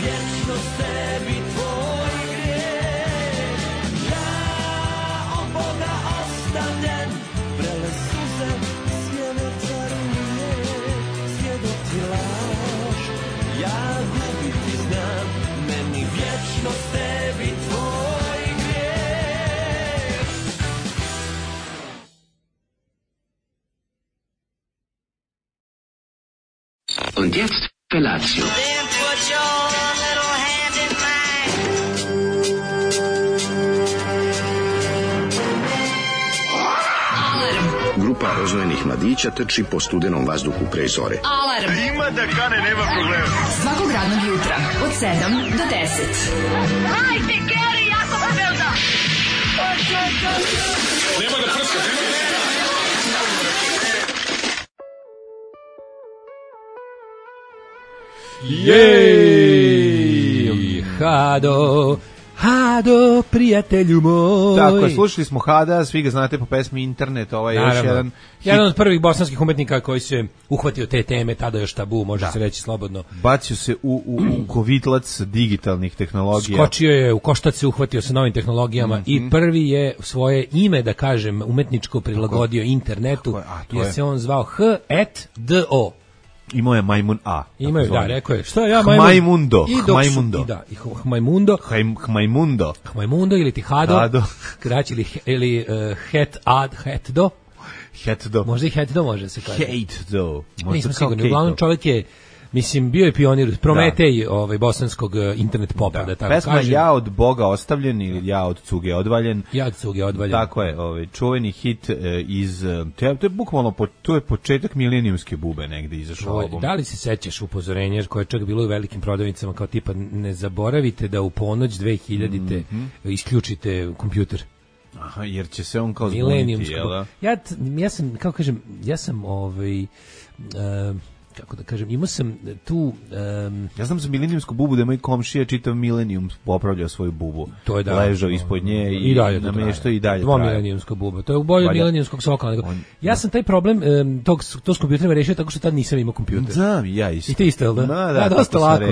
vječnost tebi tvoj grijeh. Ja od Boga ostavljen, vrele suze sjene caruje, svjedoci laž, ja gubiti znam, meni vječnost tebi tvoj grijeh. Und jetzt Felatio. Then put your little hand in mine. Grupa rozvojenih mladića trči po studenom vazduhu pre zore. Alarm. Ima da kane, nema problema. Svakog radnog jutra od 7 do 10. Hajde, Geri, jako se velda. Nema da prska, nema da prska. Jej! Hado, prijatelju moj. Tako je, slušali smo Hada, svi ga znate po pesmi Internet, ovaj je još jedan jedan od prvih bosanskih umetnika koji se uhvatio te teme, tada još tabu, može se reći slobodno. bacio se u kovitlac digitalnih tehnologija. Skočio je, u koštac se uhvatio sa novim tehnologijama i prvi je svoje ime, da kažem, umetničko prilagodio internetu, jer se on zvao H.do. Imao je Majmun A. Imaju, da, rekao je, što ja Hmajmundo. Hmajmundo. Hmajmundo ili ti Hado. Kraći ili Hetdo. Možda i Hetdo može se kaže. Hetdo. Nisam sigurno. Uglavnom čovjek je, mislim, bio je pionir, Prometej bosanskog internet popa, da tako pesma kažem. Ja od Boga ostavljen ili Ja od cuge odvaljen. Ja od cuge odvaljen. Tako je, čuveni hit iz, to je bukvalno, to je početak milenijumske bube negde izašao album. Da li se sećaš upozorenja koje je čak bilo u velikim prodavnicama kao tipa ne zaboravite da u ponoć 2000-te isključite kompjuter. Aha, jer će se on kao zbuniti, jel da? Ja sam, kako kažem, kako da kažem, imao sam tu... ja znam za milenijumsku bubu da moj komšija čitav milenijum popravljao svoju bubu. To je da. Ležao ispod nje i dalje nameštao i dalje. Dvomilenijumska buba. To je u bolju milenijumskog sokola. Ja sam taj problem to s kompjuterima rešio tako što tad nisam imao kompjuter. Znam, ja isto. I ti isto, jel da? Da, dosta lako.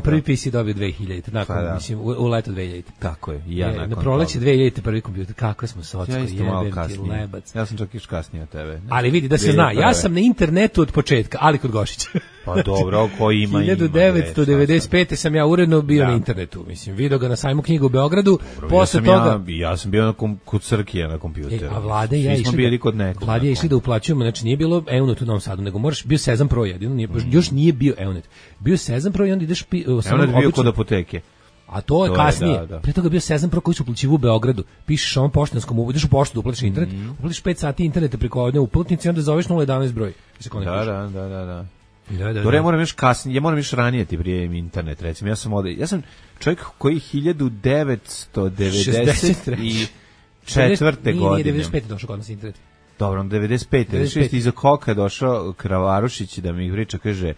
Prvi PC dobio 2000, mislim, u leto 2000. Tako je, ja nakon na proleće 2000 prvi kompjuter. Kako smo socko, ja isto malo jebem ti kasnije. lebac. Ja sam čak još kasnije od tebe. Ali vidi, da se zna, ja sam na internetu od početka, ali kod Gošića. Pa dobro, koji ima 1995. sam ja uredno bio na internetu, mislim, video ga na sajmu knjiga u Beogradu, posle toga... Ja sam bio kod Srkija na kompjuteru. A Vlade ja išli Vlade išli da uplaćujemo, znači nije bilo Eunet u Novom Sadu, nego bio Sezam Pro jedino, još nije bio Eunet. Bio Sezam Pro i onda ideš... Eunet bio kod apoteke. A to je kasnije. Pre toga bio Sezam Pro koji su uplaćivali u Beogradu. Pišeš ovom poštanskom, ideš u poštu da uplatiš internet, uplatiš 5 sati interneta preko jedne uplatnice i onda zoveš 011 broj. Da. Dobro, ja moram još ranije ti prijem internet, recimo. Ja sam čovjek koji 1994. godine. Nije 95. došao kod nas internet. Dobro, 95. Iza koka je došao Kravarušić da mi priča, kaže,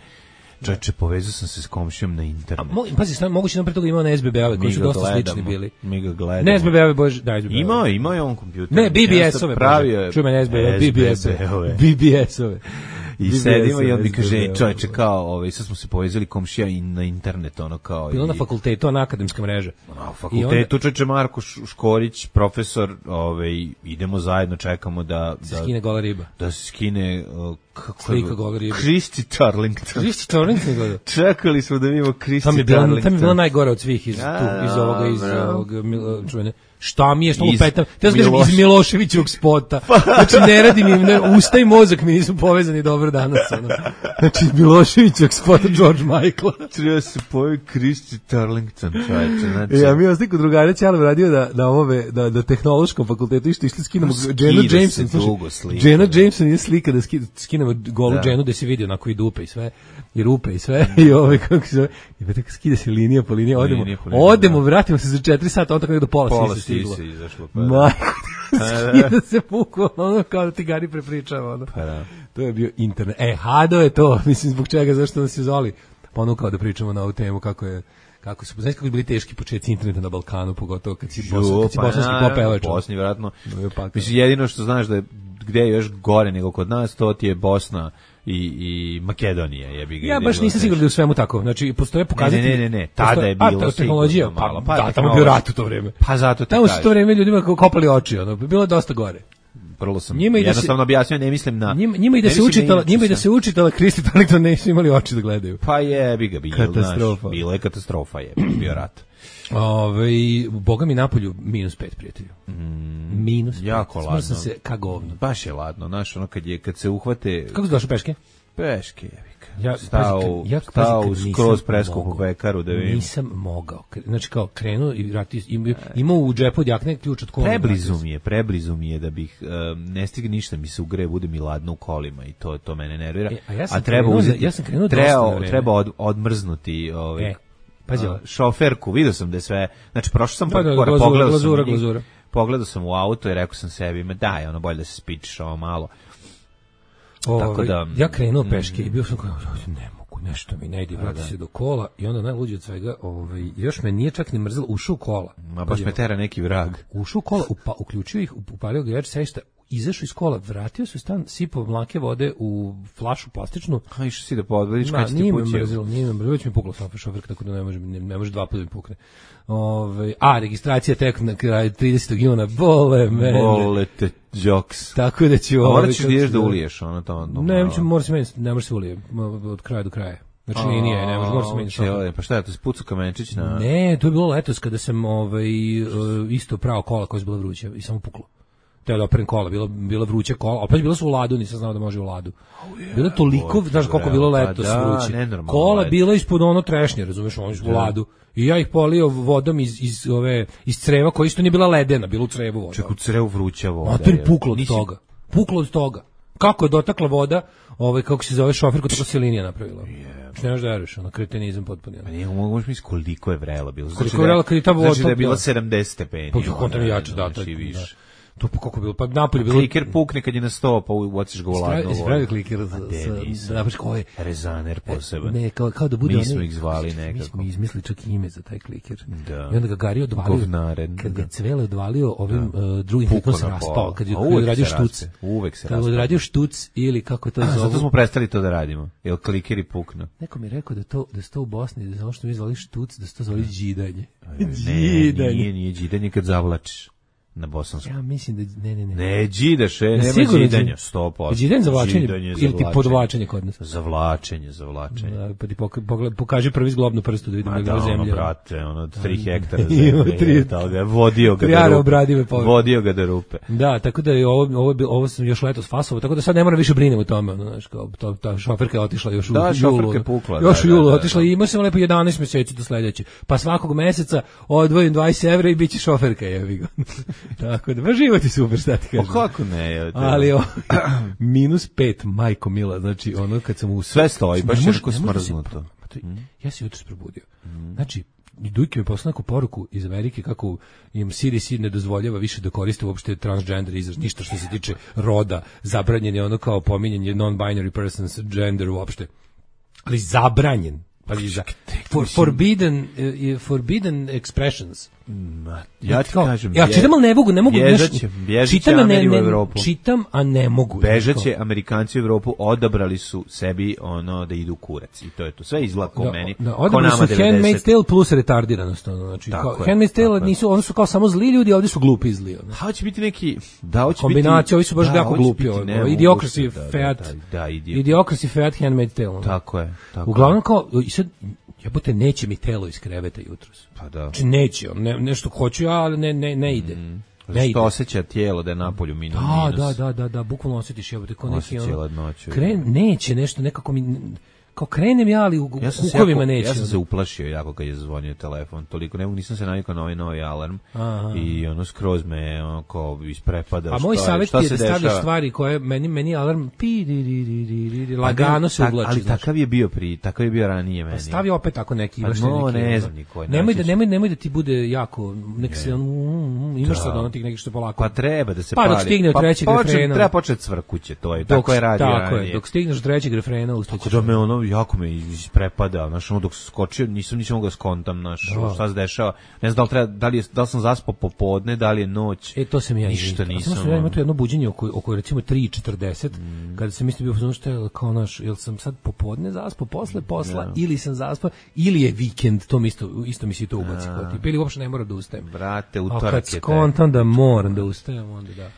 čovječe, povezao sam se s komšijom na internet. Pazi, moguće nam pre toga imao na SBB-ove, koji su dosta slični bili. Mi ga gledamo. Ne SBB-ove, bože, da, SBB-ove. Imao je on kompjuter. Ne, BBS-ove. Čuj me, SBB-ove. BBS-ove. I sedimo i on mi kaže, čovječe, kao, sad smo se povezali komšija i na internet, ono kao... Bilo na fakultetu, na akademska mreža. Na fakultetu, čovječe, Marko Škorić, profesor, idemo zajedno, čekamo da se skine gola riba. Da se skine... slika gola riba. Christy Turlington. Christy Turlington gleda. Čekali smo da vidimo Christy Turlington. Tam je bila najgore od svih iz ovog čuvene. Šta mi je, što lupetam? Te znam iz Miloševićevog spota. Znači, ne radi mi, usta i mozak mi nisu povezani dobro danas. Znači, Miloševićevog spota George Michael. Treba se pojavi Christy Turlington, čovječe. Znači... Ja, mi vas neko drugara Ćalov radio na tehnološkom fakultetu išli skinemo Jenna Jameson. Jenna Jameson je slika da skinemo golu Jennu da se vidi onako i dupe i sve. I rupe i sve. I kako se zove. I tako skida se linija po liniji. Odemo, vratimo se za 4 sata, on tako do pola stiglo. Majko, skida se bukvalno, ono kao da ti Gari prepričava. Ono. Pa da. To je bio internet. Hado je to, mislim, zbog čega, zašto nas je zvali. Ponukao da pričamo na ovu temu, kako su, znaš kako bili teški početci interneta na Balkanu, pogotovo kad si bosanski popevač. Bosni, vjerojatno. Mislim, jedino što znaš da je gde je još gore nego kod nas, to ti je Bosna i Makedonija, jebi ga. Ja baš nisam siguran da je u svemu tako. Znači postoje pokazatelji. Ne, tada je bilo tehnologija, malo, da, tamo je bio rat u to vreme. Pa zato te tamo su to vreme ljudima kopali oči, ono, bilo je dosta gore. Prvo sam jednostavno objasnio, ne mislim na... Njima i da se učitala Kristi toliko da nisu imali oči da gledaju. Pa jebi ga, katastrofa. Bilo je katastrofa, bio rat. Boga mi napolju -5, prijatelju. -5. Jako ladno. Sam se ka govno. Baš je ladno, znaš, ono kad se uhvate... Kako si došao peške? Peške, jebika. Ja stao skroz preskupu pekaru da vidim. Nisam mogao. Znači kao krenuo i imao u džepu od jakne ključ od kola. Preblizu mi je da bih ne stigne ništa, mi se ugreje, bude mi ladno u kolima i to mene nervira. A treba odmrznuti šoferku, vidio sam da je sve, znači prošao sam pogledao sam u auto i rekao sam sebi, ma daj, ono bolje da se spičiš ovo malo. Tako da, ja krenuo peške i bio sam kao, ne mogu, nešto mi ne ide, vrati se do kola i onda najluđe od svega, još me nije čak ni mrzelo, ušao u kola. Ma baš me tera neki vrag. Ušao u kola, uključio ih, upalio grejač sedišta, izašao iz kola, vratio se u stan, sipao mlake vode u flašu plastičnu. A išao si da podvodiš kad ti pućio? Nije me mrzilo, već mi puklo šoferka, tako da ne može 2 puta mi pukne. A registracija tek na kraju 30. juna, bole te joks. Tako da ću... Morat ćeš da uliješ ono to. Ne može se ulije od kraja do kraja. Znači nije, ne može se meniti. Pa šta je to, spucu kamenčić na... Ne, to je bilo letos kada sam isto prao kola koja je bila vruća i samo puklo. Teo da operem kola, bila vruća kola, opet bila su u ladu, nisam znao da može u ladu. Bilo toliko, znaš koliko bilo letos vruće. Kola bila ispod ono trešnje, razumeš, oni su u ladu. I ja ih polio vodom iz creva, koja isto nije bila ledena, bila u crevu voda. Ček, u crevu vruća voda. A to je puklo od toga. Kako je dotakla voda, kako se zove šoferku, tako se linija napravila. Ne možeš da veriš, ono kretenizam potpuno. Pa nije, možeš misliti koliko je vrela bilo. Koliko je vrela kad je ta voda... Znači da je bila 70 stepeni. Pa kontam je jače, da. To pa kako bilo, pa napolje bilo... Kliker pukne kad je na 100, pa ubaciš ga u ladno vodu. Spravi kliker sa koje... Rezaner poseban. Ne, kao da bude... Mi smo ih zvali nekako. Mi smo izmislili čak ime za taj kliker. Da. I onda ga Gari odvalio... Govnaren. Kad ga Cvele odvalio ovim drugim klikom se raspao. Kad je odradio štuc. Uvek se raspao. Kad je odradio štuc ili kako to zove... Zato smo prestali to da radimo. Jer klikeri puknu. Neko mi je rekao da se to u Bosni, da ono što mi zvali štuc, da se to zvali džidanje. Nije džidanje kad zavlačiš. Na bosanskom. Ja mislim da ne. Ne džidaš, nema džidanja, 100%. Džidanje za vlačenje ili ti podvlačenje kod nas? Zavlačenje. Da, pa ti pokaži prvi zglobnu prstu da vidimo da zemlja. Brate, 3 hektara zemlje. Vodio ga do rupe. Da, tako da je ovo sam još letos fasovao, tako da sad ne moram više brinem o tome, znaš, kao ta šoferka je otišla još u julu. Da, šoferka je pukla. Još u julu otišla i imao sam lepo 11 mjeseci do sledeće. Pa svakog meseca odvojim 20 evra i biće šoferka, jebi ga. Tako da, život je super, šta ti kažem. O kako ne? Ali -5, majko mila, znači ono kad sam sve stoji, baš je neko smrznuto. Ja se jutros probudio. Znači, Dujke mi poslao neku poruku iz Amerike kako im CDC ne dozvoljava više da koriste uopšte transgender izraz, ništa što se tiče roda, zabranjen je ono kao pominjanje non-binary persons, gender uopšte. Ali zabranjen. Forbidden expressions. Ja ti kažem, ja čitam, ali ne mogu čitam, čitam, a ne mogu. Bežaće Amerikanci u Evropu, odabrali su sebi ono da idu u kurac i to je to. Sve izlako meni. Odabrali su Handmaid's Tale plus retardiranost. Znači, Handmaid's Tale nisu, oni su kao samo zli ljudi, ovdje su glupi zli. Hoće biti neki... kombinacija, ovi su baš jako glupi. Idiocracy Fat Handmaid's Tale. Tako je. Uglavnom kao... Jebote, neće mi telo iz kreveta jutros. Pa da. Znači neće, nešto hoću, ali ne ide. Ne što osjeća tijelo da je napolju minus. Da, bukvalno osjetiš, jebote, kao neki ladnoću. Neće nešto, nekako mi... Kao krenem ja, ali u kukovima neće. Ja sam se uplašio jako kad je zvonio telefon, toliko nisam se navikao na ovaj novi alarm. I ono skroz me kao isprepada. A moj savjet je da stavljaš stvari koje meni alarm lagano se uvlači. Ali takav je bio ranije meni. Pa stavi opet tako neki. Ne znam niko. Nemoj da ti bude jako, nek se imaš sad ono tih neki što polako. Pa treba da se pali. Pa dok stigne od trećeg refrena. Treba početi cvrkuće, to je. Tako je radio ranije. Dok stigneš od trećeg refrena ustaćeš. Da me ono jako me isprepada, znaš, ono dok sam skočio, nisam mogao skontam, znaš, šta se dešava. Ne znam da li sam zaspao popodne, da li je noć. To sam ja ništa nisam. Samo sam ja imao to jedno buđenje oko recimo 3:40, kada sam isto bio u što je kao naš, jel sam sad popodne zaspao posle posla ili sam zaspao ili je vikend, to mi isto mi se to ubaci kao tipa, ili uopšte ne mora da ustajem. Brate, utorak je. Kad skontam da moram da ustajem, onda da.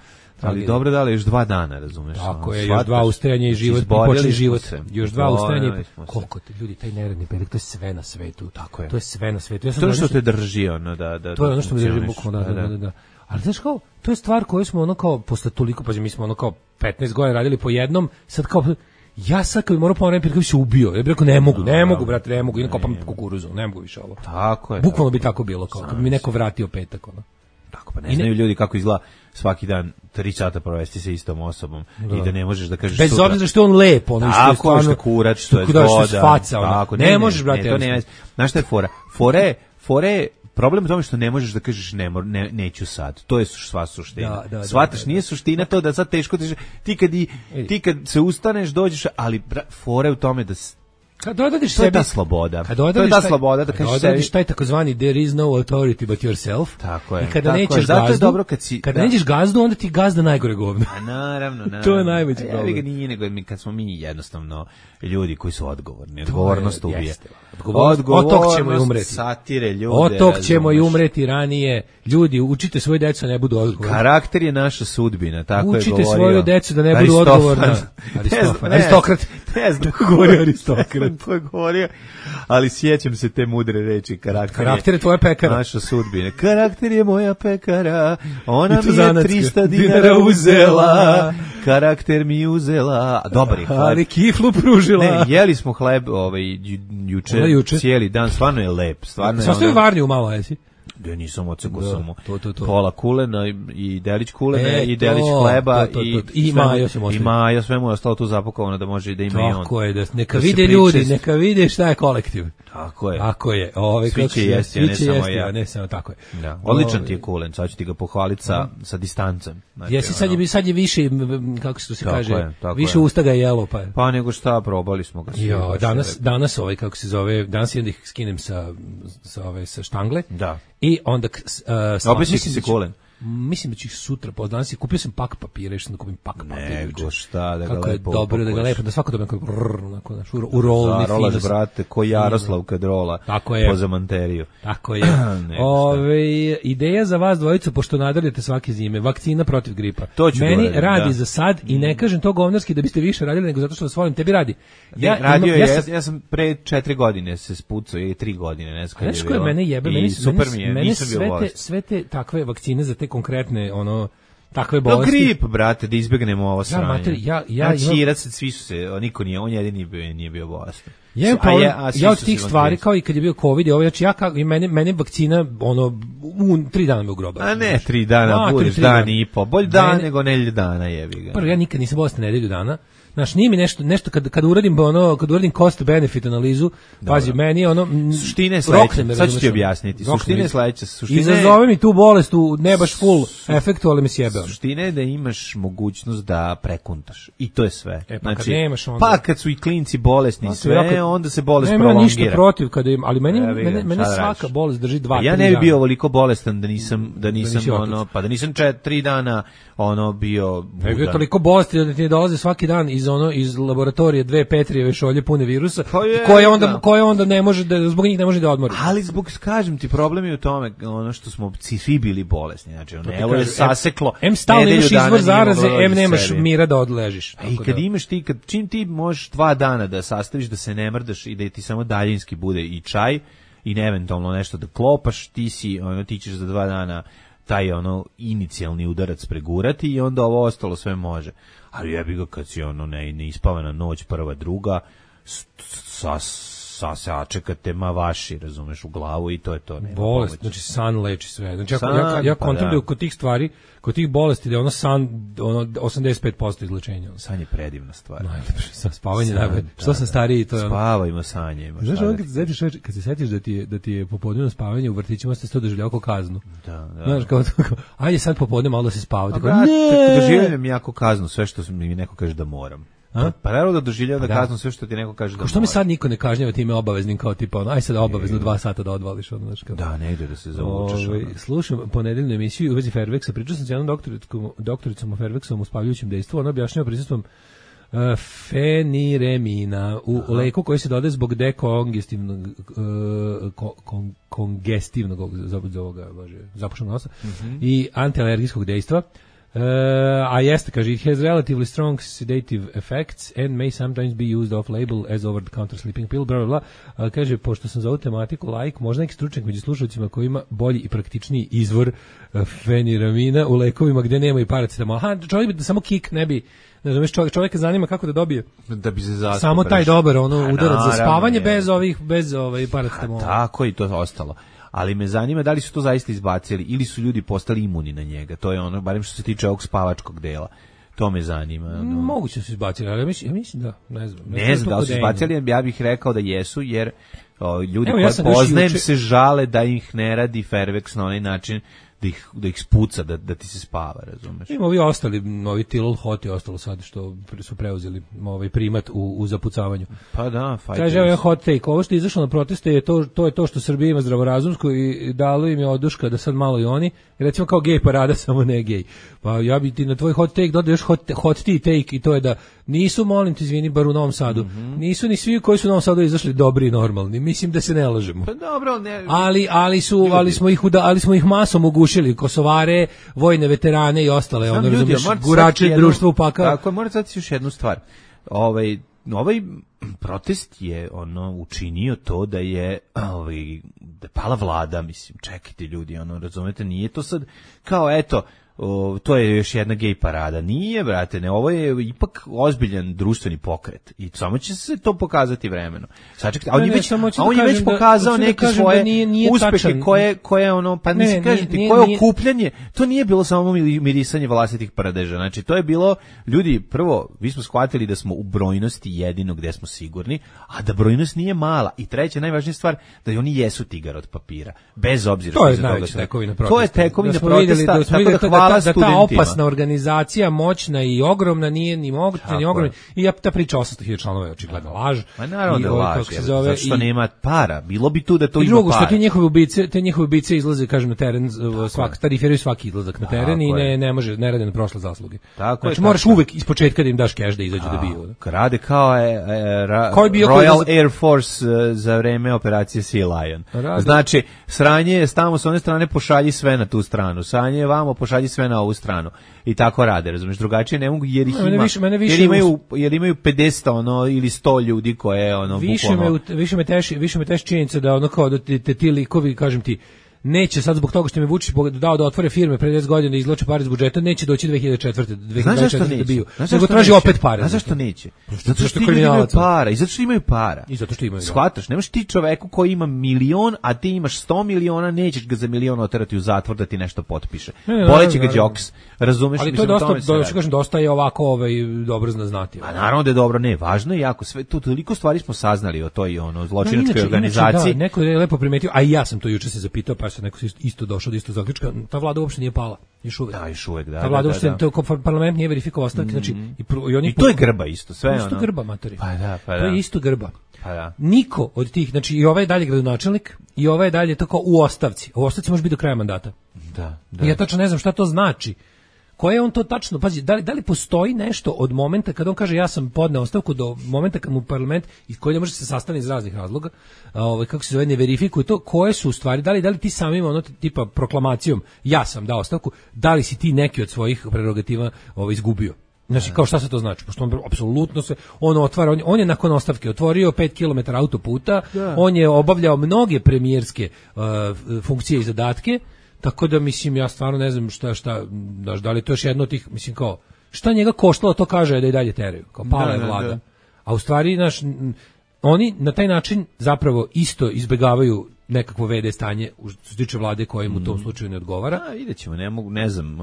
Ali dobro, da li još 2 dana, razumeš? Tako je, još 2 ustajanja i život, počne život. Još 2 ustajanja. Koliko te ljudi, taj neradni petak, to je sve na svetu. Tako je. To je sve na svetu. To je što te drži, ono, da. To je ono što me drži bukvalno, da. Ali znaš kao, to je stvar koju smo ono kao, posle toliko, pa mi smo ono kao 15 godina radili po jednom, sad kao, ja sad kad bi morao povremena kad bi se ubio, ja bih rekao ne mogu, brate, ne mogu, idem kopam kukuruzu, ne mogu više ovo. Tako je. Bukvalno bi tako bilo, kao, kad bi mi neko vratio petak, ono. Tako, pa ne znaju ljudi kako izgleda svaki dan 3 sata provesti sa istom osobom i da ne možeš da kažeš bez sutra. Bez obzira što je on lep, ono što je stvarno što kurač, što je voda. Faca, tako, ne možeš, brate. To ne. Znaš šta je fora? Fora je problem u tome što ne možeš da kažeš neću sad. To je sva suština. Shvataš, nije suština to da sad teško ti kad se ustaneš, dođeš, ali fora je u tome da kad odadiš sebi, to je ta sloboda. To je ta sloboda da kažeš sebi. Taj takozvani there is no authority but yourself. Tako je. I kada nećeš gazdu, kada nećeš gazdu, onda ti gazda najgore govno. A naravno. To je najveći problem. Ja nije nego kad smo mi jednostavno ljudi koji su odgovorni. Odgovornost ubije. Od ćemo i umreti. Satire ljude. Od ćemo i umreti ranije. Ljudi, učite svoje decu ne budu odgovorni. Karakter je naša sudbina, tako je govorio. Učite svoje decu da ne budu odgovorni. Aristokrat. Ne znam, govorio Aristokrat. To je govorio, ali sjećam se te mudre reči. Karakter je tvoja pekara. Naša sudbina. Karakter je moja pekara, ona mi je 300 dinara uzela, karakter mi uzela, dobar je hleb. Ali kiflu pružila. Ne, jeli smo hleb juče, cijeli dan, stvarno je lep. Sastoji varnju malo, jesi? Da nisam ocekao samo pola kulena i delić kulena i delić hleba i majo, sve mu je ostalo tu zapakovano da može da ima i on. Tako je, da neka vide ljudi, neka vide šta je kolektiv. Tako je. Tako je. Svi će jesti, a ne samo tako je. Odličan ti je kulen, sad ću ti ga pohvaliti sa distancem. Jesi, sad je više, kako se to se kaže, više usta ga je jelo. Pa nego šta, probali smo ga. Danas kako se zove, danas jedno ih skinem sa štangle. Da. I onda obični se kulen. Mislim da ću ih sutra danas kupio sam pak papira, išao da kupim pak papira. Nego šta, da ga kako lepo. Kako je dobro da ga lepo, da svako dobro u rolni film. Rolaš, brate, ko Jaroslav kad rola po zamanteriju. Tako je. Ideja za vas dvojicu, pošto nadalite svake zime, vakcina protiv gripa. Meni radi za sad i ne kažem to govnarski da biste više radili, nego zato što vas volim, tebi radi. Ja sam pre 4 godine se spucao, i 3 godine, ne znam. Znaš koje mene jebe, meni sve te takve vakcine za te konkretne takve bolesti. Grip, brate, da izbegnemo ovo sranje. Svi su se, niko nije, on jedini nije bio bolestan. Ja od tih stvari, kao i kad je bio COVID, mene vakcina, 3 dana me ugroba. A ne, 3 dana, budeš dan i po, bolj dan nego nedelju dana, jebi ga. Prvo, ja nikad nisam bolestan nedelju dana. Znaš, nije mi nešto kad uradim cost benefit analizu, pazi, meni je suština je sledeća, sad ću ti objasniti. Suština je sledeća. Izazove mi tu bolest ne baš full efektu, ali me sjebe. Suština je da imaš mogućnost da prekuntaš. I to je sve. Kad nemaš onda. Pa kad su i klinci bolesni sve, onda se bolest prolongira. Nema ništa protiv kada im, ali meni svaka bolest drži 2-3 dana. Ja ne bi bio ovoliko bolestan da nisam 3 dana bio budan. Ne bi bio toliko bolesti da ti ne dolaze svaki dan iz laboratorije 2 Petrijeve šolje pune virusa, koje onda ne može da, zbog njih ne može da odmori. Ali kažem ti, problem je u tome što smo svi bili bolesni, znači evo je saseklo. Em stalno imaš izvor zaraze, em nemaš mira da odležiš. I kad imaš čim ti možeš 2 dana da sastaviš, da se ne mrdaš i da ti samo daljinski bude i čaj i eventualno nešto da klopaš, ti ćeš za 2 dana taj inicijalni udarac pregurati i onda ovo ostalo sve može. Ali jebi ga kad si neispavana noć, prva, druga, sačekate vaši, razumeš, u glavu i to je to. Bolest, znači san leči sve. Znači ja kontrolujem kod tih stvari, kod tih bolesti da je san 85% izlečenja. San je predivna stvar. Najlepše, spavanje najbolje. Što sam stariji, to je spavajmo sanje. Znaš, kad se setiš da ti je popodnevno spavanje u vrtićima, ste to doživljavao kao kaznu. Da. Znaš, kao ajde sad popodne malo da se spavati. Doživljavam jako kaznu, sve što mi neko kaže da moram. Pa naravno da doživljava da kaznu sve što ti neko kaže da može. Što mi sad niko ne kažnjava time obaveznim kao tipa aj sad obavezno 2 sata da odvališ kao. Da, ne ide da se zavučeš. Slušam ponedeljnu emisiju u vezi Fairvexa, pričao sam s jednom doktoricom o Fairvexovom uspavljujućem dejstvu, ona objašnjava prisustvom feniremina u leku koji se dodaje zbog kongestivnog zapušenog nosa i antialergijskog dejstva. A jeste, kaže, it has relatively strong sedative effects and may sometimes be used off-label as over-the-counter sleeping pill, bla, bla, bla. Kaže, pošto sam za ovu tematiku laik, možda neki stručnjak među slušalcima koji ima bolji i praktičniji izvor feniramina u lekovima gde nema i paracetamol. Čovjek bi da samo kik ne bi, ne znam, čovjeka zanima kako da dobije da bi se zaspao samo taj dobar udarac za spavanje bez paracetamola. Tako i to ostalo. Ali me zanima da li su to zaista izbacili ili su ljudi postali imuni na njega. To je ono, barem što se tiče ovog spavačkog dela. To me zanima. Moguće su izbacili, ali ja mislim da, ne znam. Ne znam da li su izbacili, ja bih rekao da jesu, jer ljudi koji poznajem se žale da ih ne radi Fairvex na onaj način da ih spuca, da ti se spava, razumeš? Ima ovi ostali, ovi Tilol Hot je ostalo sad što su preuzeli primat u zapucavanju. Pa da, kaže, evo hot take, ovo što je izašlo na proteste to je to što Srbija ima zdravorazumsko i dalo im je oduška da sad malo i oni, recimo kao gej parada, samo ne gej. Pa ja bi ti na tvoj hot take dodao još hot tea take i to je da nisu, molim te, izvini, bar u Novom Sadu, nisu ni svi koji su u Novom Sadu izašli dobri i normalni, mislim da se ne lažemo. Pa dobro, ne. Ali smo ih masom ugušili, Kosovare, vojne veterane i ostale, gurače društva upaka. Tako, moram sad još jednu stvar. Ovaj protest je učinio to da je da pala vlada, mislim, čekajte ljudi, razumete, nije to sad kao eto to je još jedna gej parada. Nije, brate, ne, ovo je ipak ozbiljan društveni pokret i samo će se to pokazati vremenom. Sačekajte, on je već pokazao neke svoje uspehe koje pa mislim, kažete, koje okupljanje, to nije bilo samo mirisanje vlastitih paradeža, znači to je bilo, ljudi, prvo, vi smo shvatili da smo u brojnosti jedino gde smo sigurni, a da brojnost nije mala i treća, najvažnija stvar, da oni jesu tigar od papira, bez obzira što se toga. To je tekovina protesta, tako da da ta opasna organizacija, moćna i ogromna, nije ni moguća, ni ogromna. I ta priča 800.000 članova je očigledno laž. Ma naravno da laž, zato što nema para. Bilo bi tu da to ima para. I drugo, što te njihove ubice izlaze, kažem, na teren, tarifiraju svaki izlazak na teren i ne može, ne rade na prošle zasluge. Znači moraš uvek ispočetka da im daš keš da izađu da biju. Rade kao Royal Air Force za vreme operacije Sea Lion. Znači, sranje je tamo s one strane, pošalji sve na tu stranu. Sranje je vamo, pošalji sve na ovu stranu. I tako rade, razumiješ, drugačije ne mogu jer ih ima, jer imaju 50 ili 100 ljudi koje više me teši činjenica da kao da ti likovi, kažem ti, neće sad zbog toga što mi Vučić dao da otvore firme pre 10 godina i izvlače pare iz budžeta, neće doći 2024. da biju. Nego traži opet pare. A zašto neće? Zato što imaju para. I zato što imaju para. I zato što imaju. Shvataš, nemaš ti čoveku koji ima 1.000.000, a ti imaš 100.000.000, nećeš ga za 1.000.000 oterati u zatvor da ti nešto potpiše. Boleće ga džoks. Razumeš? Ali to je dosta je ovako dobro znati. A naravno da je dobro, ne, važno je jako sve. Toliko stvari smo saznali o toj zločinačkoj organizaciji. Neko je lepo primetio, a i ja sam to juče se zapitao, pa se neko isto došao do isto zaključka. Ta vlada uopšte nije pala, još uvek. Da, još uvek, da. Ta vlada uopšte, parlament nije verifikovao ostavke, znači i to je grba isto, sve ono. Isto grba, matori. Pa da. To je isto grba. Pa da. Niko od tih, znači i ovaj je dalje gradonačelnik i ovaj je dalje tako u ostavci. U ostavci može biti do kraja mandata. Da. Ja tačno ne znam šta to znači. Koje je on to tačno, pazi, da li postoji nešto od momenta kad on kaže ja sam podneo ostavku do momenta kad mu parlament, iz koji ne može se sastaviti iz raznih razloga, kako se zove, ne verifikuje to, koje su u stvari, da li ti samim tipa proklamacijom ja sam dao ostavku, da li si ti neki od svojih prerogativa izgubio? Znači, kao šta se to znači? Pošto on apsolutno on otvara, on je nakon ostavke otvorio 5 km autoputa, on je obavljao mnoge premijerske funkcije i zadatke. Tako da, mislim, ja stvarno ne znam da li to još jedno od tih, mislim, kao, šta njega koštalo, to kaže da i dalje teraju, kao pala je vlada. Da. A u stvari, oni na taj način zapravo isto izbegavaju nekakvo VD stanje što se tiče vlade koje mu u tom slučaju ne odgovara. Vidjet ćemo, ne znam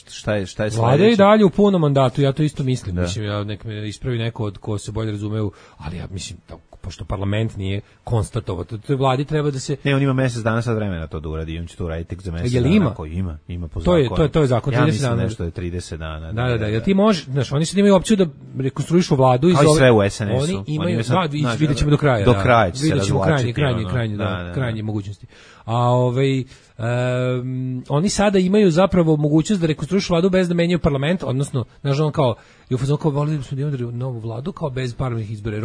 šta je sledeće. Vlada je i dalje u punom mandatu, ja to isto mislim. Mislim, nek me ispravi neko od ko se bolje razumeu, ali ja mislim da pošto parlament nije konstatovao. To vladi treba da se... Ne, on ima mesec dana sad vremena to da uradi, on će to uraditi tek za mesec dana. Ima? Ima po zakonu. To je zakon, 30 dana. Ja mislim nešto je 30 dana. Da, jer ti možeš, znaš, oni sad imaju opciju da rekonstruišu vladu iz ove... Kao i sve u SNS-u. Oni imaju, vidjet ćemo do kraja. Do kraja će se razvlačiti. Krajnje mogućnosti. A oni sada imaju zapravo mogućnost da rekonstruišu vladu bez da menjaju parlament, odnosno, znaš, on kao, volili bismo da imamo novu vladu kao bez parlamentarnih izbora,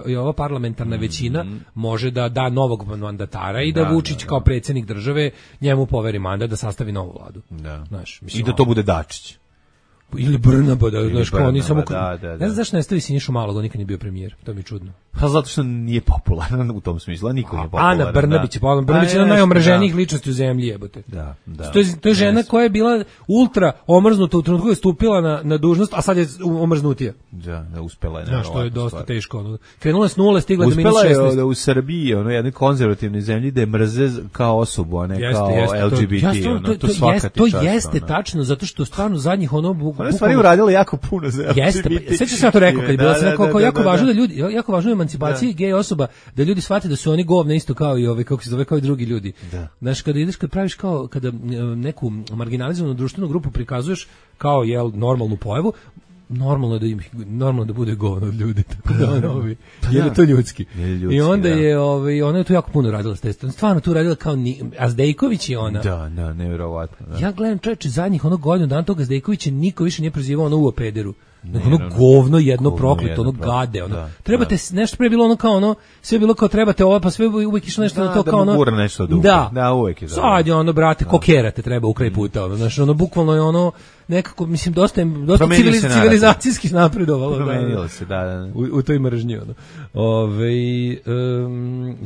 jer ova parlamentarna većina može da da novog mandatara i da Vučić kao predsjednik države njemu poveri mandat da sastavi novu vladu. Znaš, i da to bude Dačić. Ili Brnaba, znaš, kao oni samo... Ne znam zašto ne stavi Sinišu Malog, on nikad nije bio premijer, to mi je čudno. Pa zato što nije popularan u tom smislu, a niko nije popularan. Ana Brnabić je popularan, Brnabić je jedna najomraženijih ličnosti u zemlji, jebote. Da. To je žena koja je bila ultra omrznuta u trenutku je stupila na dužnost, a sad je omrznutija. Da, uspela je. Znaš, to je dosta teško. Krenula je s nule, stigla do -16. Uspela je da u Srbiji, jednoj konzervativnoj zemlji, da je mrze kao osobu, a ne kao LGBT. To jeste tačno, zato što stvarno zadnjih ona stvari uradila jako puno za LGBT. Jeste, sećam se ja to rekao, kad je bila se nekako jako važno da ljudi, jako važno je emancipaciji gej osoba, da ljudi shvate da su oni govna isto kao i ove, kako se zove, kao i drugi ljudi. Znaš, kad praviš kao, kada neku marginalizovanu društvenu grupu prikazuješ kao, normalnu pojavu, normalno da bude govno od ljudi, tako da jer je to ljudski. I onda je, ona je tu jako puno radila s testom, stvarno tu radila kao, a Zdejković je ona. Da, nevjerovatno. Ja gledam čoveče zadnjih godinu dana toga Zdejkovića niko više nije prozivao u pederu. Govno jedno prokleto, gade, trebate nešto pre bilo kao sve bilo kao trebate pa sve uvijek išlo nešto na to kao da uvijek je sad je brate, kokerate treba u kraj puta, znaš, bukvalno je nekako, mislim, dosta civilizacijski napredovalo. Promenilo se, da. U toj mržnji,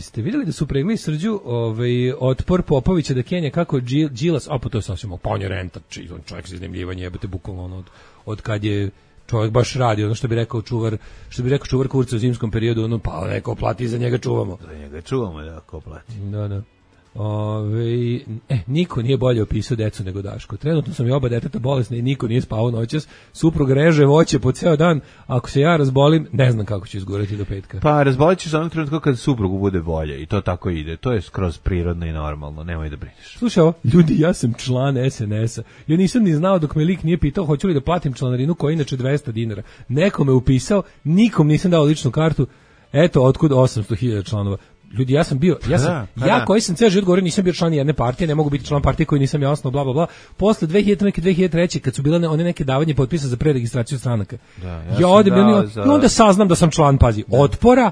ste vidjeli da su pregli Srđu otpor Popovića da Kenja kako Đilas, pa to je sasvim opanje renta, čovjek se iznajmljivanje, jebate, bukvalno od kad je čovjek baš radi, što bi rekao čuvar kurca u zimskom periodu, pa neko plati, za njega čuvamo. Za njega čuvamo, da, ko plati. Da. Niko nije bolje opisao decu nego Daško. Trenutno sam i oba deteta bolesna i niko nije spavao noćas. Suprug reže voće po ceo dan. Ako se ja razbolim, ne znam kako ću izgurati do petka. Pa razbolit ćeš onog trenutka kad suprugu bude bolje i to tako ide. To je skroz prirodno i normalno. Nemoj da brineš. Slušaj ovo, ljudi, ja sam član SNS-a. Ja nisam ni znao dok me lik nije pitao hoću li da platim članarinu koja je inače 200 dinara. Neko me upisao, nikom nisam dao ličnu kartu. Eto, otkud 800.000 članova. Ljudi, ja sam bio, koji sam ceo život govorio, nisam bio član jedne partije, ne mogu biti član partije koji nisam ja osnovao, bla, bla, bla. Posle 2003. kad su bile one neke davanje potpisa za preregistraciju stranaka, ja odem i onda saznam da sam član, pazi, Otpora,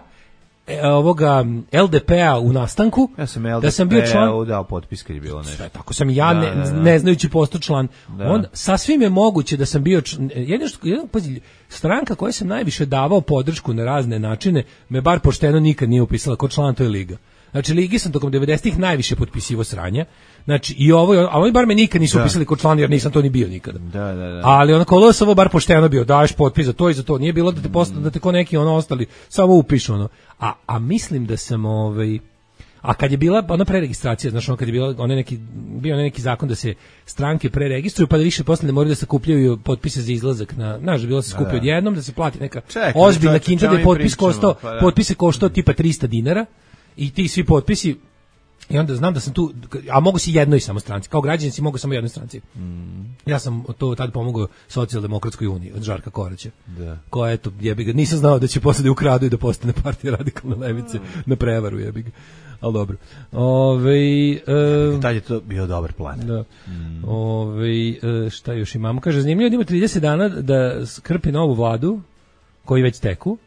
ovoga LDP-a u nastanku, da sam bio član, dao potpis kad je bilo nešto. Tako sam ja, ne znajući postao član. Onda, sasvim je moguće da sam bio, pazi, stranka koja sam najviše davao podršku na razne načine, me bar pošteno nikad nije upisala kao član, to je Liga. Znači, Ligi sam tokom 90-ih najviše potpisivo sranja. Znači, a oni bar me nikad nisu upisali kao član, jer nisam to ni bio nikada. Da. Ali onako, ovo bar pošteno bio, daješ potpis za to i za to. Nije bilo da te ko neki ostali, samo upišu A mislim da sam, a kad je bila ona preregistracija, znači kad je bio neki zakon da se stranke preregistruju, pa da više posle ne moraju da se kupljaju potpise za izlazak bilo se skupi odjednom, da se plati neka ozbiljna kinta, da je potpise koštao tipa 300 dinara i ti svi potpisi. I onda znam da sam tu, a mogu si jednoj samo stranci, kao građanici mogu samo jednoj stranci. Ja sam to tad pomogao Socijaldemokratskoj uniji od Žarka Koraća, koja eto, jebiga, nisam znao da će posle da ukradu i da postane partija radikalne levice na prevaru, jebiga. Ali dobro. Tad je to bio dobar plan. Da. Šta još imamo? Kaže, zanimljivo da ima 30 dana da skrpi novu vladu, koji već teku.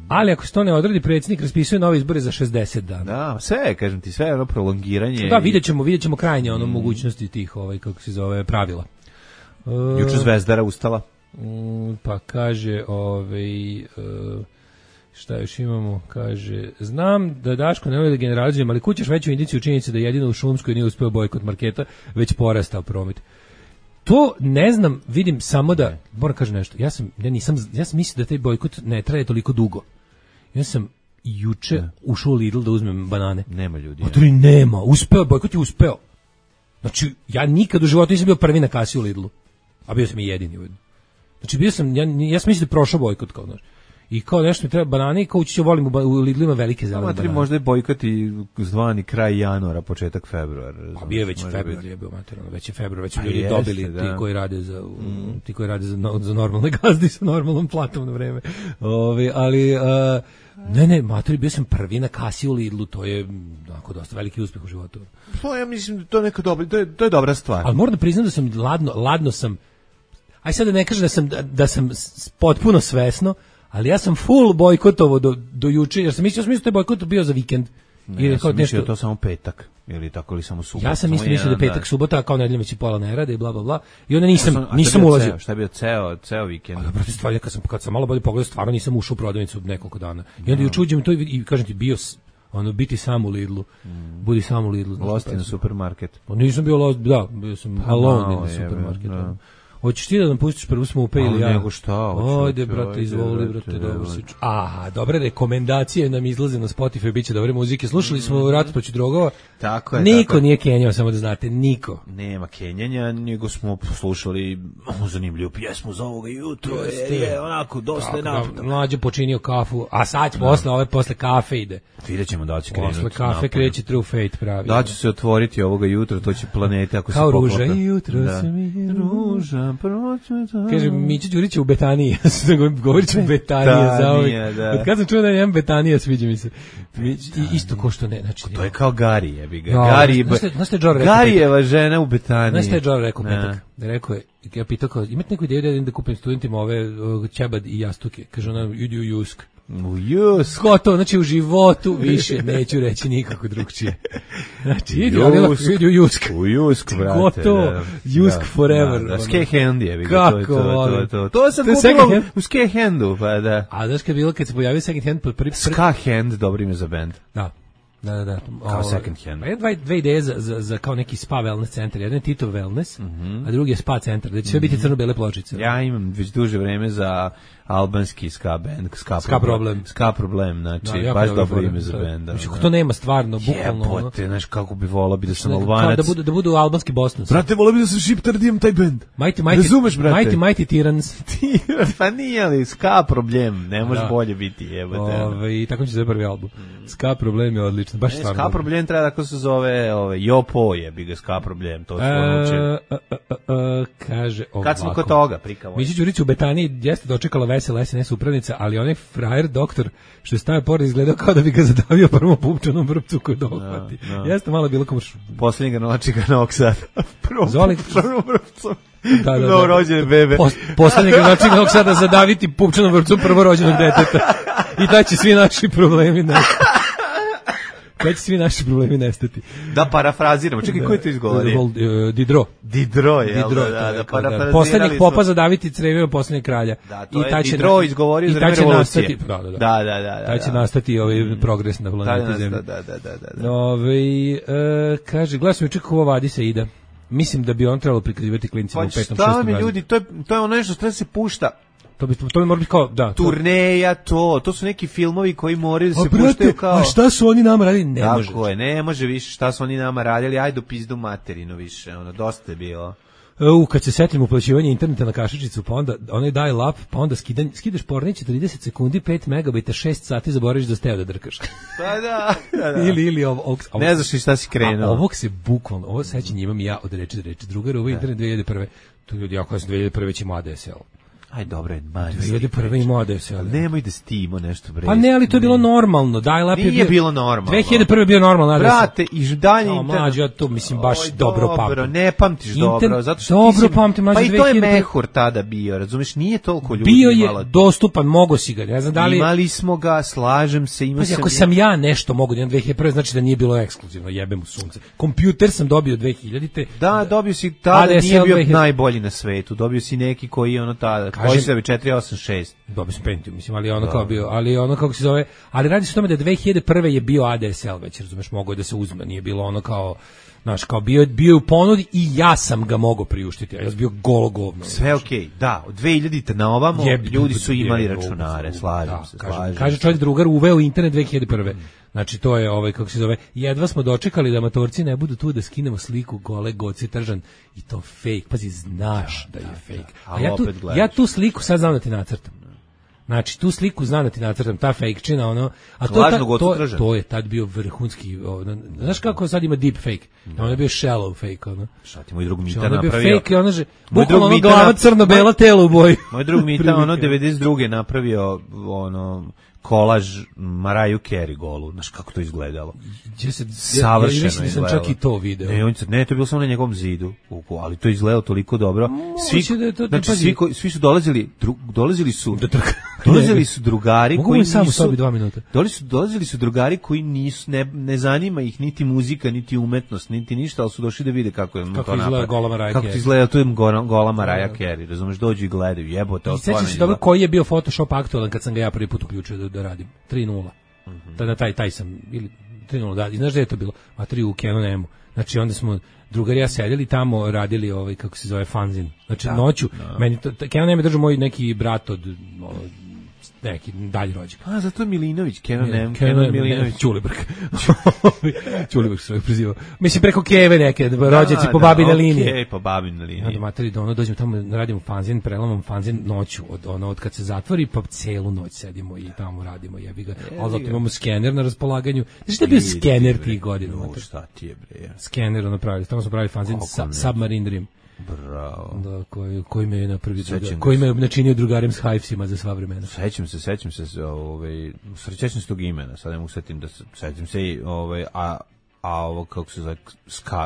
Ali ako se to ne odradi, predsjednik raspisuje nove izbore za 60 dana. Da, sve, kažem ti, sve prolongiranje. Da, vidjet ćemo krajnje mogućnosti tih, kako se zove, pravila. Juče Zvezdara ustala. Pa kaže, šta još imamo, kaže, znam da Daško ne voli da generalizujem, ali kućaš veću indiciju činjenice da jedino u Šumskoj nije uspeo bojkot marketa, već porastao promet. To ne znam, vidim samo da, moram kažem nešto, ja sam mislio da taj bojkot ne traje toliko dugo. Ja sam juče ušao u Lidl da uzmem banane. Nema ljudi. Otori nema, bojkot je uspeo. Znači, ja nikad u životu nisam bio prvi na kasi u Lidlu, a bio sam i jedini ujedno. Znači, ja sam mislio da je prošao bojkot, kao znaš. I kao nešto mi treba banane i kao ući ću volim u Lidlu ima velike zelene banane. Možda je bojkot i zvani kraj januara, početak februara. Pa bio je već februar, je bio materijalno, već je februar, već su ljudi dobili ti koji rade za normalne gazde sa normalnom platom na vreme. Ali ne, materi, bio sam prvi na kasi u Lidlu, to je onako dosta veliki uspeh u životu. Pa ja mislim da to neka to je dobra stvar. Ali moram da priznam da sam ladno sam, aj sad da ne kažem da sam potpuno svesno, ali ja sam full bojkotovo do juče, jer sam mislio da je bojkot bio za vikend. Ne, ja sam mislio to samo petak, ili tako li samo subota. Ja sam mislio da je petak, subota, kao nedeljom već i pola ne rade i bla bla bla. I onda nisam ulazio. Šta je bio ceo vikend? Pa protiv stvari, kad sam malo bolje pogledao, stvarno nisam ušao u prodavnicu nekoliko dana. I onda juče uđem to i kažem ti, bio biti sam u Lidlu. Budi sam u Lidlu. Lost in supermarket. Pa nisam bio lost, da, bio sam alone in supermarketu. Hoćeš ti da nam pustiš prvu Smupe ili ja? Nego šta? Ajde, brate, izvoli, brate, dobro si. Aha, dobre rekomendacije nam izlaze na Spotify, biće dobre muzike. Slušali smo Rat protiv drogova. Tako je. Niko nije kenjao, samo da znate, niko. Nema kenjanja, nego smo slušali zanimljivu pjesmu za ovoga jutra. Onako, dosta je naputak. Mlađe počinio kafu, a sad posle kafe ide. Vidjet ćemo da će krenuti. Posle kafe kreće True Fate pravi. Da će se otvoriti ovoga jutra, to će planete ako se poklapa. Kao ruža i jutro se mi ruža. Kaže, Mića Đurić je u Betaniji. Govorit ću Betanije za ovih. Od kad sam čuo da imam Betanija, sviđa mi se. Isto ko što ne. Znači, to je kao Gari, jebi ga. Garijeva žena u Betaniji. Znaš šta je Džor rekao petak? Rekao je, ja pitao kao, imate neku ideju da kupim studentima ove ćebad i jastuke? Kaže ona, idi u Jusk. U Jusk. Gotovo, znači u životu više neću reći nikako drugčije. Znači, idi u Jusk. U Jusk, brate. Gotovo, Jusk forever. Skehand je. Kako to sam kupila u Skehandu, pa da. A znaš kad je bilo, kad se pojavio second hand? Skahand, dobro ime za band. Da. Kao second hand. Dve ideje za kao neki spa wellness centar. Jedan je Tito wellness, a drugi je spa centar. Da će sve biti crno-bele pločice. Ja imam već duže vreme za albanski ska band. Ska problem, znači baš dobro ime za band. Znači, to nema stvarno, bukvalno. Jebote, znaš kako bi volao bi da sam Albanac. Da budu albanski Bosnac. Brate, volao bi da sam Šiptar, da imam taj band. Razumeš, brate? Mighty Tyrans. Pa nije li, ska problem, ne može bolje biti, jebote. I tako će se prvi album. Ska problem je odlično, baš stvarno. Ska problem treba da se zove Jopo jebi ga, ska problem, to su ono kaže ovako. Kad smo kod toga, prikavo. Mića Đurić u Betaniji jeste dočekala vesela SNS upravnica, ali onaj frajer doktor što je stavio pored izgledao kao da bi ga zadavio prvom pupčanom vrpcu koju dohvati. Jeste malo bilo kao posljednjega noćika Novog Sada. Prvom vrpcom. Novorođene bebe. Posljednjega noćika Novog Sada zadaviti pupčanom vrpcom prvorođenog deteta. I da će svi naši problemi Kada će svi naši problemi nestati. Da parafraziramo. Čekaj, ko je to izgovorio? Didro, da parafrazirali. Poslednjih popa zadaviti crevima poslednjeg kralja. Da, to je Didro izgovorio za vreme revolucije. Da. Taj će nastati progres na planeti Zemlji. Da. Kaže, gledaj sam kako ova vadi se ide. Mislim da bi on trebalo prikazivati klincima u 5. 6. Pa šta mi ljudi, to je ono nešto što se pušta. To bi mora biti kao, da. Turneja, to su neki filmovi koji moraju da se puštaju kao... A šta su oni nama radili? Ne može. Tako je, ne može više šta su oni nama radili, ajde pizdu materinu više, dosta je bilo. Kad se setim uplaćivanja interneta na kašičicu, pa onda onaj dial-up, pa onda skidaš pornić 30 sekundi, 5 megabajta, 6 sati, zaboraviš da ste da drkaš. Pa da. Ili ovo. Ne znaš ni šta si krenuo. Ovog se bukvalno, ovo sećanje imam ja od reči do reči. Drugar, ovo je internet 2001. To ljudi, ja sam 2001. već imao ADSL. Aj dobro je, man. 2001. imao ADSL. Nemoj da stimo nešto bre. Pa ne, ali to je bilo normalno. Dial-up je bilo normalno. 2001. je bio normalno ADSL. Brate, i dalje internet. Mlađe, ja to mislim baš dobro pamtim. Dobro, ne pamtiš dobro, zato što dobro pamtim, mlađe. Pa i to je mehur tada bio, razumeš, nije toliko ljudi bio je dostupan, mogo si ga, ne znam da li... Imali smo ga, slažem se, imao sam... Ako sam ja nešto mogu da imam 2001. znači da nije bilo ekskluzivno, jebem u sunce. Kompjuter sam dobio 2000-te. Da, dobio si tada, nije bio najbolji na svetu, dobio si neki koji je tada, koji se 486. Dobio sam Pentium, mislim, ali ono kao bio, ali ono kako se zove, ali radi se o tome da 2001. je bio ADSL već, razumeš, mogao je da se uzme, nije bilo ono kao, znaš, kao bio u ponudi i ja sam ga mogao priuštiti, a ja sam bio golo govno. Sve okej, da, od 2000-te na ovamo ljudi su imali računare, slažem se. Kaže čovjek drugar, uveo internet 2001. Znači to je kako se zove, jedva smo dočekali da amatorci ne budu tu da skinemo sliku gole Goci Tržan i to fake, pazi, znaš da je fake. A ja tu sliku sad znam da ti nacrtam. Znači, tu sliku znam da ti nacrtam, ta fake-čina, ono, a to je tad bio vrhunski, znaš kako sad ima deep fake? On je bio shallow fake, ono. Šta ti moj drug Mita napravio? On je bio fake, ono, bukvalno ono glava crno-bela telo u boji. Moj drug Mita, ono, 92. napravio, ono, kolaž Mariah Carey golu, znaš kako to izgledalo. Savršeno je izgledalo. Ja sam čak i to video. Ne, to je bilo samo na njegovom zidu, ali to je izgledalo toliko dobro. Svi su dolazili su drugari koji nisu... Mogu sobi 2 minuta. Dolazili su drugari koji nisu, ne zanima ih niti muzika, niti umetnost, niti ništa, ali su došli da vide kako je to napad. Kako izgleda to je gola Mariah Carey, razumeš, dođu i gledaju, jebote. I sećam se dobro koji je bio Photoshop aktualan kad sam ga ja prvi put uključio da radim. 3:0. Tada taj sam, ili 3:0, da, i znaš da je to bilo? Matri u Canon M-u. Znači onda smo drugari ja sedeli tamo, radili kako se zove fanzin. Znači noću, meni to, Canon M je držao moj neki brat od neki dalji rođak. A, zato je Milinović, Kenan Milinović. Ćulibrk se prezivao. Mislim, preko Keve neke, rođaci po babine linije. Okej, po babine linije. Onda materi, dođemo tamo, radimo fanzin, prelamamo fanzin noću, od kad se zatvori, pa celu noć sedimo i tamo radimo, jebi ga. Ali zato imamo skener na raspolaganju. Znaš šta je bio skener tih godina? Šta ti je, bre? Skener, tamo smo pravili fanzin Submarine Dream. Bravo. Da, koji me je napravio koji me načinio drugarem s Hivesima za sva vremena. Sećam se, sećam se tog imena, sad ne mogu setim da sećam se i a ovo kako se zove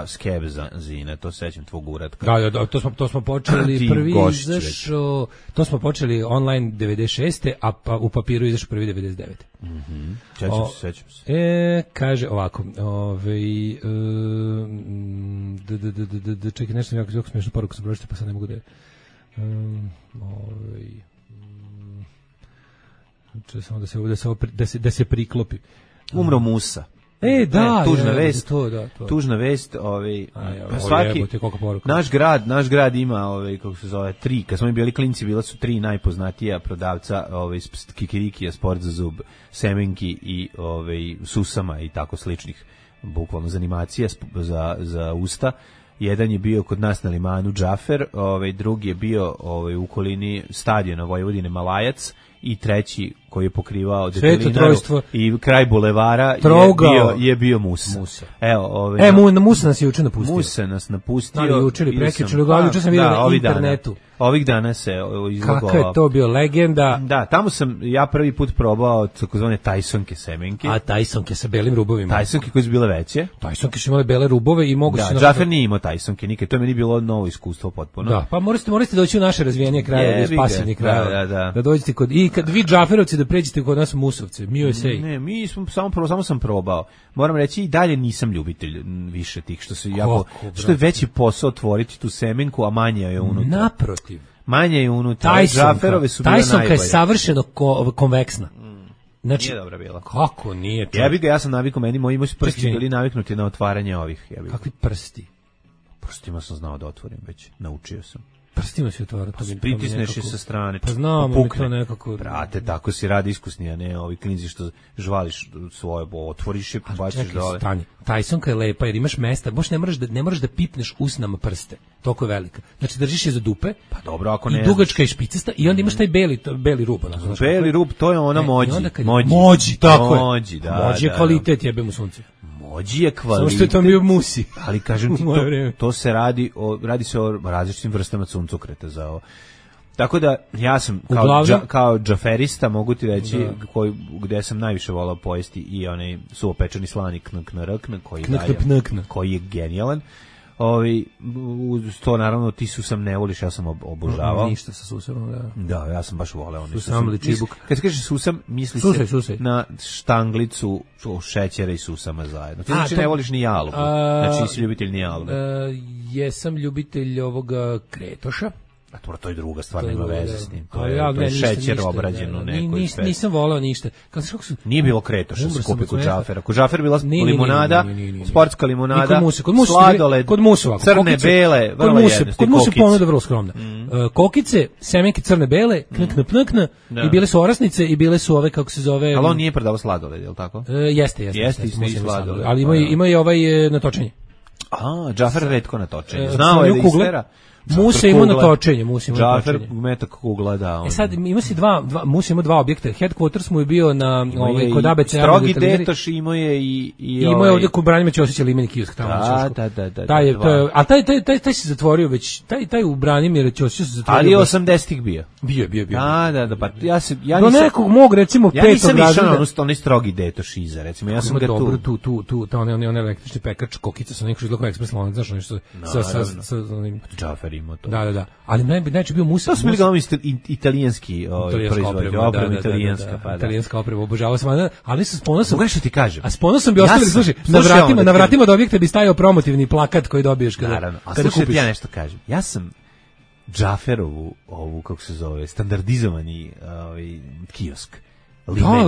Skeb Zine, to sećam tvog uratka. Da, to smo počeli prvi izašao, to smo počeli online 96. a u papiru izašao prvi 99. Sećam se. Kaže ovako, čekaj, nešto jako smiješnu poruku sam pročitao, pa sad ne mogu da se priklopi. Umro Musa. Tužna vest, svaki naš grad ima kako se zove 3, kad smo mi bili klinci bila su 3 najpoznatija prodavca kikirikija, sport za zub, semenki i susama i tako sličnih bukvalno za animacija za usta. Jedan je bio kod nas na limanu Džafer, drugi je bio u okolini stadiona Vojvodine Malajac i treći koji je pokrivao Detelinaru i kraj bulevara je bio Musa. Evo, Musa nas je juče napustio. Musa nas napustio. Juče ili prekjuče, juče sam vidio na internetu. Ovih dana se izlogovao. Kako je to bio legenda? Da, tamo sam ja prvi put probao takozvane Tysonke semenke. A Tysonke sa belim rubovima. Tysonke koje su bile veće. Tysonke su imale bele rubove i mogu se... Da, Džafer nije imao Tysonke nikad, to je meni bilo novo iskustvo potpuno. Da, pa morate doći u naše razvijenije krajeve, pasivni krajeve. Da dođete kad vi Džaferovci da pređete kod nas Musovce, mi USA. Ne, mi smo samo sam probao. Moram reći i dalje nisam ljubitelj više tih što se što je veći posao otvoriti tu semenku, a manje je unutra. Naprotiv. Manje je unutra. Džaferove su bile najbolje. Tysonka je savršeno konveksna. Znači, nije dobra bila. Kako nije? Ja sam navikao, moji prsti bili naviknuti na otvaranje ovih. Kakvi prsti? Prstima sam znao da otvorim već, naučio sam. Prstima se otvara. Pritisneš je sa strane. Pa znam, ali to nekako... Brate, tako si radi iskusni, a ne ovi klinzi što žvališ svoje, otvoriš je, baciš dole. Stani, Tysonka je lepa jer imaš mesta, baš ne moraš da pipneš usnama prste. Toliko je velika. Znači držiš je za dupe. Pa dobro, ako ne. I dugačka i špicasta i onda imaš taj beli rub. Beli rub, to je ona mođi. Mođi, tako je. Mođi je kvalitet, jebem u sunce. Mođi je kvalitet. Samo što je to bio musi. Ali kažem ti, to se radi o različitim vrstama suncokreta za ovo. Tako da ja sam kao džaferista mogu ti reći gde sam najviše volao pojesti i onaj suvopečeni slani knk koji je genijalan. To naravno ti susam ne voliš, ja sam obožavao. Ništa sa susamom, da. Da, ja sam baš voleo. Susam ili čibuk. Kad se kaže susam, misli se na štanglicu šećera i susama zajedno. Ti znači ne voliš ni jalugu, znači nisi ljubitelj ni jalugu. Jesam ljubitelj ovoga kretoša. A to je druga stvar, nema veze s njim. To je šećer obrađen u nekoj speci. Nisam volao ništa. Nije bilo kretoša se kupi kod Džafera. Kod Džafera bila limonada, sportska limonada, sladoled, crne, bele, vrlo jednostavno. Kod Musa ponuda vrlo skromna. Kokice, semenke crne, bele, knk, i bile su orasnice i bile su ove, kako se zove... Ali on nije prodavao sladoled, je li tako? Jeste i sladoled. Ali ima i ovaj natočenje. Džafer retko natočenje. Znao je da istera. Musa ima natočenje, Džafer metak kugla, da. Sad ima si Musa ima dva objekta. Headquarters mu je bio na kod ABC. Strogi Detoš imao je i imao je ovde kod Branimira Ćosića limeni kiosk tamo. Da. Taj se zatvorio već, taj u Branimira Ćosića se zatvorio. Ali 80-ih bio. Bio. Da, pa ja do nekog mog recimo petog razreda. Ja nisam onaj Strogi Detoš iza, recimo, ja sam ga tu onaj električni pekač kokica sa nekog izlogom ekspres lanac, znaš nešto sa Džafer imao to. Da. Ali najveći bio Musa. To su bili glavni italijanski proizvodi, oprema italijanska, pa da. Italijanska oprema, obožavao sam, ali sa ponosom. Mogu što ti kažem. A s ponosom bi ostavili, slušaj, na vratima do objekta bi stajao promotivni plakat koji dobiješ kada kupiš. Ja nešto kažem. Ja sam Džaferovu, kako se zove, standardizovani kiosk.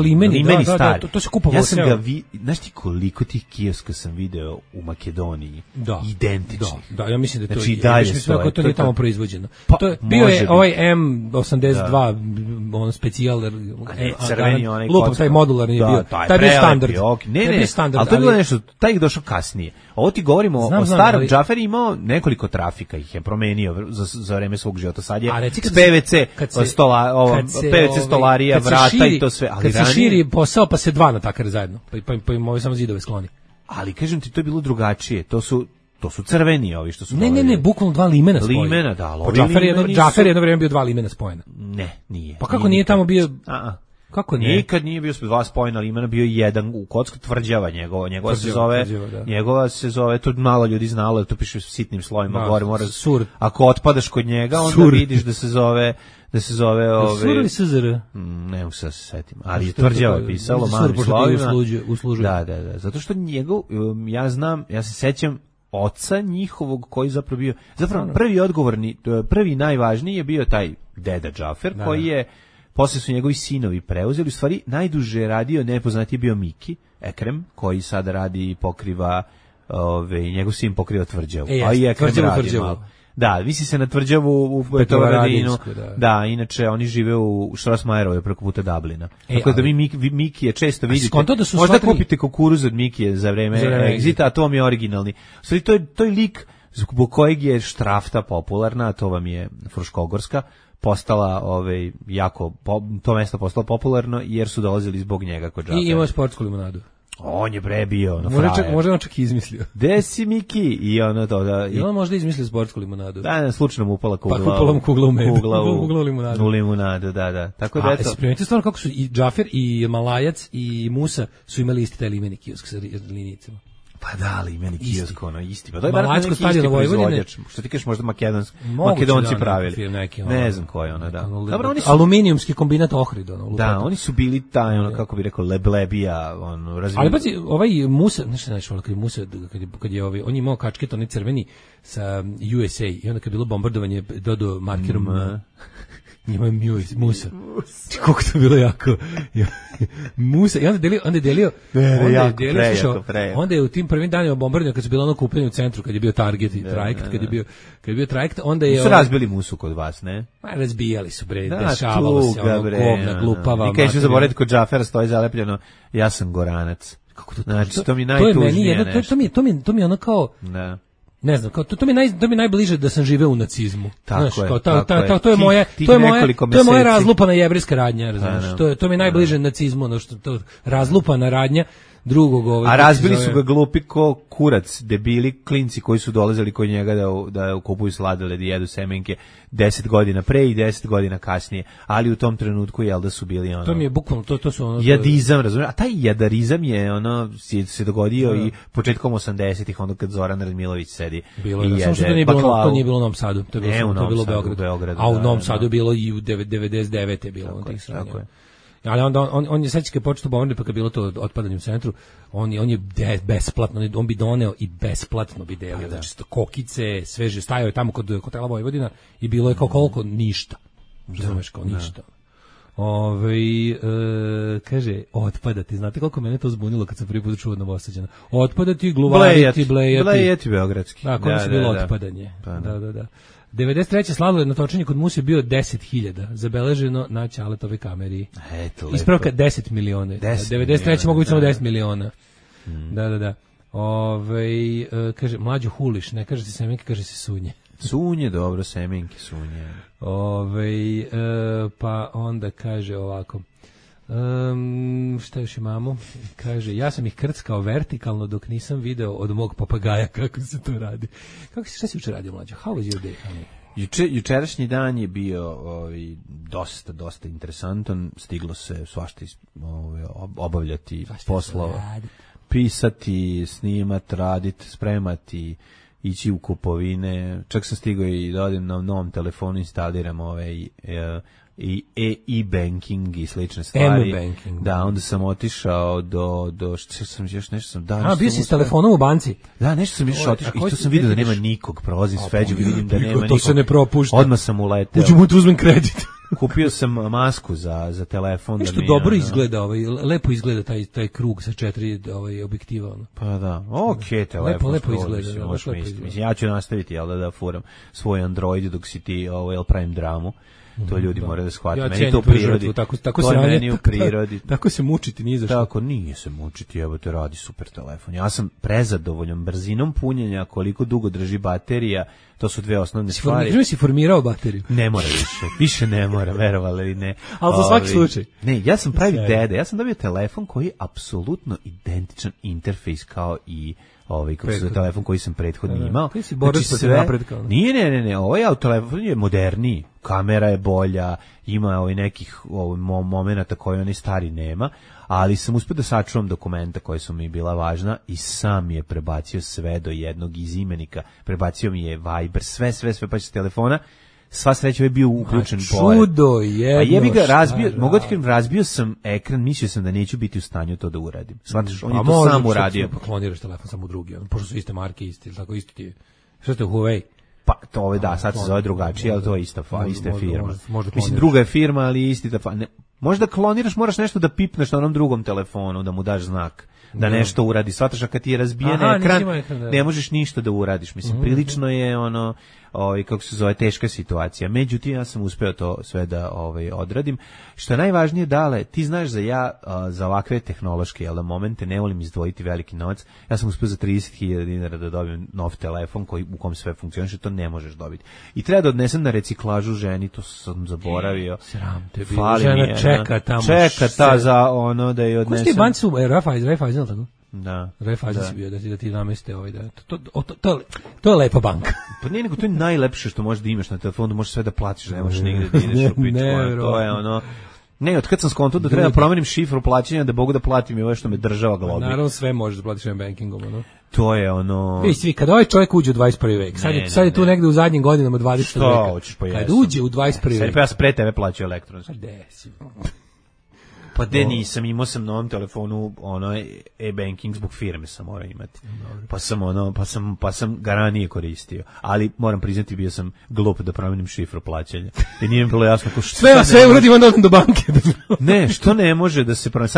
Limeni star. To se kupovalo. Ja sam ga znaš ti koliko tih kioska sam video u Makedoniji? Identičnih. Da, ja mislim da to znači, i dalje stoje. To je tamo proizvođeno. To je bio je ovaj M82 on specijal crveni onaj lupom taj modularni je bio. Taj bio standard. Ne, ali to je bilo nešto, taj ih došao kasnije. Ovo ti govorimo o starom. Džafer imao nekoliko trafika, ih je promenio za vreme svog života. Sad je PVC stolarija, vrata i to sve. Kad se širi posao, pa se dva natakare zajedno, pa im ovi samo zidove skloni. Ali kažem ti, to je bilo drugačije, to su crveni ovi što su... Ne, bukvalno dva limena spojena. Limena, da, ali Džafer jedno vreme bio dva limena spojena. Ne, nije. Pa kako nije tamo bio... Kako nije? Nikad nije bio dva spojena limena, bio jedan u Kocka Tvrđava njegova se zove, to malo ljudi znalo, to piše sitnim slovima gore, mora sur. Ako otpadaš kod njega, onda vidiš da se zove Sur ili SZR? Ne mogu se setim, ali je Tvrđava je pisalo malim slovima. Da, zato što ja se sećam oca njihovog koji zapravo bio, prvi najvažniji je bio taj deda Džafer, koji je posle su njegovi sinovi preuzeli, u stvari najduže radio, nepoznati je bio Miki Ekrem, koji sada radi i pokriva, njegov sin pokriva Tvrđavu. A i Ekrem radi malo. Da, misli se na Tvrđavu u Petrovaradinu. Da, inače oni žive u Štrosmajerovoj preko puta Dublina. Tako da Miki je često vidite. Možda kupite kukuruz od Mikije za vreme Exita, a to vam je originalni. U stvari to je lik zbog kojeg je Štrafta popularna, a to vam je Fruškogorska, postala to mesto postalo popularno jer su dolazili zbog njega kod Džafera. I imao sportsku limonadu. On je bio možda on čak izmislio. Gde si Miki? I ono to da. I on možda izmislio sportsku limonadu. Da, slučajno mu upala kugla. Pa upala mu kugla u med. Kugla u limonadu. U limonadu, da. Tako da eto. Primetite stvarno kako su i Džafer i Malajac i Musa su imali isti taj limeni kiosk sa linijicama. Pa da, ali meni kiosk isti. Pa to je Malajsko stadion Vojvodine. Što ti kažeš, možda Makedonci pravili. Ne znam ko je da. Dobro, oni su aluminijumski kombinat Ohrid, Da, oni su bili taj kako bi rekao leblebija, razvijeni. Ali pazi, ovaj Musa, nešto kad Musa kad je on je imao kačket onaj crveni sa USA i onda kad je bilo bombardovanje dodao markerom Ima Musa. Koliko to bilo jako. Musa. I onda je delio. Onda je u tim prvim danima bombardovanja kad su bilo okupljanje u centru, kad je bio Target i Trajekt, kad je bio Trajekt, onda je... Su razbili Musu kod vas, ne? Razbijali su, dešavalo se, govna, glupava. I kada ću zaboraviti kod Džafera stoji zalepljeno, ja sam Goranac. Kako to? Znači, to mi najtužnije nešto. To mi je ono kao... Ne znam, to mi najbliže da sam živeo u nacizmu. Tako je. To je moja razlupana jevrejska radnja, razumiješ. To mi je najbliže nacizmu, to razlupana radnja drugog. A razbili su ga glupi ko kurac, debili klinci koji su dolazili kod njega da kupuju sladoled i jedu semenke 10 godina pre i 10 godina kasnije, ali u tom trenutku da su bili To mi je bukvalno to su jadizam, razumiješ? A taj jadarizam je se dogodio i početkom 80-ih, onda kad Zoran Radmilović sedi i jede. Samo što to nije bilo u Novom Sadu, to je bilo u Beogradu. A u Novom Sadu je bilo i u 99. je bilo tih stranja. Ali onda on je sećake počeo bombardovati, pa kad bilo to otpadanje u centru, on je besplatno, on bi doneo i besplatno bi delio, znači kokice, sveže, stajao je tamo kod hotela Vojvodina i bilo je kao koliko ništa. Razumeš, kao ništa. Kaže, otpadati, znate koliko mene to zbunilo kad sam prvi put čuo Novosađana. Otpadati, gluvariti, blejati beogradski. Da, koliko su bilo otpadanje. Da. 93. sladoled na točenju kod Musa je bio 10.000, zabeleženo na Ćaletovoj kameri. Ispravka 10 miliona. 93. mogu biti samo 10 miliona. Da. Kaže, mlađo huliš, ne kaže se semenke, kaže se sunje. Sunje, dobro, semenke sunje. Pa onda kaže ovako. Šta još imamo? Kaže, ja sam ih krckao vertikalno dok nisam video od mog papagaja kako se to radi. Šta si juče radio, mlađo? How was your day, honey? Jučerašnji dan je bio dosta interesantan, stiglo se svašta obavljati poslova, pisati, snimat, raditi, spremati, ići u kupovine, čak sam stigao i da odem na novom telefonu, instaliram i e-banking i slične stvari. Da, onda sam otišao do što sam još nešto sam dao. Bio si s telefonom u banci? Da, nešto sam još otišao i to sam vidio da nema nikog, prolazim s Feđom i vidim da nema nikog. To se ne propušta. Odmah sam uleteo. Uđu mu tu uzmem kredit. Kupio sam masku za telefon. Nešto dobro izgleda, lepo izgleda taj krug sa 4 objektiva. Pa da, telefon. Lepo izgleda. Mislim, ja ću nastaviti da furam svoj Android dok si ti pravim dramu. To ljudi moraju da shvate. Meni to u prirodi. To je meni u prirodi. Tako se mučiti nije zašto. Tako nije se mučiti, evo te radi super telefon. Ja sam prezadovoljan brzinom punjenja, koliko dugo drži baterija. To su dve osnovne stvari. Si formirao bateriju? Ne mora više ne mora, verovali ili ne. Ali za svaki slučaj. Ne, ja sam pravi dede, ja sam dobio telefon koji je apsolutno identičan interfejs kao i kako se telefon koji sam prethodno imao. Ti si borac protiv napretka. Ne, ovaj telefon je moderniji, kamera je bolja, ima nekih momenata koje oni stari nema, ali sam uspio da sačuvam dokumenta koje su mi bila važna i sam je prebacio sve do jednog iz imenika, prebacio mi je Viber, sve pa s telefona. Sva sreća je bio uključen pored. Čudo jedno. A jebi ga razbio sam ekran, mislio sam da neću biti u stanju to da uradim. Shvataš, on je to sam uradio. Pa kloniraš telefon samo u drugi, pošto su iste marke isti, tako isto ti je. Što ste Huawei? Pa to sad se zove drugačije, ali to je ista firma. Mislim, druga je firma, ali isti možda kloniraš, moraš nešto da pipneš na onom drugom telefonu, da mu daš znak. Da nešto uradi. Shvataš, a kad ti je razbijen ekran, ne možeš ništa da uradiš. Mislim, prilično je kako se zove, teška situacija. Međutim, ja sam uspeo to sve da odradim. Što je najvažnije, Dale, ti znaš za ovakve tehnološke momente ne volim izdvojiti veliki novac. Ja sam uspeo za 30.000 dinara da dobijem nov telefon u kom sve funkcioniše, to ne možeš dobiti. I treba da odnesem na reciklažu ženi, to sam zaboravio. Sram te bilo, žena čeka tamo. Čeka ta za da je odnesem. Ko ste banci su, Raiffeisen, tako? Da. Raiffeisen si bio da ti nameste to je lepa banka. Pa nije, nego to je najlepše što možeš da imaš na telefonu, možeš sve da platiš, ne možeš nigde da ideš u pičku. To je Ne, od kad sam skonto da treba promenim šifru plaćanja da mogu da platim i ovo što me država globi. Naravno sve možeš da platiš bankingom, To je Svi, kad ovaj čovjek uđe u 21. vek, sad je tu negde u zadnjim godinama 20. veka. Kad uđe u 21. vek. Ja pre tebe plaćao elektronski. Gde si? Pa nisam, imao sam na ovom telefonu e-banking zbog firme sam morao imati. Pa sam ga ranije koristio. Ali moram priznati, bio sam glup da promenim šifru plaćanja. I nije mi bilo jasno sve uradim onda do banke. Ne, što ne može da se promeni.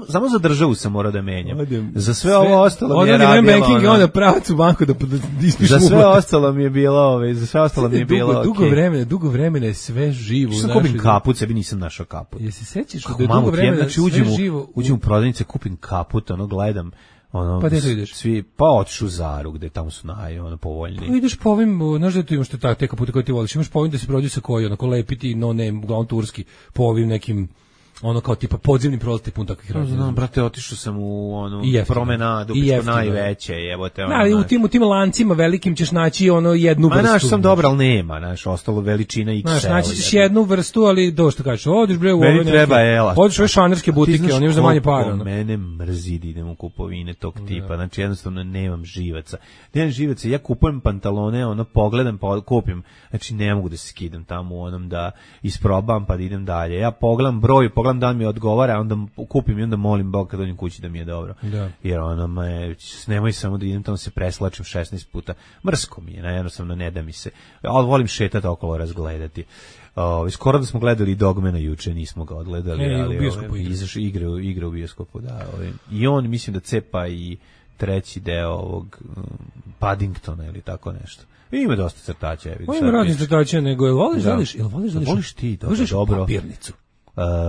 Samo za državu sam morao da menjam. Za sve ovo ostalo mi je radilo. Banking i onda pravac u banku da ispiš za sve ostalo mi je bilo, dugo vremena je sve živo. Što kupim kaput, sebi nisam našao kaput. Jesi sećaš da je dugo vremena znači uđem u prodavnice, kupim kaput, gledam, pa gde to ideš? Pa otišu u Zaru, gde tamo su povoljni. Pa ideš po ovim, znaš da tu imaš te kapute koje ti voliš, imaš po ovim da se prođe sa koji, lepiti, uglavnom turski, po ovim nekim, kao tipa podzemni prolaz pun takvih razloga. Znam, brate, otišao sam u promenadu, najveće, jebote. U tim lancima velikim ćeš naći jednu vrstu. Naš sam dobro, ali nema, ostalo veličina XL. Naći ćeš jednu vrstu, ali što kažeš, odiš bre u ove neke. Treba ela. Odiš u ove šanerske butike, oni još za manje para. Mene mrzi da idem u kupovine tog tipa, znači jednostavno nemam živaca. Ja kupujem pantalone, pogledam, pa kupim, znači ne mogu da se skidam tamo da isprobam pa da idem dalje. Ja pogledam broj, pogledam da mi odgovara, onda kupim i onda molim Bog kad dođem kući da mi je dobro. Da. Jer nemoj samo da idem tamo se preslačim 16 puta. Mrsko mi je, jednostavno ne da mi se. Ali volim šetati okolo, razgledati. Skoro da smo gledali Dogmana juče, nismo ga odgledali, ali igra u bioskopu, da. I on mislim da cepa i treći deo ovog Paddingtona ili tako nešto. Ima dosta crtača, Ima raznih crtača, nego voliš ti dobro. Papirnicu.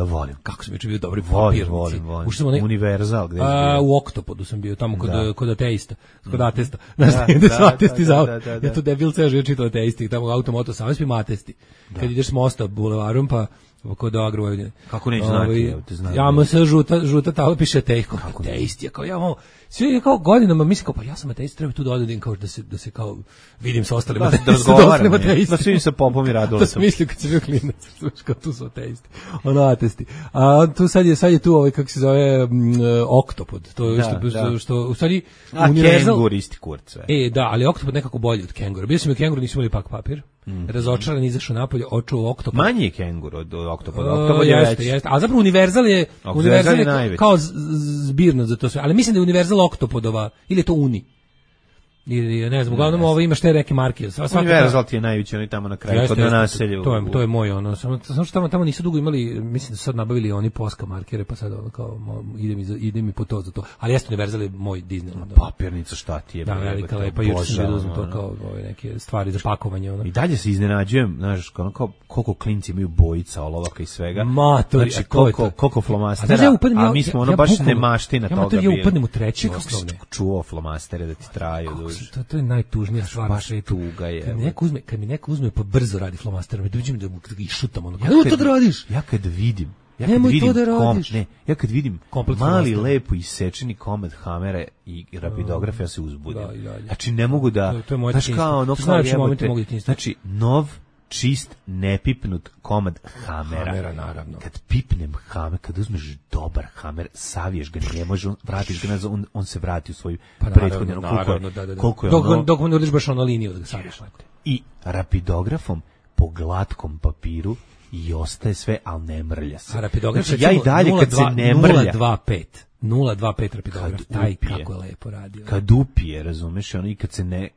Volim. Kako sam juče bio dobri papirnici. Volim. Univerzal, gde je? U Oktopodu sam bio, tamo kod ateista, kod atesta. Znaš, gde su atesti za... Ja to debil ceo život čitao ateisti, tamo Automoto Savez ima atesti. Kad ideš s mosta bulevarom, pa kod Agrovojvodine. Kako neće znati? Ja mu se žuta tamo piše ateisti. Svi kao godinama mislim kao pa ja sam ateist, treba tu da odem kao da se kao vidim sa ostalima da razgovaram. Da svim se popom i radujem. To sam mislio kad sam bio klinac, kao tu su ateisti. Atesti. A tu sad je tu kako se zove Oktopod. To je što u stvari univerzal. Kengur isti kurc. Da, ali Oktopod nekako bolji od Kengura. Bio sam u Kenguru, nisam imali pak papir. Razočaran, izašao napolje, očuo Oktopod. Manji je Kengur od Oktopoda. Oktopod je veći. Jeste. A zapravo Univerzal je kao zbirno za to sve. Ali mislim da je Univerzal Oktopodova, ili je to Uni? Ili ne znam, uglavnom ovo imaš te neke marke. Univerzal ti je najveći, oni tamo na kraju, kod naselju. To je moj, samo što tamo nisu dugo imali, mislim da su sad nabavili oni Posca markere, pa sad kao, idem i po to za to. Ali jeste Univerzal je moj Disneyland. Papirnica, šta ti je? Da, velika lepa, juče sam da uzmem to kao neke stvari za pakovanje. I dalje se iznenađujem, znaš, koliko klinci imaju bojica, olovaka i svega. Matori, znači, koliko flomastera, a mi smo baš nemaština toga bili. Ja upadnem u treći osnovne. Čuvao flomastere da ti traju. To je najtužnija stvar na svetu. Kad mi neko uzme pa brzo radi flomasterom, dođem da mu išutam ono. Nemoj to da radiš. Ja kad vidim mali lepo isečeni komad hamere i rapidografa, ja se uzbudim. Znači ne mogu da, znaš kao ono znači nov čist, nepipnut komad hamera. Naravno. Kad pipnem hamer, kad uzmeš dobar hamer, saviješ ga, ne može, vratiš ga nazad, on se vrati u svoju prethodnju. Koliko je ono... Dok mu ne odiš baš na liniju da ga saviješ. I rapidografom po glatkom papiru i ostaje sve, ali ne mrlja se. A rapidograf znači, ja i dalje kad se ne mrlja... 025 rapidograf, taj kako je lepo radio. Kad upije, razumeš, ono i kad se ne...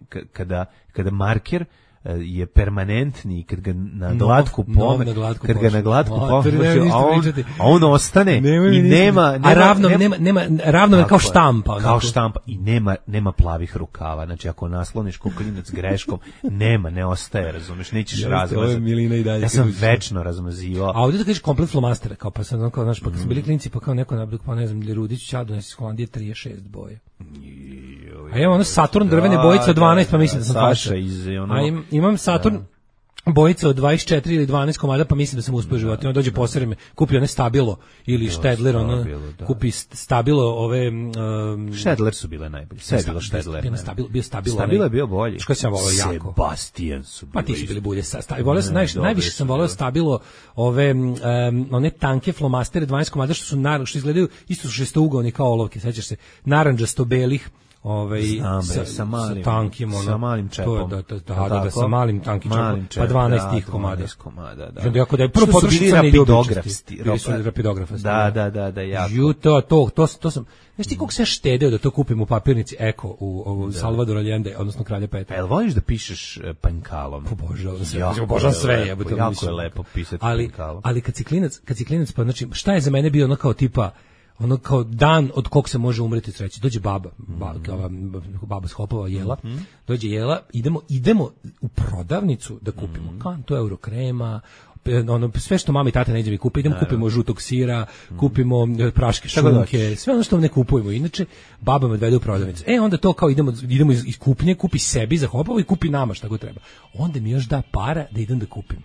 Kada marker je permanentni, kad ga na glatku pomeš, a on ostane i nema ravno kao štampa. Kao štampa i nema plavih rukava. Znači ako nasloniš ko klinac greškom, ne ostaje, razumeš, nećeš razmazati. Ja sam večno razmazivao. A ovdje da kažeš komplet flomastera, kao pa sam kao, znaš, pa kad su bili klinci, pa kao neko nablik, pa ne znam, Rudić Ćado nesi iz Holandije 36 boje. A imam ono Saturn drvene bojice od 12, pa mislim da sam faša. Imam Saturn bojice od 24 ili 12 komada, pa mislim da sam uspio život. On dođe posere me, kupi one Stabilo ili Štedler, kupi Stabilo ove... Štedler su bile najbolje. Sve je bilo Štedler. Bio Stabilo. Stabilo je bio bolji. Što sam volao jako. Sebastian su bili. Pa ti su bili bulje. Najviše sam volao Stabilo ove one tanke flomastere 12 komada što izgledaju, isto su šestougaoni kao olovke, sećaš se, narandžasto-belih, sa malim čepom. Da, sa malim tankim čepom, pa 12 tih komada. Da. Jako da je prvo potrošica ne rapidografasti. Da, jako. To sam, znaš ti koliko se štedeo da to kupim u papirnici Eko u Salvador Allende, odnosno Kralja Petra. Jel voliš da pišeš pankalom? Obožavam sve. Jako je lepo pisati pankalom. Ali kad si klinac, pa znači, šta je za mene bio ono kao tipa, ono kao dan od kog se može umreti sreći. Dođe baba s Hopova, Jela, dođe Jela, idemo u prodavnicu da kupimo kantu Eurokrema, ono, sve što mama i tata neđe mi kupe, kupimo žutog sira, kupimo praške šunke, sve ono što ne kupujemo. Inače, baba me odvede u prodavnicu. Onda to kao idemo iz kupnje, kupi sebi za Hopovo i kupi nama šta god treba. Onda mi još da para da idem da kupim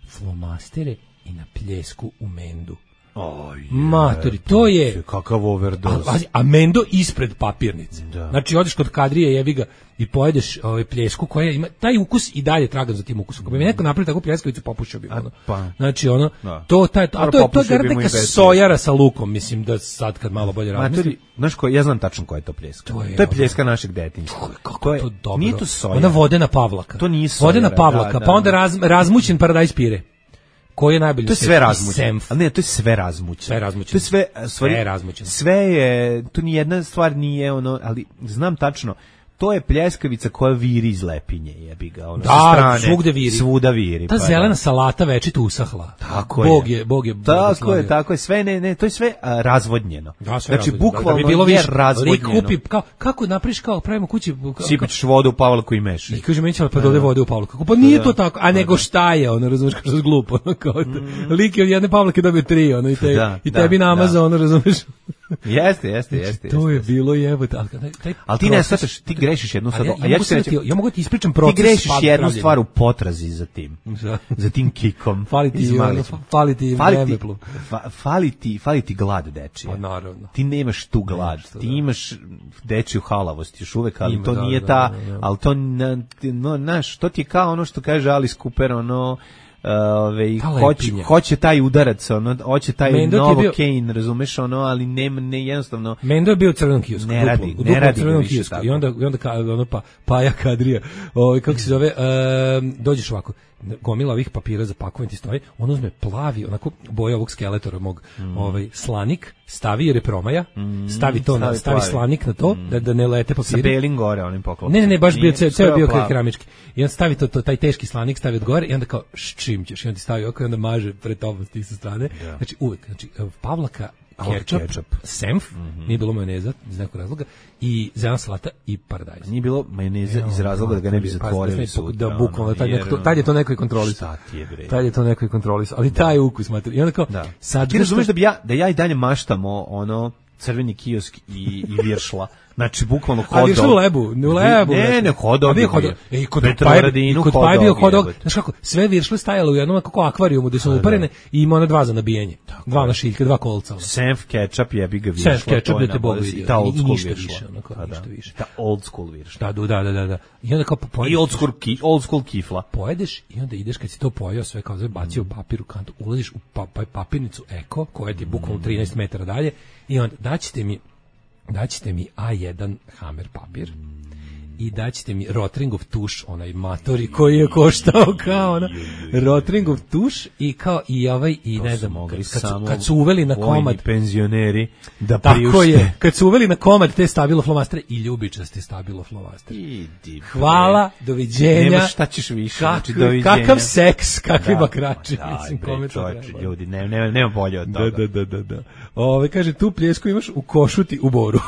flomastere i na pljesku u Mendu. Matori, to je kakav overdose. A Mendo ispred papirnice. Znači odeš kod Kadrije, jebi ga, i pojedeš pljesku koja ima taj ukus i dalje tragam za tim ukusom. Ako bi mi neko napravio takvu pljeskavicu, popušio bi ono. Znači ono, to je neka sojara sa lukom, mislim da sad kad malo bolje razmislim. Znaš ko, ja znam tačno koja je to pljeska. To je pljeska našeg detinjstva. Kako je to dobro. Nije to sojara. Ona vodena Pavlaka. To nije sojara. Vodena Pavlaka, pa onda razmućen paradajz pire. Koji je najbolji? To je sve razmućeno. Ali ne, to je sve razmućeno. To je sve razmućeno. Sve je, to ni jedna stvar nije ono, ali znam tačno, to je pljeskavica koja viri iz lepinje, jebi ga, ono, da, sa strane, svugde viri. Svuda viri. Ta zelena salata večito usahla. Tako Bog je. Tako je, sve ne, to je sve razvodnjeno. Da, znači, bukvalno da bi bilo je razvodnjeno. Lik kupi, kako napraviš, kao pravimo kući... Sipaš vodu u Pavlaku i meši. I kaže, meni će pa dode vode u Pavlaku. Pa nije to tako, a nego šta je, ono, razumiješ, kao što je glupo. Lik je od jedne Pavlake dobio 3, ono, i tebi namazao, ono, razumiješ. Jeste. To je bilo jebote. Ali ti ne shvataš, ti grešiš jednu stvar. Ja mogu ti ispričam proces. Ti grešiš jednu stvar u potrazi za tim. Za tim kikom. Fali ti glad dečije. Pa naravno. Ti nemaš tu glad. Ti imaš dečiju halavost još uvek, ali to nije ta, ali to, znaš, to ti je kao ono što kaže Alice Cooper, ono, hoće taj udarac, ono, hoće taj Novocaine, razumeš, ono, ali ne jednostavno. Mendo je bio u crvenom kiosku, ne radi crvenom kiosku. I onda ono Paja Kadrija, kako se zove, dođeš ovako, gomila ovih papira za pakovanje ti stoji, on uzme plavi, onako boja ovog skeletora mog, slanik, stavi jer je promaja, stavi slanik na to, da ne lete papiri. Sa belim gore onim poklopom. Ne, baš bio ceo bio keramički. I on stavi taj teški slanik, stavi od gore i onda kao čim ćeš, i on ti stavi oko i onda maže pred tobom s tih sa strane. Znači uvek, Pavlaka, ketchup, senf, nije bilo majoneza iz nekog razloga, i zelena salata i paradajz. Nije bilo majoneza iz razloga da ga ne bi zatvorili sutra. Da bukvalno, tad je to neko i kontrolisao. Tad je to neko i kontrolisao, ali taj ukus, mater. I onda kao, sad... Ti razumeš da ja i dalje maštamo ono crveni kiosk i viršla. Znači, bukvalno hodao. Ali što u lebu? Ne, hodao. I kod Paja bio hodao. Znaš kako, sve viršle stajalo u jednom kako akvarijumu gde su uparene i ima ona 2 za nabijanje. 2 na šiljke, 2 kolca. Senf, ketchup, jebi ga viršla. Senf, ketchup, da te Bog vidio. Ta old school viršla. Ništa više. Ta old school viršla. Da. I onda kao pojedeš. I old school kifla. Pojedeš i onda ideš kad si to pojeo sve kao zove, bacio papir u kantu, ulaziš u papirnicu Eko, koja ti je bukvalno 13 metara dalje i onda daćete mi A1 Hammer papir i daćete mi Rotringov tuš, onaj matori koji je koštao kao ona Rotringov tuš i kao i ne znam, kad su uveli na komad penzioneri da priušte. Tako je, kad su uveli na komad te stabilo flomastere i ljubičaste stabilo flomastere. Hvala, doviđenja. Nemaš šta ćeš više. Kakav seks, kakvi bakrači. Ljudi, nema bolje od toga. Da. Kaže, tu pljesku imaš u Košuti u Boru.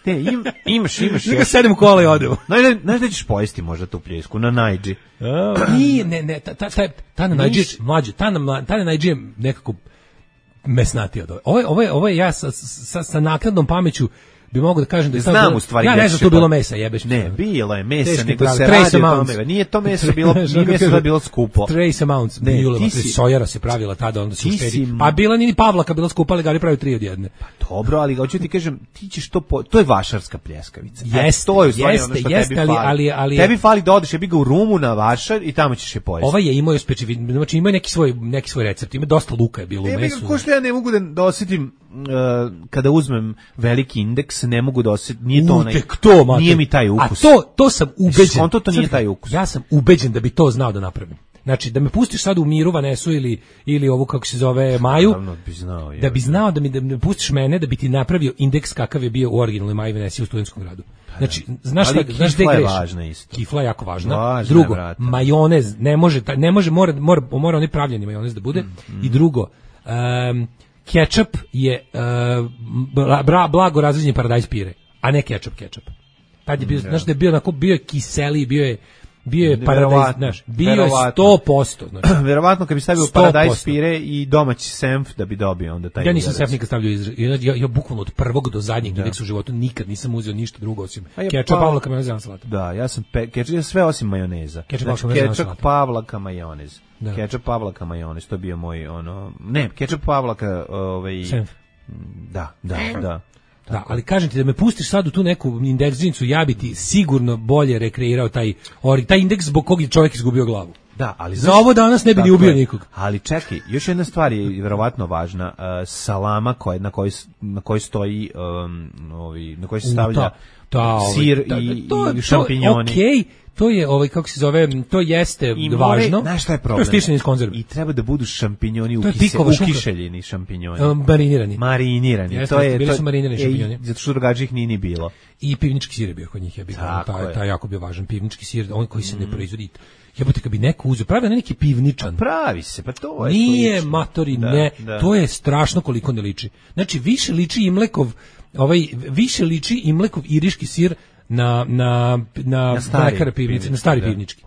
Ne, imaš. Neka sedem u kola i odemo. Znaš da ćeš pojesti možda tu pljesku na Najdži? Ne, ta na Najdži, mlađe, ta na Najdži je nekako mesnatija od ove. Ovo je ja sa naknadnom pameću bi mogu da kažem da je znam u stvari. Ja ne znam tu bilo mesa, jebeš. Ne, bilo je mesa, nego se radi o tome. Nije to meso bilo, nije meso bilo skupo. Trace amounts. Sojara se pravila tada, onda se uštedi. Pa bila ni Pavlaka, bila skupa, ali ga pravi 3 od jedne. Pa dobro, ali hoću ti kažem, ti ćeš to je vašarska pljeskavica. To je u stvari ono što tebi fali. Ali tebi fali da odeš, jebi ga u Rumu na Vašar i tamo ćeš je pojesti. Ovaj je imao specifičan, znači ima neki svoj recept, ima dosta luka je bilo u mesu. Ko što ja ne mogu da osjetim kada uzmem veliki indeks, ne mogu da osjetim, nije to onaj, nije mi taj ukus. A to sam ubeđen. To nije taj ukus. Ja sam ubeđen da bi to znao da napravim. Znači, da me pustiš sad u Miru, Vanesu ili ovu, kako se zove, Maju, da bi znao da me pustiš mene, da bi ti napravio indeks kakav je bio u originalnoj Maji Venesi u Studentskom gradu. Znači, znaš gde greš? Kifla je jako važna. Drugo, majonez, ne može, mora onaj pravljeni majonez da bude. I drugo, ketchup je blago razređeni paradajz pire, a ne ketchup. Tad je bio, znaš da je bio onako, bio je kiseli, bio je paradajz, znaš, bio je 100%. Znači. Verovatno kad bi stavio paradajz pire i domaći senf da bi dobio onda taj. Ja nisam senf nikad stavljao, ja bukvalno od prvog do zadnjeg indeksa u životu nikad nisam uzeo ništa drugo osim ketchup, Pavlaka, majoneza, salata. Da, ja sam sve osim majoneza. Ketchup, Pavlaka, majonez. Ketchup, Pavlaka, majonez, to je bio moj ketchup, Pavlaka, senf. Da. Da, ali kažem ti da me pustiš sad u tu neku indeksnicu, ja bi ti sigurno bolje rekreirao taj indeks zbog kog je čovjek izgubio glavu. Da, ali za ovo danas ne bi ni ubio nikog. Ali čekaj, još jedna stvar je verovatno važna, salama na kojoj stoji, na kojoj se stavlja sir i šampinjoni. Okej. To je kako se zove, to jeste važno. Znaš šta je problem? To je stišćeni iz konzerve. I treba da budu šampinjoni ukiseljeni šampinjoni. Marinirani. Bili su marinirani šampinjoni. Zato što drugačije ih nije ni bilo. I pivnički sir je bio kod njih, taj jako bio važan. Pivnički sir, on koji se ne proizvodi. Jebote, kad bi neko uzeo, pravi neki pivničan. Pravi se, pa to je nije matori, ne. To je strašno koliko ne liči. Znači, više liči Imlekov iriški sir na stari pivnički.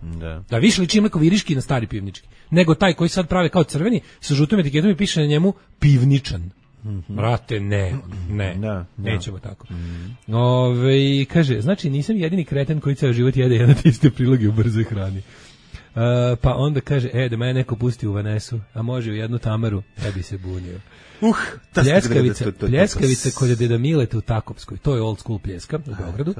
Da, više liči Imlekov iriški na stari pivnički. Nego taj koji sad prave kao crveni, sa žutom etiketom i piše na njemu pivničan. Brate, nećemo tako. Kaže, znači nisam jedini kreten koji ceo život jede jedan te iste priloge u brzoj hrani. Pa onda kaže, da me neko pusti u Vanesu, a može u jednu Tamaru, ja bi se bunio. Pljeskavica kod deda Mileta u Takopskoj, to je old school pljeska u Beogradu.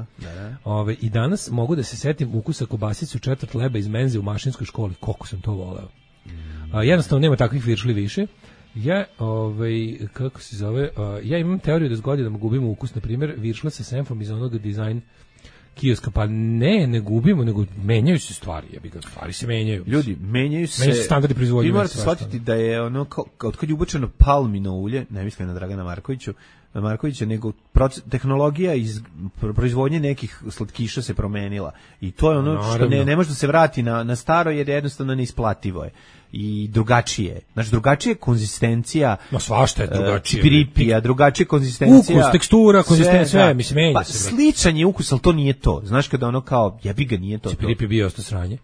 I danas mogu da se setim ukusa kobasicu četvrt leba iz menze u mašinskoj školi, koliko sam to voleo. Jednostavno nema takvih viršli više. Ja, kako se zove, ja imam teoriju da s godinama gubimo ukus, na primjer, viršla sa senfom iz onog dizajn kioska, pa ne gubimo, nego menjaju se stvari, stvari se menjaju. Ljudi, menjaju se standardi proizvodnje. Vi morate shvatiti da je ono, od kad je ubačeno palmino ulje, ne mislim na Dragana Markovića, nego tehnologija iz proizvodnje nekih slatkiša se promenila. I to je ono što ne može da se vrati na staro, jer jednostavno neisplativo je. I drugačije. Znači, drugačija konzistencija. No, svašta je drugačije. Cipiripija, drugačija konzistencija. Ukus, tekstura, konzistencija, sve, mislim, menja se. Sličan je ukus, ali to nije to. Znaš, kada ono kao, jebi ga, nije to. Cipiripija bio osto sranje.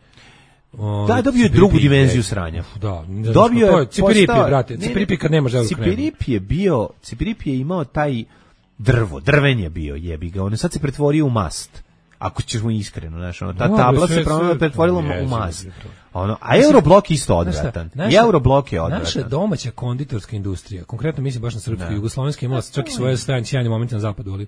Da, dobio je drugu dimenziju sranja. Da, dobio je Cipiripija, brate. Cipiripija kad nemaš želju krema. Cipiripija je imao taj drven je bio, jebi ga. On sad se pretvorio u mast. Ako ćemo iskreno, znaš, ta tabla se pretvorila u mast. A Euroblok isto odvratan. Euroblok je odvratan. Naša domaća konditorska industrija, konkretno mislim baš na srpsku, jugoslovenska imala čak i svoje sjajne momente na zapadu, ali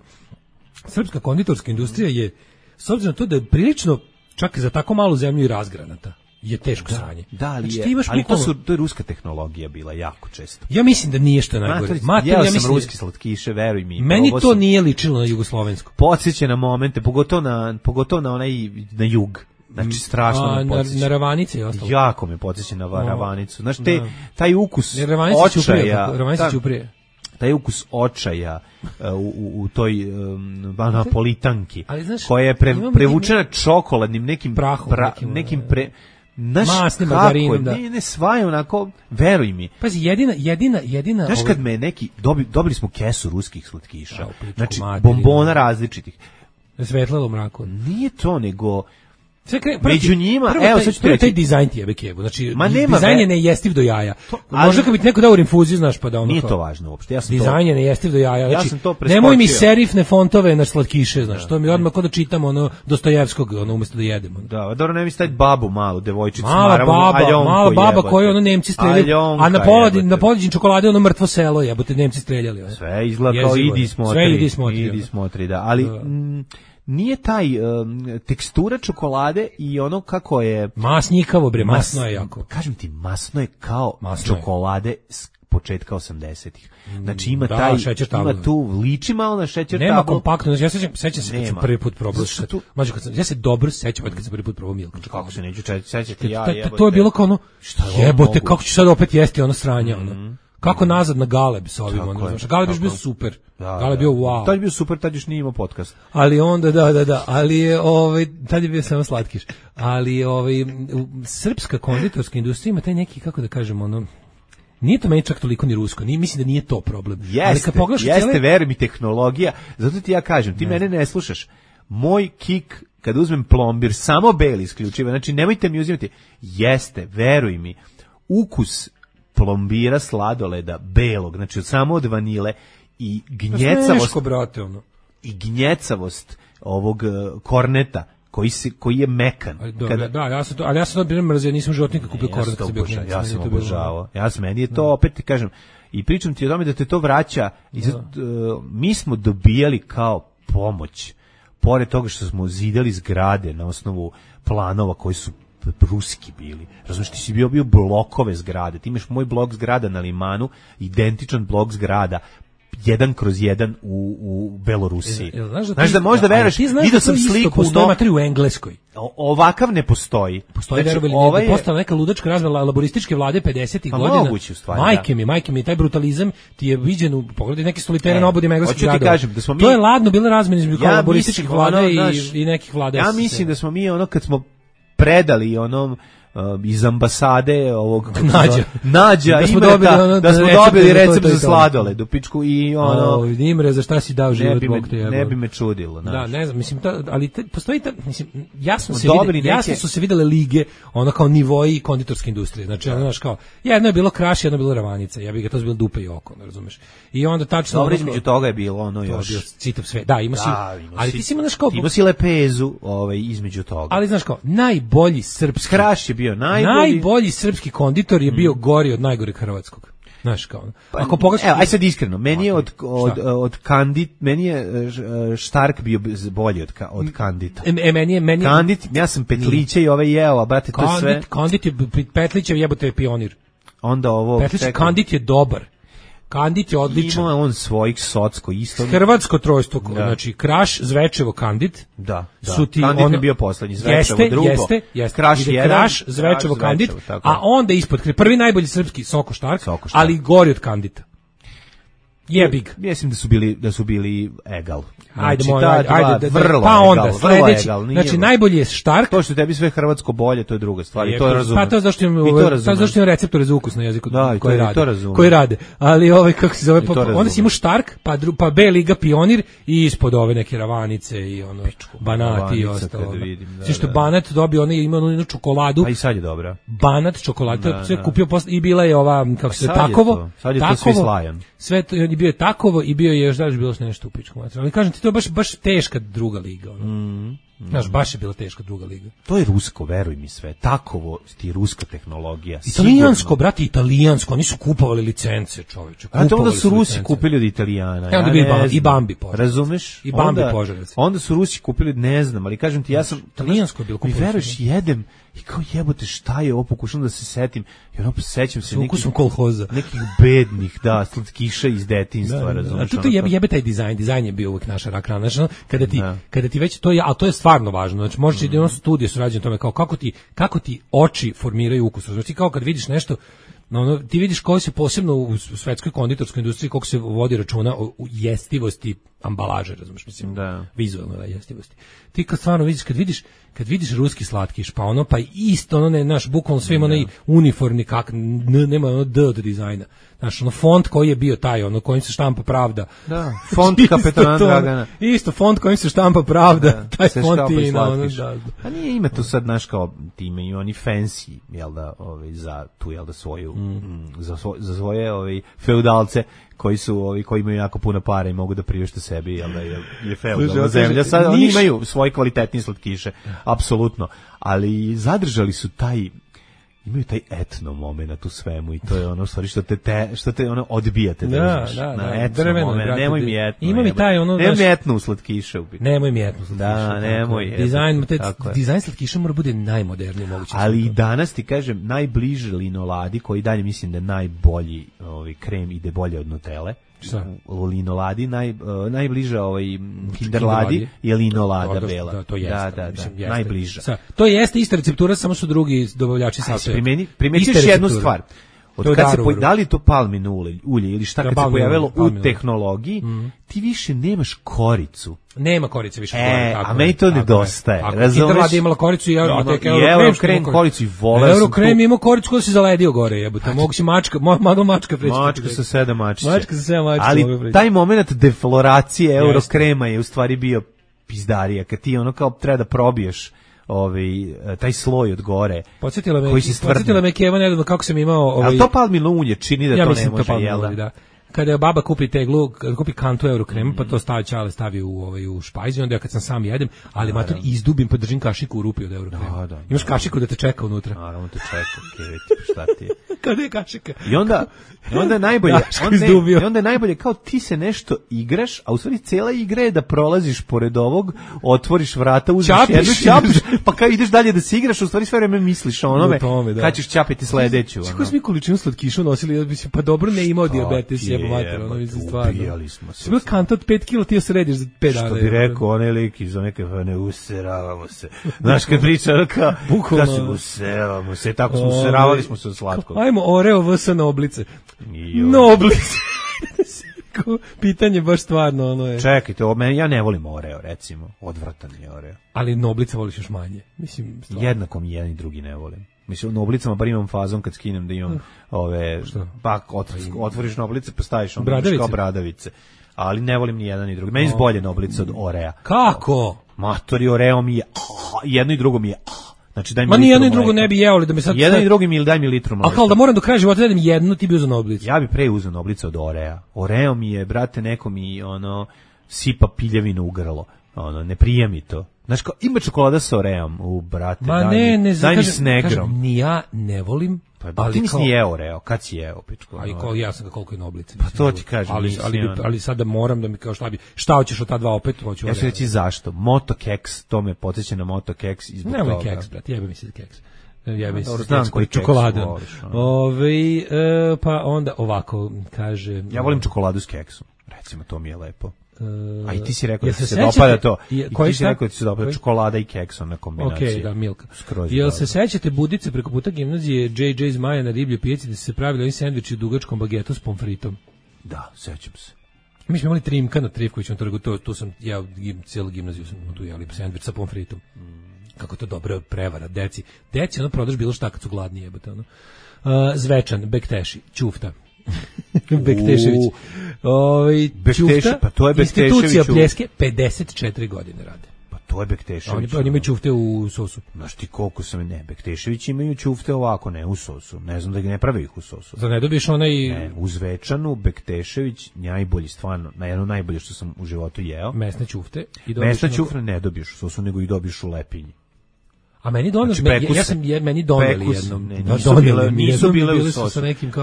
srpska konditorska industrija je, s obzirom na to da je prilično, čak i za tako malu zemlju, i razgranata, je teško sranje. Da, ali to je ruska tehnologija bila jako često. Ja mislim da nije što najgore. Ja sam ruski slatkiše, veruj mi. Meni to nije ličilo na jugoslovensku. Podsjeća na momente, pogotovo na onaj na jug. Znači strašno me podsjeća. Na Ravanice i ostalo. Jako me podsjeća na Ravanicu. Znači taj ukus očaja. Ravanice Ćuprije. Taj ukus očaja u toj napolitanki, koja je prevučena čokoladnim nekim prahom, masnim margarinom, ne svaja onako, veruj mi. Pazi, jedina. Znaš kad me neki, dobili smo kesu ruskih slatkiša, znači bombona različitih. Svetlalo mraku. Nije to, nego među njima, evo sad ću ti reći. Taj dizajn ti jebe kebu, znači dizajn je nejestiv do jaja. Možda kad bi ti neko dao u infuziju, znaš, pa da ono. Nije to važno uopšte. Dizajn je nejestiv do jaja. Znači, nemoj mi serifne fontove na slatkiše, znaš, to mi odmah kod da čitamo ono Dostojevskog, ono umjesto da jedemo. Da, dobro, ne mi staviti babu malu, devojčicu, mala baba koju ono Nemci streljali, a na poleđin čokolade ono mrtvo selo, jebote, Nemci streljali. Sve izgleda kao idi smotri, da, ali nije taj tekstura čokolade i ono kako je masnjikavo, bre, masno je jako. Kažem ti, masno je kao čokolade s početka 80-ih. Znači ima tu liči malo na šećer tablu. Nema kompaktno, ja sećam se kad sam prvi put probao. Ja se dobro sećam kad sam prvi put probao Milka. Kako se neću sećati ja. To je bilo kao ono, jebote, kako ću sad opet jesti ono sranje, ono. Kako nazad na Galeb s ovim, Galeb je bio super. Galeb je bio wow. Tad je bio super, tad još nije imao podcast. Ali onda, da, ali je, tad je bio samo slatkiš. Ali srpska konditorska industrija ima taj neki, kako da kažem, ono, nije to meni čak toliko ni rusko, mislim da nije to problem. Jeste, veruj mi, tehnologija, zato ti ja kažem, ti mene ne slušaš. Moj kik, kad uzmem plombir, samo beli isključivo, znači nemojte mi uzimati, jeste, veruj mi, ukus plombira sladoleda belog, znači samo od vanile i gnjecavost ovog korneta koji je mekan. Ali ja sam to bilo mrzio, nisam životnika kupio kornet kad sam bio klinac. Ja sam obožavao. Meni je to, opet ti kažem, i pričam ti o tome da te to vraća. Mi smo dobijali kao pomoć, pored toga što smo zidali zgrade na osnovu planova koji su ruski bili. Razumiješ, ti si bio blokove zgrade. Ti imaš moj blok zgrada na Limanu, identičan blok zgrada 1/1 u Belorusiji. Znaš da možda veruješ, vidio sam sliku u Engleskoj. Ovakav ne postoji. Postoji verovali da postala neka ludačka razmela laborističke vlade 50-ih godina. Moguće u stvari. Majke mi, taj brutalizam ti je viđen u pogledu neke stolitere na obodima engleskih gradova. Da smo mi, to je ladno bila razmena između laborističkih vlada i nekih vlada. Ja mislim da smo mi kad smo predali iz ambasade ovog Nađa da smo dobili recept za sladoled u pičku i Imre, za šta si dao život Bog te jebe. Ne bi me čudilo, da, ne znam, mislim ali postoji mislim jasno su se videle lige, kao nivoi konditorske industrije. Znači kao jedno je bilo Kraš, jedno je bilo Ravanica. Ja bih ga to bilo dupe i oko, ne razumeš. I onda tačno dobro između toga je bilo još citav sve. Da, ima si, ali ti si ima si lepezu između toga. Ali znaš kao najbolji srpski Kraš je bio najbolji srpski konditor je bio gori od najgoreg hrvatskog. Znaš kao. Ako pogledaš, aj sad iskreno, meni je od Kandit, meni je Štark bio bolji od Kandita. Meni Kandit, ja sam Petlića i jeo, a brate to sve. Kandit je Petlićev jebote pionir. Onda ovo Petlić Kandit je dobar. Kandit je odličan. Ima on svojih socko isto. Hrvatsko trojstvo, znači Kraš, Zvečevo, Kandit. Da. Su ti Kandit je bio poslednji, Zvečevo drugo. Jeste. Kraš, Zvečevo, Kandit, a onda ispod prvi najbolji srpski Soko Štark, ali gori od Kandita. Jebig. Mislim da su bili egal. Ajde, pa onda sledeći. Znači najbolji je Štark. To što tebi sve hrvatsko bolje, to je druga stvar. I to razumem. Pa to zašto imam receptore za ukus na jeziku koji rade. Ali kako se zove, onda si imao Štark, pa B liga Pionir i ispod ove neke Ravanice i Banat i ostalo. Znači što Banat dobio, ona je imala čokoladu. A i sad je dobra. Banat čokoladu, sve kupio i bila je ova kako se Takovo. Sad je to svi slajan. Sve bio je Takovo i bio je još bilo nešto u pičku materiju. Ali kažem ti, to je baš teška druga liga. Znaš, baš je bila teška druga liga. To je rusko, veruj mi sve. Takovo ti ruska tehnologija. Italijansko, brate, italijansko. Oni su kupovali licence, čoveče. A to onda su Rusi kupili od Italijana. Onda bi i Bambi požarac. Razumeš? I Bambi požarac. Onda su Rusi kupili, ne znam, ali kažem ti, ja sam... Italijansko je bilo kupovali. Mi veruješ, jedem i kao jebote, šta je ovo, pokušam da se setim. I sećam se nekih bednih, slatkiša iz detinjstva, razumeš? A tu jebe taj dizajn. Dizajn je bio uvijek naša rak rana. Kada ti već to je, a to je stvarno važno. Znači možeš i studije su rađene tome kao kako ti oči formiraju ukus. Znači kao kad vidiš nešto, ti vidiš koji se posebno u svetskoj konditorskoj industriji koliko se vodi računa o jestivosti ambalaže, razumiješ, mislim, vizualno jestivosti. Ti kad stvarno vidiš, kad vidiš ruski slatkiš, pa isto naš bukvalno sve ima onaj uniformni nema D od dizajna. Znaš, font koji je bio taj, kojim se štampa pravda. Da, font kapetana Dragana. Isto, font kojim se štampa pravda, taj font je A nije ima tu sad, znaš, kao ti imaju oni fancy, jel da, za tu, jel da, svoju, za svoje feudalce, koji imaju jako puno para i mogu da priušte sebi, jel da je feudalna zemlja. Sad oni imaju svoje kvalitetnije slatkiše, apsolutno, ali zadržali su imaju taj etno moment u svemu i to je ono stvari što te odbijate da etno moment. Nemoj mi etno. Ima mi taj nemoj mi etno u slatkiše. Nemoj mi etno u slatkiše. Da, nemoj. Dizajn slatkiša mora bude najmoderniji mogući. Ali i danas ti kažem, najbliže linoladi, koji dalje mislim da je najbolji krem, ide bolje od Nutelle. Linoladi, najbliže Kinderladi je linolada bela. Da, to jeste. Da, najbliže. To jeste ista receptura, samo su drugi dobavljači sastojaka. Primetiš jednu stvar. Da li je to palmino ulje ili šta kad se pojavilo u tehnologiji, ti više nemaš koricu. Nema korice više. A meni to nedostaje. Kinderladi imala koricu i Eurokrem koricu i voleo sam. Eurokrem ima koricu koja se zaledio gore, jebote. Mogu si mačka preći. Mačka sa 7 mačića. Mačka sa 7 mačića. Ali taj moment defloracije Eurokrema je u stvari bio pizdarija. Kad ti kao treba da probiješ taj sloj od gore. Podsjetila me Keva nedavno kako sam imao... Ali to palmino ulje čini da to ne može, jel da? Kada je baba kupi teglu, kada kupi kantu Eurokrema, pa to stavi u špajz i onda ja kad sam sam jedem, ali mater izdubim, pa držim kašiku u rupi od Eurokrema. Imaš kašiku da te čeka unutra. Naravno te čeka, šta ti je? Kada je kašika? I onda je najbolje kao ti se nešto igraš, a u stvari cijela igra je da prolaziš pored ovog, otvoriš vrata, uzmeš jednu, čapiš, pa kao ideš dalje da se igraš, u stvari sve vreme misliš o onome, kad ćeš čapiti sledeću. Kako smo mi količinu slatkiša nosili, pa dobro ne imao dijabetes, jebo mater, ono mislim stvarno. Ubijali smo se. Sve kanta od 5 kg ti središ za 5 dana. Što bi rekao onaj lik iz neke ne useravamo se. Znaš kad priča kao da se useravamo se, tako smo useravali smo se od slatkog. Ajmo Oreo vs Noblice. Noblice. Pitanje baš stvarno ono je. Čekajte, ja ne volim Oreo, recimo. Odvratan je Oreo. Ali Noblice voliš još manje. Mislim, stvarno. Jednako mi jedan i drugi ne volim. Mislim, u Noblicama bar imam fazon kad skinem da imam ove, pa otvoriš Noblice pa staviš kao bradavice. Ali ne volim ni jedan ni drugi. Meni je bolje Noblice od Orea. Kako? Matori, Oreo mi je, jedno i drugo mi je, znači daj mi litru mleka. Ma ni jedno i drugo ne bi jeo li da mi sad... Jedan i drugi mi ili daj mi litru mleka. A kao da moram do kraja života jedem jednu, ti bi uzeo Noblice. Ja bi pre uzeo Noblice od Orea. Oreo mi je, brate, neko mi sipa piljevinu u grlo. Ne prija mi to. Znaš, kao, ima čokolada sa Oreom, brate, daj mi s negrom. Ni ja ne volim, ali ti nisi jeo Oreo, kad si jeo, pičko? Ja sam ga koliko je Noblice. Pa to ti kažem. Ali sada moram da mi kao šta hoćeš od ta dva opet, hoću Oreo. Ja ću reći zašto. Moto keks, to me podsjeća na Moto keks i zbog toga. Nemoj keks, brate, jebe mi se keks. Jebe se keks koji čokolada. Pa onda ovako, kaže... Ja volim čokoladu s keksom, recimo, to mi je lepo. A i ti si rekao da se dopada to. I ti si rekao da se dopada čokolada i keksom na kombinaciji. Okej, da, Milka. Jel se sećate Budice preko puta gimnazije JJ Zmaja na Ribljoj pijaci da su se pravili ovi sendviči u dugačkom bagetu s pomfritom? Da, sećam se. Mi smo imali Trimka na Trivkovićnom trgu, tu sam, ja cijelu gimnaziju sam tu jeli sendvič sa pomfritom. Kako to dobro prevara, deci prodaš bilo šta kad su gladni jebote, Zvečan, Bekteši, Ćufta. Bektešević. Ćufta, pa to je Bektešević. Institucija Pljeske 54 godine rade. Pa to je Bektešević. Oni imaju ćufte u sosu. Znaš ti koliko sam, ne, Bektešević imaju ćufte ovako, ne u sosu. Ne znam da ne prave ih u sosu. Da ne dobiješ onaj... Ne, u Zvečanu Bektešević najbolji, stvarno, jedno najbolje što sam u životu jeo. Mesne ćufte. Mesne ćufte ne dobiješ u sosu, nego ih dobiješ u lepinji. A meni doneli, meni doneli jednom. Nisu bile u sosu.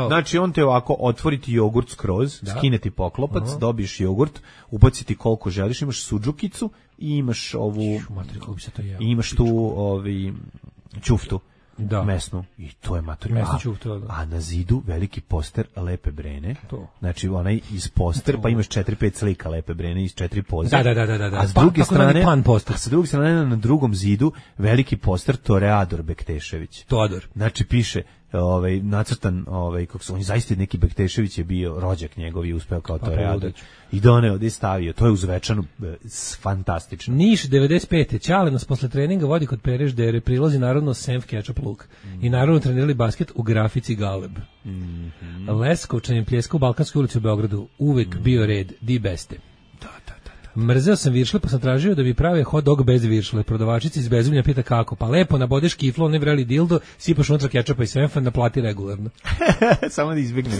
Znači on te ovako otvoriti jogurt skroz, skineti poklopac, dobiješ jogurt, ubaciti koliko želiš, imaš sudžukicu i imaš ovu, imaš tu ćuftu. Da. Mesnu. I to je matori. A na zidu veliki poster Lepe Brene. To. Znači onaj iz poster, pa imaš 4-5 slika Lepe Brene iz 4 poze. Da. A s druge strane, sa druge strane na drugom zidu veliki poster Toreador Bektešević. Toador. Znači piše nacrtan, kako su oni zaista neki Bektešević je bio rođak njegov i uspeo kao Toreador. I doneo da je stavio, to je uz Zvečanu fantastično. Niš 95. Ćale nas posle treninga vodi kod Pereš Dere, prilazi narodno Senf Ketchup Luk. I narodno trenirali basket u grafici Galeb. Leskovčanin Pljeska u Balkanskoj ulici u Beogradu, uvek bio red, di beste. Mrzeo sam viršle, pa sam tražio da bi prave hot dog bez viršle. Prodavačica iz Bezumlja pita kako. Pa lepo, nabodeš kiflo, onaj vreli dildo, sipaš unutra kečapa i senfa, naplati regularno. Samo da izbjegne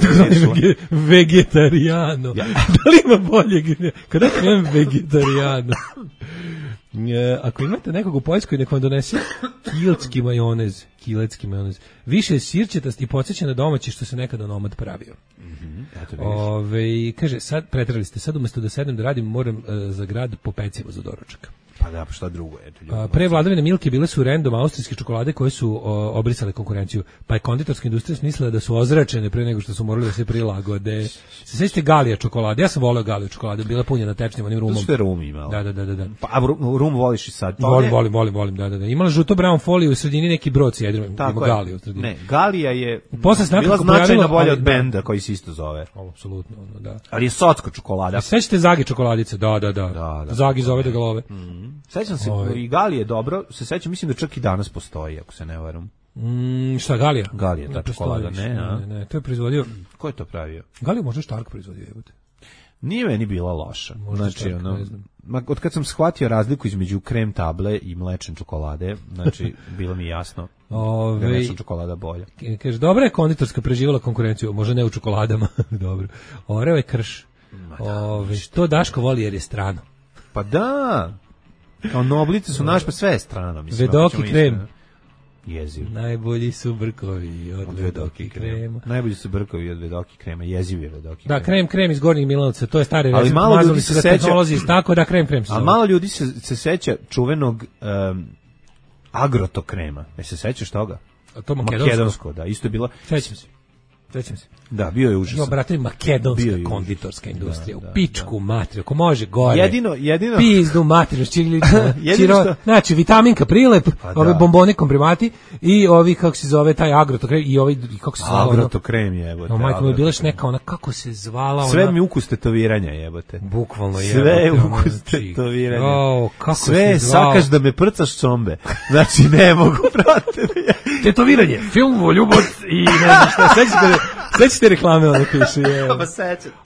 vegetarijano. Da li ima boljeg? Kada krenem vegetarijano? Ako imate nekog u Poljskoj, nek vam donese kilecki majonez. Više sirćetast i podsjeća na domaći što se nekada nomad pravio. Kaže, sad pretrali ste, sad umjesto da sedem da radim, moram za grad po pecivo za doručak. Pa da, pa šta drugo je? Pre vladavine Milke bile su random austrijske čokolade koje su obrisale konkurenciju, pa je konditorska industrija smislila da su ozračene pre nego što su morali da se prilagode. Se sećate Galija čokolade? Ja sam voleo Galiju čokolade, bila punjena tečnim onim rumom. Što je rum imao? Da. Pa rum voliš i sad? Volim, da. Imala žuto brown foliju u sredini neki brod s jedrom, ima Galiju u sredini. Ne, Galija je bila značajno bolja od benda koji se isto zove. Apsolutno, da. Ali je socko čokolada. Sećate Zagi čokoladice? Da. Zagi zove da ga love. Sećam se, i Galije dobro, sećam, mislim da čak i danas postoji, ako se ne varam. Šta, Galija? Galija, ta čokolada, ne, to je proizvodio... Ko je to pravio? Galija možda Štark proizvodio, jebote. Nije meni bila loša. Znači, Štark, ne znam. Od kad sam shvatio razliku između krem table i mlečne čokolade, znači, bilo mi jasno da je mlečna čokolada bolja. Kaže, dobra je konditorska preživala konkurenciju, možda ne u čokoladama, dobro. Oreo je krš. To Daško voli jer je strano. Pa da... Kao Noblice su naš, pa sve je strano. Vedoki krem. Jeziv. Najbolji su brkovi od Vedoki krema. Najbolji su brkovi od Vedoki krema, jeziv je Vedoki krem. Da, krem iz Gornjeg Milanovca, to je stari recept. Ali malo ljudi se seća, tako da krem. A malo ljudi se seća čuvenog Agroto krema. Se sećaš toga? A to makedonsko, da, isto je bilo. Sećam se. Sećam se. Da, bio je užasan. Jo, brate, makedonska konditorska industrija, u pičku materiju, ako može gore. Jedino. Pizdu materiju, znači, vitaminka prilep, ove bombone komprimati i ovi, kako se zove, taj agrotokrem i ovi, kako se zvala? Agrotokrem jebote. No, majko, mi je bilaš neka ona, kako se zvala ona? Sve mi ukus tetoviranja jebote. Bukvalno jebote. Sve je ukus tetoviranja. Kako sve sakaš da me prcaš combe. Znači, ne mogu, brate. Tetoviranje, film o ljubav i ne znam šta, sećate reklame ono piše.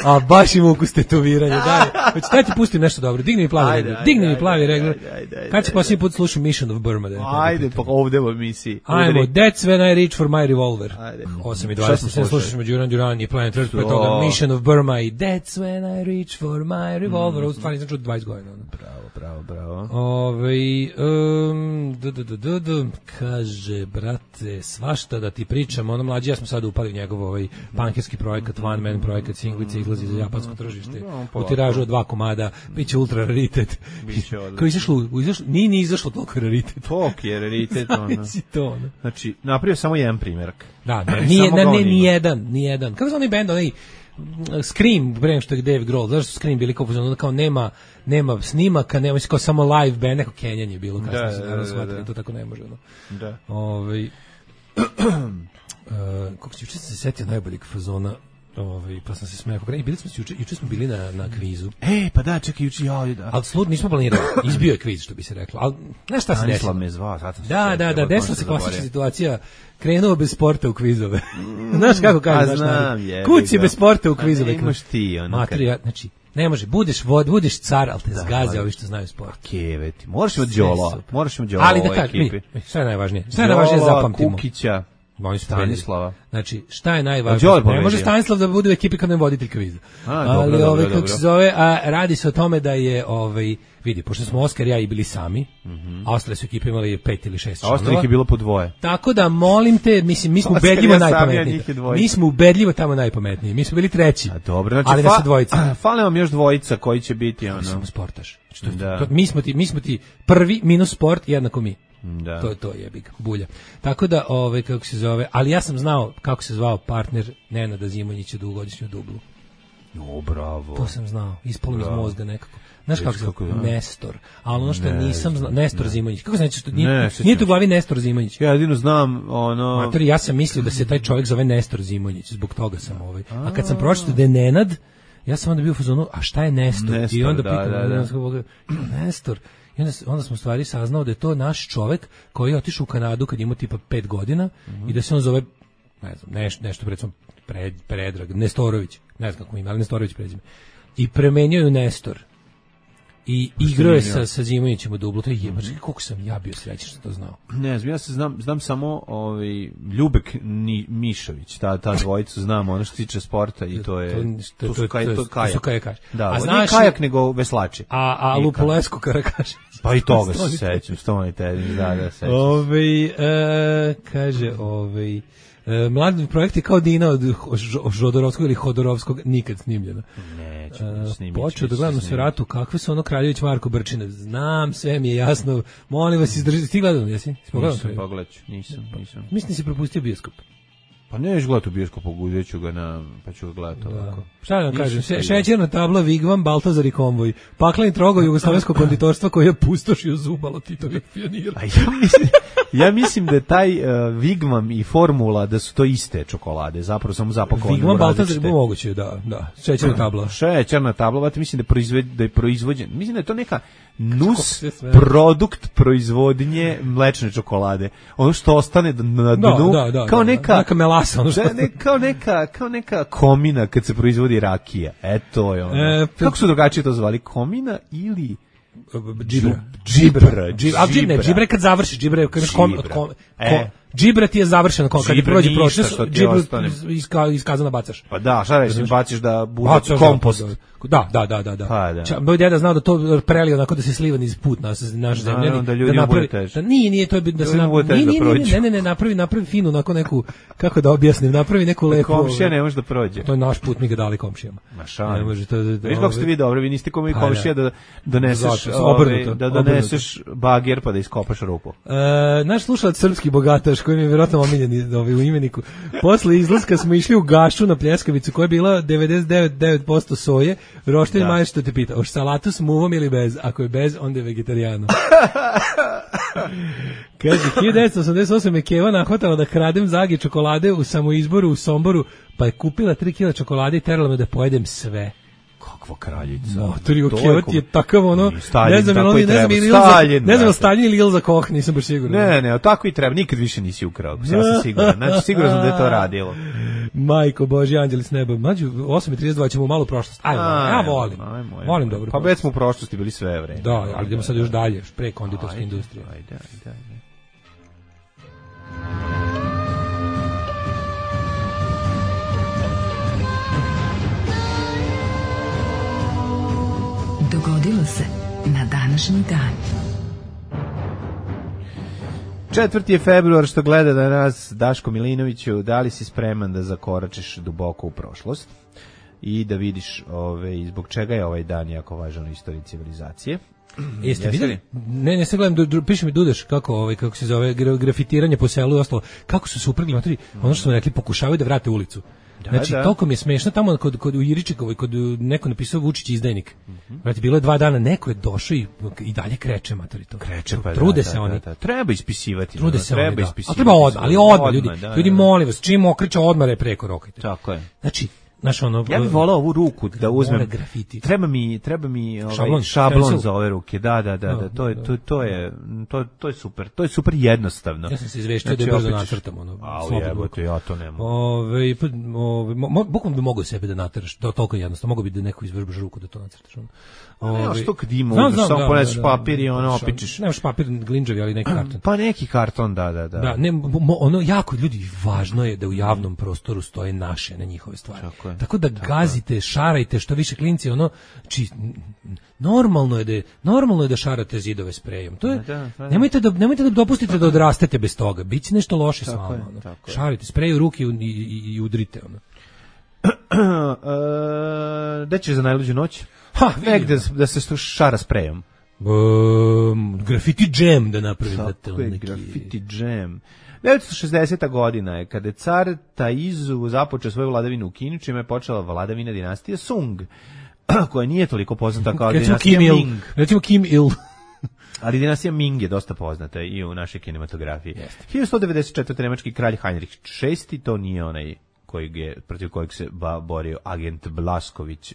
A baš im ukus tetoviranja, daj. Daj ti pustim nešto dobro, digni mi plavi regler. Kad će posljednji put slušam Mission of Burma? Ajde, pa ovde u emisiji. Ajmo, That's When I Reach For My Revolver. 8:20, slušaš me Duran i Planet Earth, pre toga Mission of Burma i That's When I Reach For My Revolver. Ovo stvarno nisam čuo 20 godina. Bravo. Kaže, brate, svašta da ti pričam, ono mlađi, ja smo sad upali njegov ovaj pankerski projekat, one man projekat, singlica izlazi za japansko tržište, u tiražu od 2 komada, biće ultra raritet. Kao izašlo, nije izašlo toliko raritet. Tok je raritet, ono. Znači, napravio samo jedan primjerak. Da, ni jedan. Kako se onaj band, onaj Scream, pre što je Dave Grohl, zašto su Scream bili kao nema snimaka, nema kao samo live band, neko kenjanje je bilo, kasnije se naravno shvatili, to tako ne može. Da. Kako se juče se setio najboljeg fazona, pa sam se smejao. Juče smo bili na kvizu. Pa da, čekaj, juče da. Ali slud nismo planirali. Izbio je kviz, što bi se reklo. Ali znaš šta se desilo? Da, desila se klasična situacija. Krenuo bez sporta u kvizove. Znaš kako kaže? Kući bez sporta u kvizove. Imaš ti ono. Materija, znači, ne može, budeš car, ali te zgaze ovi što znaju sport. Keveti, moraš imati Đolo. Ali da kažem, šta je najvažnije? Šta je najvažnije zapamtimo? Kukića. Stanislava. Znači, šta je najvažnije? Ne može Stanislav da bude u ekipi kad ne voditelj kviza. Ali kako se zove, radi se o tome da je vidi, pošto smo Oskar i ja i bili sami, a ostale su ekipe imali 5 ili 6 članova. A ostalih je bilo po dvoje. Tako da molim te, mislim, mi smo ubedljivo najpametniji. Mi smo ubedljivo tamo najpametniji. Mi smo bili treći. A dobro, znači ali nas je dvojica. Fale vam još dvojica koji će biti ono. Samo sportaš. Mi smo ti prvi minus sport jednako mi. Da. To je big bulja. Tako da, kako se zove, ali ja sam znao kako se zvao partner Nenada Zimonjića dugogodišnju dublu. Bravo. To sam znao, ispalo mi iz mozga nekako. Znaš kako se zove? Nestor. Ali ono što nisam znao, Nestor Zimonjić. Kako znači što nije tu u glavi Nestor Zimonjić? Ja jedino znam ono. Matori, ja sam mislio da se taj čovjek zove Nestor Zimonjić, zbog toga sam A kad sam pročitao da je Nenad, ja sam onda bio u fazonu, a šta je Nestor? I onda pitam, Nestor. I onda smo stvari saznao da je to naš čovjek koji je otišao u Kanadu kad ima tipa 5 godina i da se on zove, ne znam, nešto recimo Predrag, Nestorović, ne znam kako ima, ali Nestorović prezime. I premenio je Nestor. I igrao je sa Zimonjićem u dublu. To je jebački, koliko sam ja bio srećan što to znao. Ne znam, ja se znam samo Ljubek Mišović, ta dvojicu znam, ono što tiče sporta i to je to su kajak. Da, nije kajak nego veslači. A Lupolesko Karakašić. Pa i toga se sećam, Stoni Tedin, da, sećam. Kaže, mladi projekt je kao Dina od Žodorovskog ili Hodorovskog, nikad snimljeno. Neću snimiti. Počeo da gledam se ratu, kakve su ono Kraljević Marko Brčine. Znam, sve mi je jasno. Molim vas, izdržite. Ti gledam, jesi? Nisam, pogledat ću. Nisam. Mislim si propustio bioskop. Pa neću gledati u bioskopu, uzet ću ga pa ću ga gledati ovako. Šta da vam kažem, šećerna tabla, Vigvam, Baltazar i konvoj. Pakleni trogo jugoslovensko konditorstvo koje je pustošio zubalo Titovih pionira. Ja mislim da je taj Vigvam i Formula da su to iste čokolade, zapravo samo zapakovane. Vigvam, Baltazar je moguće, da. Šećerna tabla. Šećerna tabla, mislim da je proizvođen. Mislim da je to neka nus produkt proizvodnje mlečne čokolade. Ono što ostane na dnu, kao neka melasa, kao neka komina kad se proizvodi rakija. Eto je ono. Kako su drugačije to zvali? Komina ili džibra. Džibra kad završiš, džibra kad džibra ti je završeno, kad ti prođe proces, džibru iskazano bacaš. Pa da, šta reći, baciš da bude kompost. Da. Moj deda znao da to prelio onako da se sliva niz put naše zemlje. Da ljudima bude teže. Nije to da se napravi finu, onako neku, kako da objasnim, napravi neku lepu. Komšija ne može da prođe. To je naš put, mi ga dali komšijama. Ne može to. Viš kako ste vi dobri, vi niste komi komšija da doneseš bager pa da iskopaš rupu. Naš slušalac srpski bogataš Daš koji mi je vjerojatno omiljen u imeniku. Posle izlaska smo išli u Gašu na pljeskavicu koja je bila 99% soje. Roštilj Maja što te pita, hoš salatu s muvom ili bez? Ako je bez, onda je vegetarijano. Kaže, 1988 je Keva nahvatala da kradem zagi čokolade u samoizboru u Somboru, pa je kupila 3 kila čokolade i terala me da pojedem sve. Kakva kraljica. Motori u Keva ti je takav ono, Stalin, ne znam ili Stalin ili Ilza Koch, nisam baš siguran. Ne, tako i treba, nikad više nisi ukrao, ja sam siguran, znači siguran sam da je to radilo. Majko Božji, anđeli s neba. Mađu, 8:32 ćemo u malu prošlost. Ja volim dobro. Pa već smo u prošlosti bili sve vreme. Da, ali idemo sad još dalje, pre konditorske industrije. Ajde. Dogodilo se na današnji dan. 4. je februar, što gleda da nas Daško Milinoviću, da li si spreman da zakoračiš duboko u prošlost i da vidiš zbog čega je ovaj dan jako važan u istoriji civilizacije. Jeste videli? Ne se gledam, piše mi Dudeš kako se zove grafitiranje po selu i ostalo. Kako su se uprgli matori, ono što smo rekli, pokušavaju da vrate ulicu. Znači, toliko mi je smešno tamo kod u Iričikovoj, kod neko napisao Vučić izdajnik. Znači, bilo je 2 dana, neko je došao i dalje kreće, matori to. Kreće, pa trude se oni. Treba ispisivati. Trude se oni, da. Ali treba odmah, ljudi, molim vas, čim okreće odmah je preko rokajte. Tako je. Znači, ja bih volao ovu ruku da uzmem. Treba mi šablon za ove ruke. Da, to je super. To je super jednostavno. Ja sam se izveštio da je brzo nacrtam ja to ne mogu. Bukvalno bi mogao sebe da nateraš, toliko jednostavno. Mogu bi da neko izvrbaš ruku da to nacrtaš. Što kad ima, samo poneseš papir i ono opičiš. Nemaš papir glinđavi, ali neki karton. Pa neki karton, da. Da, ono jako ljudi, važno je da u javnom prostoru stoje naše na njihove stvari. Tako da gazite, šarajte što više klinci, normalno je da šarate zidove sprejom. To je nemojte da dopustite da odrastete bez toga. Biće nešto loše s vama. Šarajte, sprej u ruke i udrite ono. Da ćeš za najluđu noć? Negde da se šara sprejom. Graffiti jam da napravim. Tako je, graffiti jam. 1960. godina je kada je car Taizu započeo svoju vladavinu u Kini, čime je počela vladavina dinastije Sung, koja nije toliko poznata kao dinastija Ming. Recimo Kim Il. Ali dinastija Ming je dosta poznata i u našoj kinematografiji. 1194. nemački kralj Heinrich VI, to nije onaj protiv kojeg se borio agent Blašković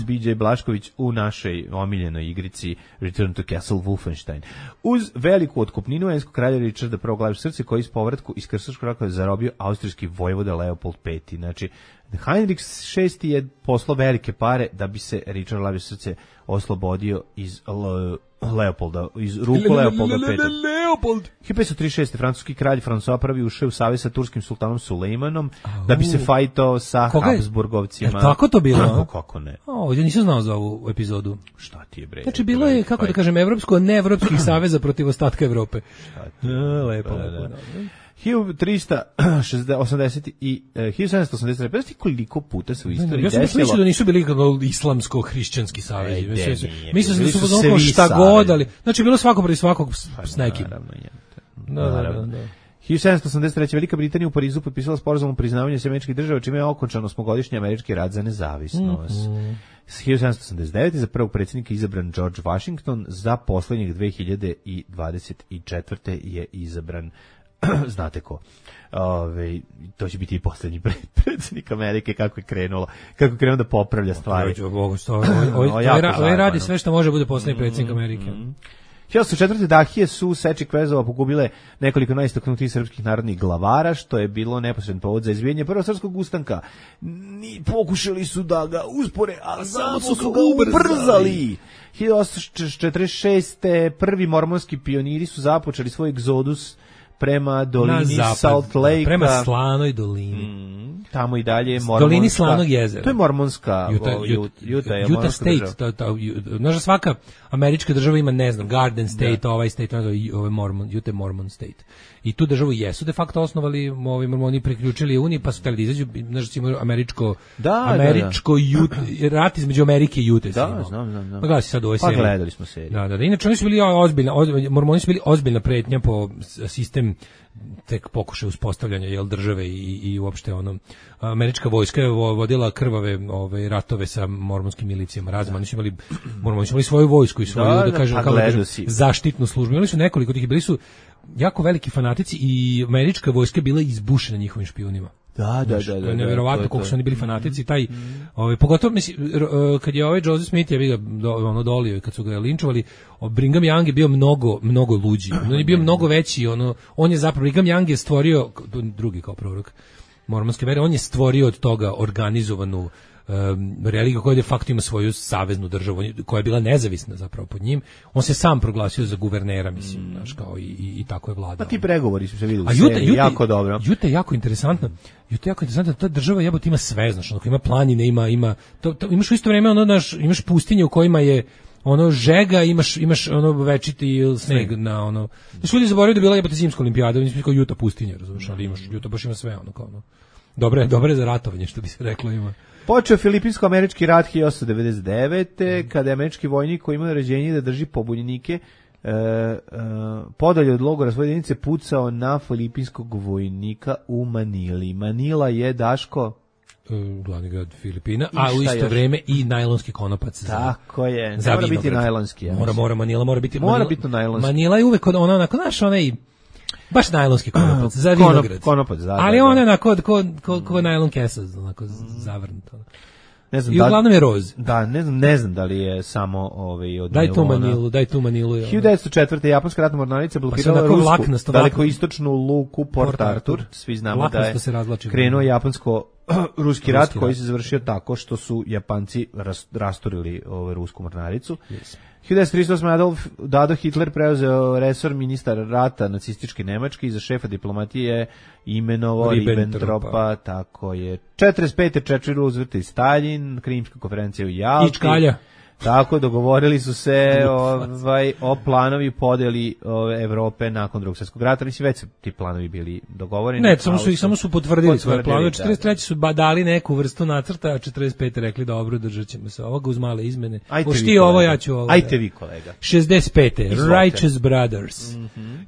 BJ Blašković u našoj omiljenoj igrici Return to Castle Wolfenstein. Uz veliku otkupninu engleskog kralja Richarda I. glavi srce, koji iz povratku iz krstaškog rata zarobio austrijski vojvoda Leopold V. Znači, Heinrich VI je poslao velike pare da bi se Richard glavi srce oslobodio iz Leopolda, iz ruku Leopolda V. Leopold. 1536. francuski kralj François I ušao u savez sa turskim sultanom Sulejmanom da bi se fajtao sa Habsburgovcima. Tako to bilo? Kako ne? Ja nisam znao za ovu epizodu. Šta ti je bre? Znači bilo je, kako da kažem, evropsko-neevropskih saveza protiv ostatka Evrope. Lepo. 1380 i 1780. Pa znači koliko puta se u istoriji desilo. Ja sam mislio da nisu bili kako islamsko-hrišćanski savezi. Mislim da su ono šta god, ali znači bilo svako protiv svakog s nekim. Naravno. 1783. Velika Britanija u Parizu potpisala sporazum o priznavanju američkih država, čime je okončan osmogodišnji američki rat za nezavisnost. 1789. za prvog predsjednika izabran George Washington, za poslednjeg 2024. je izabran znate ko. To će biti i posljednji predsjednik Amerike, kako je krenulo da popravlja stvari. Ovo radi sve što može bude posljednji predsjednik Amerike. 1904. Dahije su seči kvezova pogubile nekoliko najistaknutijih srpskih narodnih glavara, što je bilo neposredan povod za izbijanje prvog srpskog ustanka. Pokušali su da ga uspore, a samo su ga ubrzali. 1846. prvi mormonski pioniri su započeli svoj egzodus prema dolini Salt Lake, prema Slanoj dolini. Tamo i dalje mormonska. Dolini Slanog jezera. To je mormonska Utah State. Znaš da svaka američka država ima, ne znam, Garden State, ovaj State, ovaj Utah Mormon State. I tu državu jesu de facto osnovali, ovi mormoni priključili Uniji, pa su hteli da izađu, znaš, imaju američko rat između Amerike i Utah. Da, znam. Pa gledali sad u ovoj seriji. Pa gledali smo seriju. Da. Inače, oni su bili mormoni su bili ozbiljna pretnja po sistem sistem tek pokušaj uspostavljanja države i uopšte američka vojska je vodila krvave ratove sa mormonskim milicijama razima. Oni su imali svoju vojsku i svoju zaštitnu službu. Imali su nekoliko tih, bili su jako veliki fanatici i američka vojska bila izbušena njihovim špijunima. Da. Neverovatno koliko su oni bili fanatici, pogotovo kad je Joseph Smith je dolio, kad su ga linčovali, Brigham Young je bio mnogo luđi. On je bio mnogo veći, on je zapravo, Brigham Young je stvorio, drugi kao prorok mormonske vere, on je stvorio od toga organizovanu religiju koja de facto ima svoju saveznu državu, koja je bila nezavisna zapravo pod njim. On se sam proglasio za guvernera, mislim, znaš, kao i tako je vladao. Pa ti pregovori su se vidjeli, jako dobro. Juta je jako interesantno. Ta država jebote ima sve, znaš, ima planine, ima imaš u isto vrijeme imaš pustinje u kojima je žega, imaš večiti sneg na Znaš, ljudi zaboravaju da bila jebote zimska olimpijada, mislim kao Juta pustinja, razumiješ, ali Juta baš ima sve dobro je za ratovanje, što bi se reklo, ima. Počeo filipinsko-američki rat 1899. kada je američki vojnik koji ima naređenje da drži pobunjenike podalje od logora svoje jedinice pucao na filipinskog vojnika u Manili. Manila je, Daško, glavni grad Filipina, a u isto vrijeme i najlonski konopac. Tako je, mora biti najlonski. Manila mora biti najlonski. Manila je uvek onako, znaš, baš najlonski konopac, za vinograd. Konopac, da. Ali on je onako ko najlon kesa, onako zavrnut. I uglavnom je roz. Da, ne znam da li je samo od Daj tu Manilu. 1904. japanska ratna mornarica blokirala rusku dalekoistočnu luku Port Arthur. Svi znamo da je krenuo japansko-ruski rat koji se završio tako što su Japanci rasturili rusku mornaricu. 1938. Adolf Hitler preuzeo resor ministar rata nacističke Nemačke i za šefa diplomatije imenovao Ribbentropa, tako je. 45. Churchill, Roosevelt i Stalin, Krimska konferencija u Jalti. Ičkalja. Tako, dogovorili su se o planovi podeli Evrope nakon Drugog svjetskog rata. Mislim, već su ti planovi bili dogovoreni. Ne, samo su potvrdili svoje planove. 43. su dali neku vrstu nacrta, a 45. rekli dobro, držat ćemo se ovoga uz male izmene. Ti ovo, ja ću ovo. Ajte vi, kolega. 65. Righteous Brothers.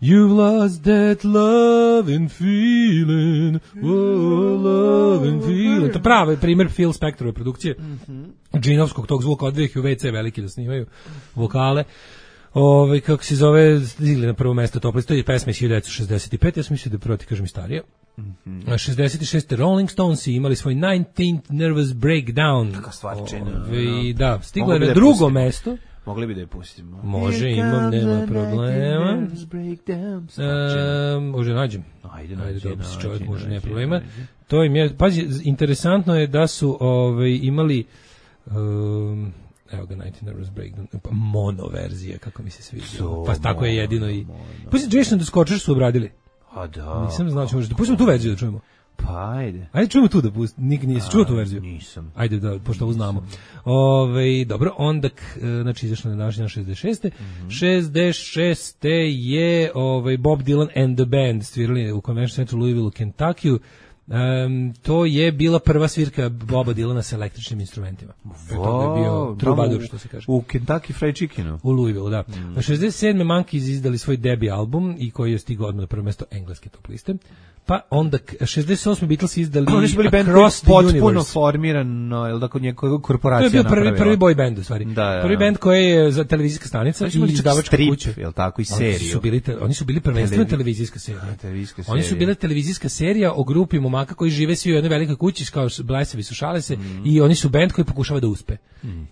You've lost that love and feeling. Oh, love and feeling. To pravi primjer Phil Spectorove produkcije. Džinovskog tog zvuka, odvijek u WC veliki da snimaju vokale. Kako se zove, stigli na prvo mesto top liste, to je pesma iz 1965, ja sam mislio da prvo ti kažem i starije. 66. Rolling Stones imali svoj 19th Nervous Breakdown. Taka stvarčina. Da, stigla je na drugo mesto. Mogli bi da je pustimo. Može, imam, nema problema. Može nađem. Ajde, čovjek može, nema problema. To im je, pazi, interesantno je da su imali evo ga, 19 Nervous Breakdown, mono verzija, kako mi se sviđa. Pa tako je jedino i... Pusti Jason the Scorcher su obradili. A da. Nisam znao ćemo, pustimo tu verziju da čujemo. Pa ajde. Ajde čujemo tu da pustimo, nisi čuo tu verziju? Nisam. Ajde da, pošto ovo znamo. Dobro, onda, znači izašla na današnja 66. 66. je Bob Dylan and the Band svirali u Convention Centru Louisville u Kentuckyu. To je bila prva svirka Boba Dylana sa električnim instrumentima. To je bio trubadur, što se kaže. U Kentucky Fried Chickenu. U Louisville, da. Na 67. Monkeys izdali svoj debi album i koji je stigao odmah na prvo mesto engleske top liste. Pa onda 68. Beatles izdali Across the Universe. Potpuno formirano, jel da kod njegove korporacija napravila. To je bio prvi boy band u stvari. Prvi band koji je za televizijska stanica i izdavačka kuća. Jel tako, i seriju. Oni su bili prvenstveno televizijska serija. Oni su bile televizijska serija o grupi momaka koji žive svi u jednoj velikoj kući, kao blesavi su, šale se, i oni su band koji pokušava da uspe.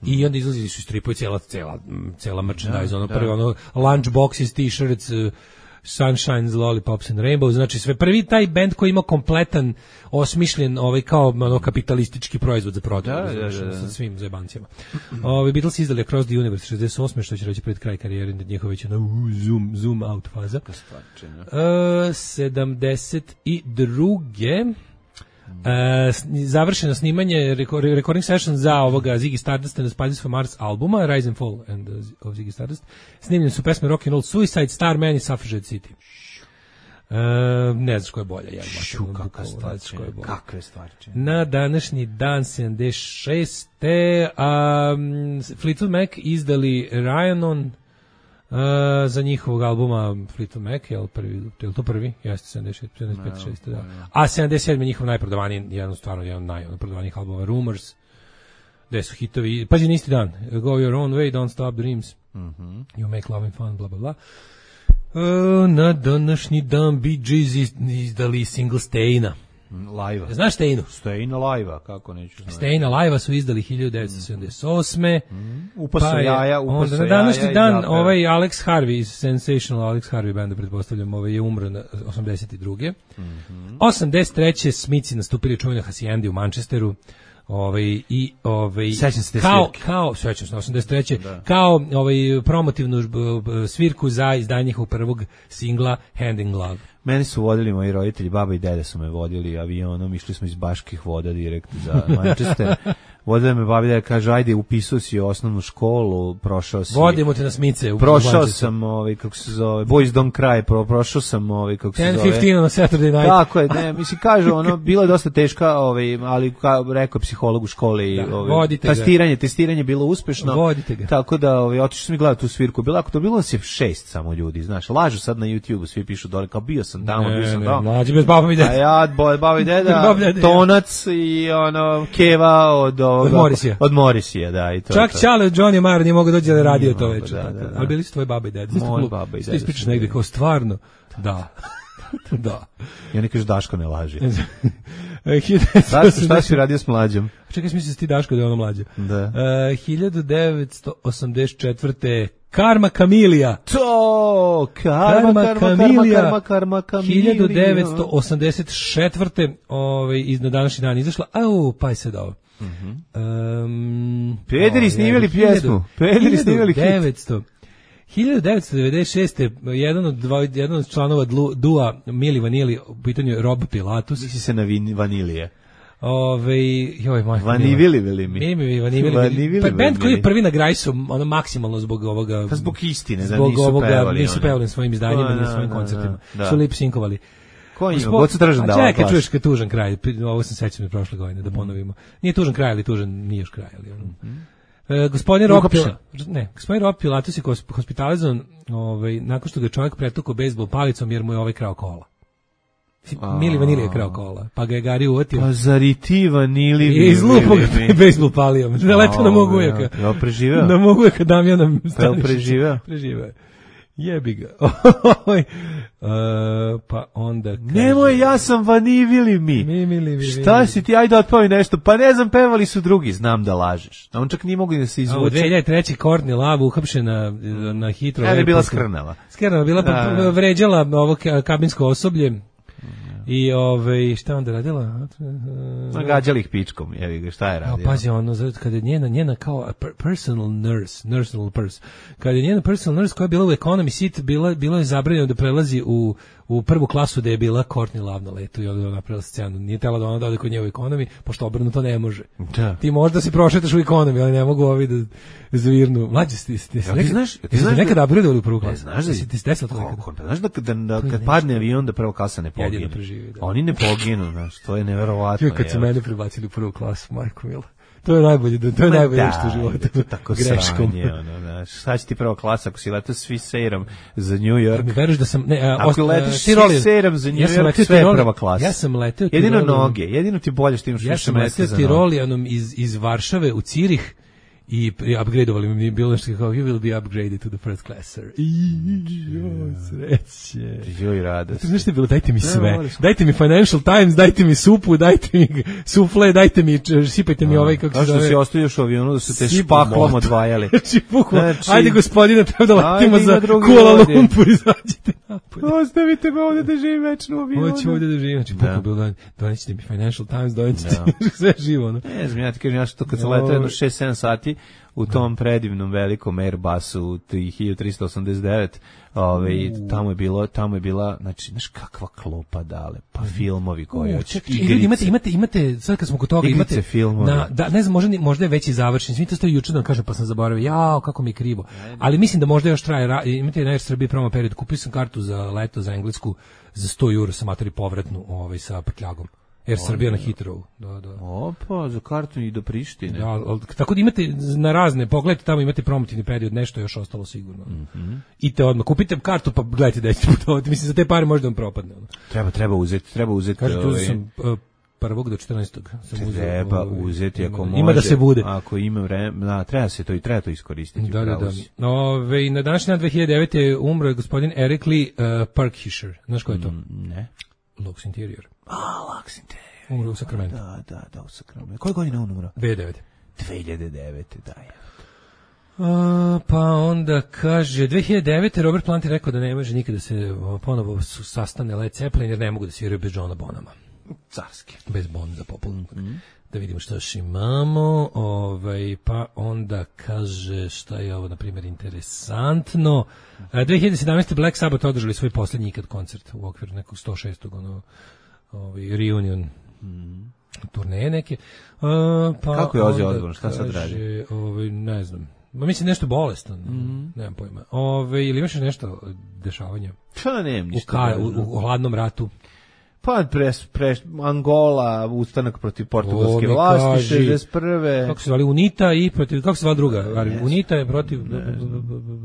I onda izlazili su stripovi, cela merchandise, prvi lunchboxes, t-shirts, Sunshine's, Lollipops and Rainbows, znači sve prvi taj bend koji ima kompletan, osmišljen kao kapitalistički proizvod za prodaju, sa svim zajebancijama. Beatles izdali Across the Universe 68. što će reći pred kraj karijere, njihova već zoom out faza. 72. Završeno snimanje recording session za ovoga Ziggy Stardust and the Spiders from Mars albuma Rise and Fall of Ziggy Stardust. Snimljene su pesme Rock and Roll Suicide, Starman i Suffragette City. Ne znaš ko je bolja. Kakve stvarčine. Na današnji dan 76. Fleetwood Mac izdali Ryan-On, za njihovog albuma Fleetwood Mac, je li to prvi? Jeste, 75, 6, da. A 77 njihov najprodavaniji, jedan najprodavanijih albuma, Rumors, gde su hitovi, pazi na isti dan, Go Your Own Way, Don't Stop Dreams, You Make Love and Fun, bla bla bla. Na današnji dan Bee Gees izdali single Stayna. Live. Znaš Staynu? Stayna live, kako neću znati. Stayna live su izdali 1978. Upaso jaja. Na današnji dan Alex Harvey iz Sensational Alex Harvey banda, pretpostavljam, je umro na 82. 83. Smithi nastupili u čuvenoj Hacijendi u Manchesteru. Sećam se te sećam se, 83. Da. Kao promotivnu svirku za izdanje njihovog prvog singla Hand in Glove. Meni su vodili moji roditelji, baba i deda su me vodili avionom, išli smo iz Baških voda direkt za Manchester. Vodila me baba i deda, kaže, ajde, upisao si osnovnu školu, prošao si... Vodimo te na Smice. Prošao sam, kako se zove, Boys Don't Cry, prošao sam, kako se zove... 10-15 na Saturday night. Tako je, ne, mislim, kažu, bila je dosta teška, ali rekao psiholog u školi, testiranje je bilo uspešno. Vodite ga. Tako da, otišli smo i gledati tu svirku. Bilo nas je 6 samo ljudi, znaš, lažu sad na YouTube-u, svi pišu dole, kao bio sam tamo. Mlađi bez baba i deda. A ja, baba i deda, Tonac i Keva od Morisija, da, i to. Čak Čale od Johnny Marr nije mogao doći da radio to večer. Ali bili su tvoji baba i deda. Moj baba i deda. Ti ispričaš negdje kao stvarno. Da. Da. I oni kažu Daško ne laži. 1980... Šta si radio s mlađom? Čekaj, smisli se ti Daško da je ono mlađe. Da. 1984. Karma Kamilija. To! Karma Kamilija. 1984. Na današnji dan izašla. Pa je sad ovo. Pederi snimili pjesmu. Pederi snimili hit. 1996. jedan od članova dua Mili Vanili, u pitanju je Rob Pilatus. Misli se na Vanilije. Vanivili. Band koji je prvi na Grajsu, ono maksimalno zbog ovoga... Pa zbog istine, da nisu pevali svojim izdanjima, ni svojim koncertima. Su lip-sinkovali. Ko ima? Gocu Tržan dao. Čekaj, čuješ kad tužan kraj, ovo sam sećam od prošle godine, da ponovimo. Nije tužan kraj, ali tužan nije još kraj. Gospodin Rob Pilatus je hospitalizovan nakon što ga čovjek pretukao bejzbol palicom jer mu je krao kola. Mili Vanili je krao kola, pa ga je Gari uvatio. Pa zar i ti Vanili? I izlupo ga bejzbol palijom. Zaletao na mog ujaka. Ja preživeo? Na mog ujaka Damjana Stanišića. Preživeo? Preživeo. Jebi ga. Pa onda... Nemoj, ja sam Vanivili mi. Šta si ti, ajde otpavi nešto. Pa ne znam, pevali su drugi, znam da lažeš. A on čak nije mogu da se izvuče. 2003. Courtney Love uhapšena na Hitro. Je bila skrnava. Skrnava, bila pa vređala ovo kabinsko osoblje. I šta onda radila? Nagađali ih pičkom, šta je radila? Pazi, kada je njena kao personal nurse, kada je njena personal nurse koja je bila u economy seat, bilo je zabranjeno da prelazi u prvu klasu da je bila Courtney Love na letu i onda napravila scenu. Nije tela da ona dode kod nje u economy, pošto obrnuto ne može. Da. Ti možda se prošetaš u economy, ali ne mogu ovi da zvirnu. Mlađi ti nekada upgradeovali u prvu klasu? Znaš da si ti desilo to nekada? Znaš da kad padne avion da prva klasa ne pogine? Oni ne poginu, znaš, to je neverovatno. Kad su mene prebacili u prvu klasu, majko mila. To je najbolje što u životu. To je tako sranje, šta će ti prva klasa ako si letao s Swisairom za New York? Mi veriš da sam, ako letiš s Swisairom za New York, sve je prva klasa. Ja sam letao jedino noge, jedino ti bolje što imaš više mesta za noge. Ja sam letao Tirolijanom iz Varšave u Cirih i upgradeovali mi, bilo nešto kao you will be upgraded to the first class, sir. Sreće. Joj, radost. Znaš što je bilo, dajte mi sve. Dajte mi Financial Times, dajte mi supu, dajte mi sufle, dajte mi, sipajte mi kako se zove. Zašto si ostavioš u avionu da su te špaklom odvajali? Ajde gospodine, treba da letimo za Kuala Lumpur, izađite napolje. Ostavite me ovdje da živim večno u avionu. Hoću ovdje da živim. Znači, pukao bilo, donećete mi Financial Times, donećete sve živo. Ne znam, ja ti kažem, ja što kad sam letao jedno 6-7 sati, u tom predivnom velikom Airbusu 1389, tamo je bila, znači, znaš kakva klopa dale, pa filmovi koji imate, sad kad smo kod toga, imate filmovi. Ne znam, možda je već i završen, svi to stoji juče da vam kažem, pa sam zaboravio, kako mi je krivo, ali mislim da možda još traje, imate na Air Srbiji promo period, kupio sam kartu za leto za Englesku za 100 € sa matori povratnu sa prtljagom. Air Srbija na Hitrovu. Da. Opa, za kartu i do Prištine. Da, tako da imate na razne, pogledajte tamo, imate promotivni period, nešto još ostalo sigurno. I te odmah, kupite kartu pa gledajte da ćete putovati. Mislim, za te pare možda vam propadne. Treba uzeti. Kažete, uzeti sam 1. do 14. Treba uzeti ako može. Ima da se bude. Ako ima vremena, treba to iskoristiti. Da. Na današnji dan 2009. umro je gospodin Eric Lee Parkhisher. Znaš ko je to? Ne. Lux Interior. Lux Interior. Umro u Sacramento. Da, u Sacramento. Koje godine on umro? 2009. 2009, da je. Pa onda kaže 2009. Robert Plant je rekao da ne može nikada se ponovo sastane Led Zeppelin jer ne mogu da sviraju bez Johna Bonhama. Carski. Bez Bon za popul. Da vidimo što još imamo. Pa onda kaže šta je ovo, na primjer, interesantno. 2017. Black Sabbath održali svoj posljednji ikad koncert u okviru nekog 106. reunion turneje neke. Kako je Ozzy Osbourne? Šta sad radi? Ne znam. Mislim nešto bolestan. Nemam pojma. Ili imaš nešto dešavanja? Pa nemam ništa. U hladnom ratu. Pa Angola, ustanak protiv portugalske vlasti, 61. Kako se zvali UNITA i protiv, kako se zvala druga? UNITA je protiv,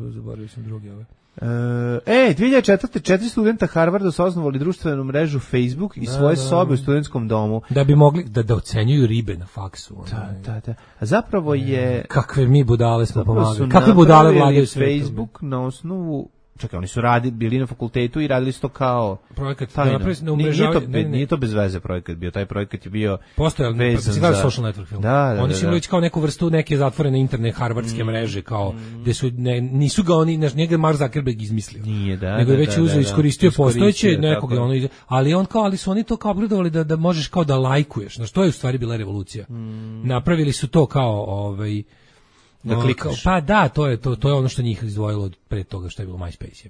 zaboravio sam drugi ove. 2004. 4 studenta Harvarda su osnovali društvenu mrežu Facebook i svoje sobe u studentskom domu. Da bi mogli da ocenjuju ribe na faksu. Da. A zapravo je... Kakve mi budale smo pomagali. Kakve budale vladaju sve. Facebook na osnovu... Čekaj, oni su bili na fakultetu i radili su to kao projekat. Nije to bez veze projekat bio, taj projekat je bio postojao za social network film. Oni su imali kao neku vrstu neke zatvorene interne harvardske mreže, kao gde su nisu ga oni, njega Mark Zuckerberg izmislio. Nego je već iskoristio postojeće nekog, ali su oni to kao obradovali da možeš kao da lajkuješ. Na što je u stvari bila revolucija. Napravili su to kao da klikneš. Pa da, to je ono što njih izdvojilo od pre toga što je bilo MySpace.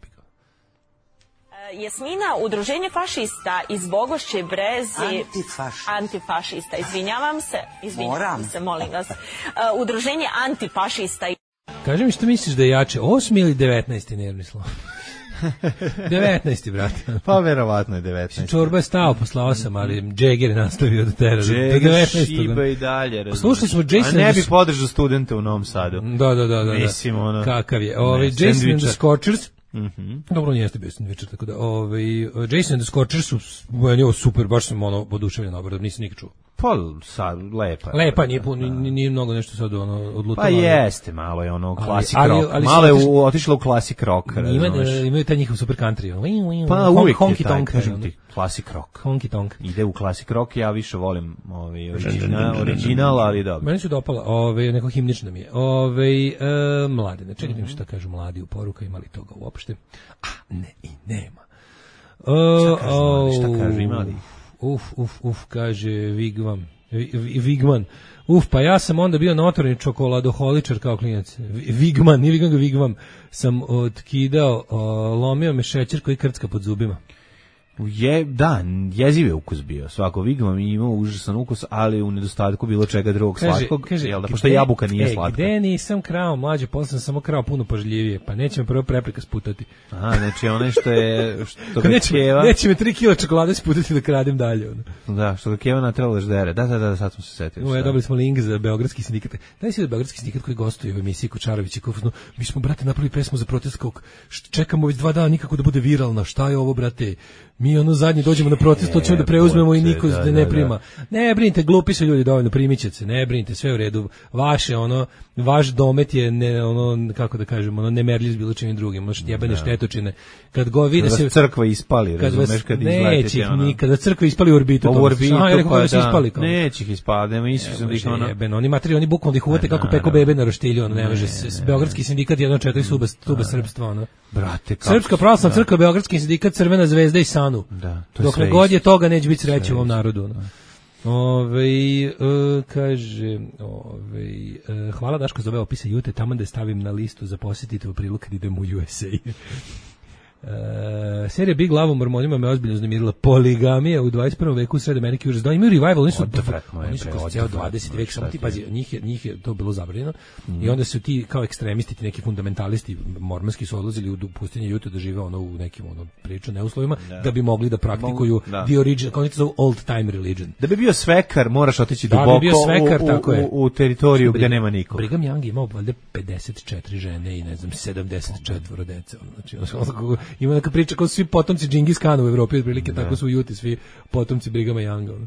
Jasmina, udruženje fašista iz Bogošće Brezi... Antifašista, izvinjavam se, molim vas. Udruženje antifašista... Kaži mi što misliš da je jače, 8. ili 19. nervni slom? 19. brate. Pa verovatno je 19. Čorba je stao posle 8, ali Jagger je nastavio da tera. Jagger šiba i dalje. Slušali smo Jason... A ne bi podržao studente u Novom Sadu. Da. Mislim, ono... Kakav je. Jason and the Scorchers... Dobro, nije jeste bio sandvičar, tako da Jason and the Scorchers su super, baš sam oduševljen obradom, nisam nikad čuo. Pa sad, lepa, nije mnogo nešto sad odlutalo. Pa jeste, malo je ono klasik rock, malo je otišlo u klasik rock. Imaju taj njihov super country. Pa uvijek je taj, kažem ti, klasik rock. Honky tonk. Ide u klasik rock, ja više volim original, ali dobro. Meni su dopala, neko himnično mi je. Mladine, čekaj šta kažu mladi u poruka, ima li toga uopšte? Ne i nema. Šta kažu, ima li? Kaže Vigman. Pa ja sam onda bio notorni čokoladoholičar kao klinac. Vigman sam otkidao, lomio me šećer koji krcka pod zubima. Jeziv je ukus bio. Svako Vigman imao užasan ukus, ali u nedostatku bilo čega drugog slatkog, pošto jabuka nije slatka. Gde nisam krao, mlađe, posle sam samo krao puno pažljivije, pa neće me prvo prepreka sputati. Znači onaj što je... Neće me 3 kila čokolade sputati da kradem dalje. Da, što ga Keva natrela da ždere. Da, sad smo se setili. Dobili smo link za Beogradski sindikat. Daj si da Beogradski sindikat koji gostuje u emisiji Kočarević i Kufno. Mi smo, brate, napravili pesmu za protest kog čekamo već 2 dana nikako da bude viralna. Šta je ovo, brate? Mi zadnji dođemo na protest, to ćemo da preuzmemo i niko da ne prima. Ne brinite, glupi su ljudi dovoljno, primit će se, ne brinite, sve u redu. Vaš domet je kako da kažemo, nemerljiv s bilo čim drugim, možete jebane štetočine. Kad go vide se crkva ispali, razumeš, kad izletite kada crkva ispali u orbitu, neće ih ispali, nema Isus oni materi, oni bukvalno ih uvate kako peko bebe na roštilju, ne može. Beogradski sindikat jedno čekaju stuba srpstva, brate, Srpska pravoslavna crkva, Beogradski sindikat, Crvena zvezda i Sanu. Dokle god je toga neće biti sreće u ovom narodu. Kaže, hvala Daško za ove opise Jute, tamo da stavim na listu za posjetite u aprilu kad idem u USA. Serija Big Love o mormonima me ozbiljno uznemirila. Poligamija u 21. veku u Sred Amerike užas. Da, imaju revival, oni su kroz cijel 20. vek, samo ti pazi, njih je to bilo zabranjeno i onda su ti kao ekstremisti, ti neki fundamentalisti mormonski su odlazili u pustinje Utah da žive u nekim priču neuslovima, da bi mogli da praktikuju the original, kao oni to zovu old time religion. Da bi bio svekar, moraš otići duboko u teritoriju gde nema nikog. Brigham Young imao valjda 54 žene i ne znam 74 dece. Znači, ima neka priča kao svi potomci Džingis Kana u Evropi, otprilike tako su u Juti svi potomci Brighama Younga.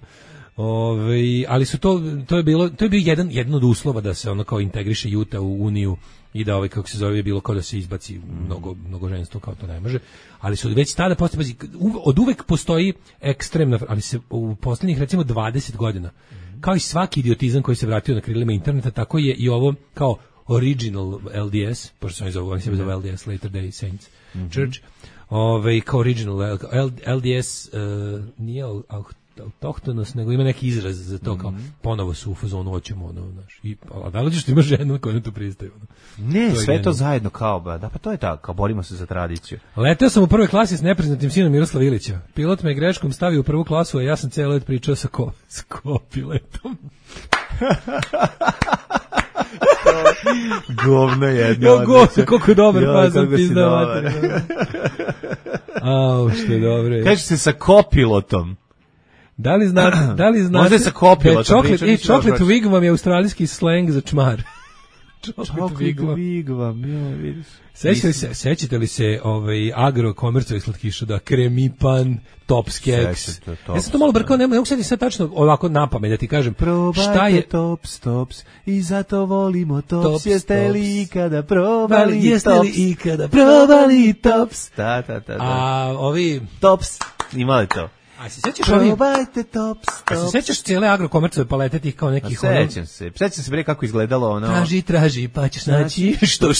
Ali su to je bio jedan od uslova da se ono kao integriše Juta u Uniju i da kako se zove je bilo kao da se izbaci mnogo ženstvo, kao to ne može. Ali su već tada postoji, od uvek postoji ekstremna, ali se u poslednjih recimo 20 godina, kao i svaki idiotizam koji se vratio na krilima interneta, tako je i ovo kao original LDS, pošto oni se zove LDS, Later Day Saints Church, kao original LDS nije autohtonost, nego ima neki izraz za to, kao ponovo su u fazonu hoćemo a da li ćeš ti ima ženu koja na to pristaju? Ne, to sve to zajedno kao, da pa to je tako, kao borimo se za tradiciju. Leteo sam u prvoj klasi s nepriznatim sinom Miroslava Ilića. Pilot me greškom stavio u prvu klasu, a ja sam cijelo let pričao sa kopiletom. Govno jedno. Koliko je dobar, pa sam pizdao mater. Što je dobro. Kaže se sa kopilotom. Da li znate možda je sa kopilotom. Chocolate wigwam je australijski slang za čmar. Chocolate wigwam, vidiš. Sećate li se agrokomercovih slatkiša, da Kremipan, Tops keks? Ja sam to malo brkao, ne mogu sediti sad tačno ovako napamet da ti kažem. Šta je Tops i zato volimo Tops. Jeste li ikada probali Tops? Da. A ovi Tops, imali to. A se sećaš probajte Tops. A se sećaš cijele agrokomercove palete tih kao nekih sećam se bre kako izgledalo ono. Traži pa ćeš naći što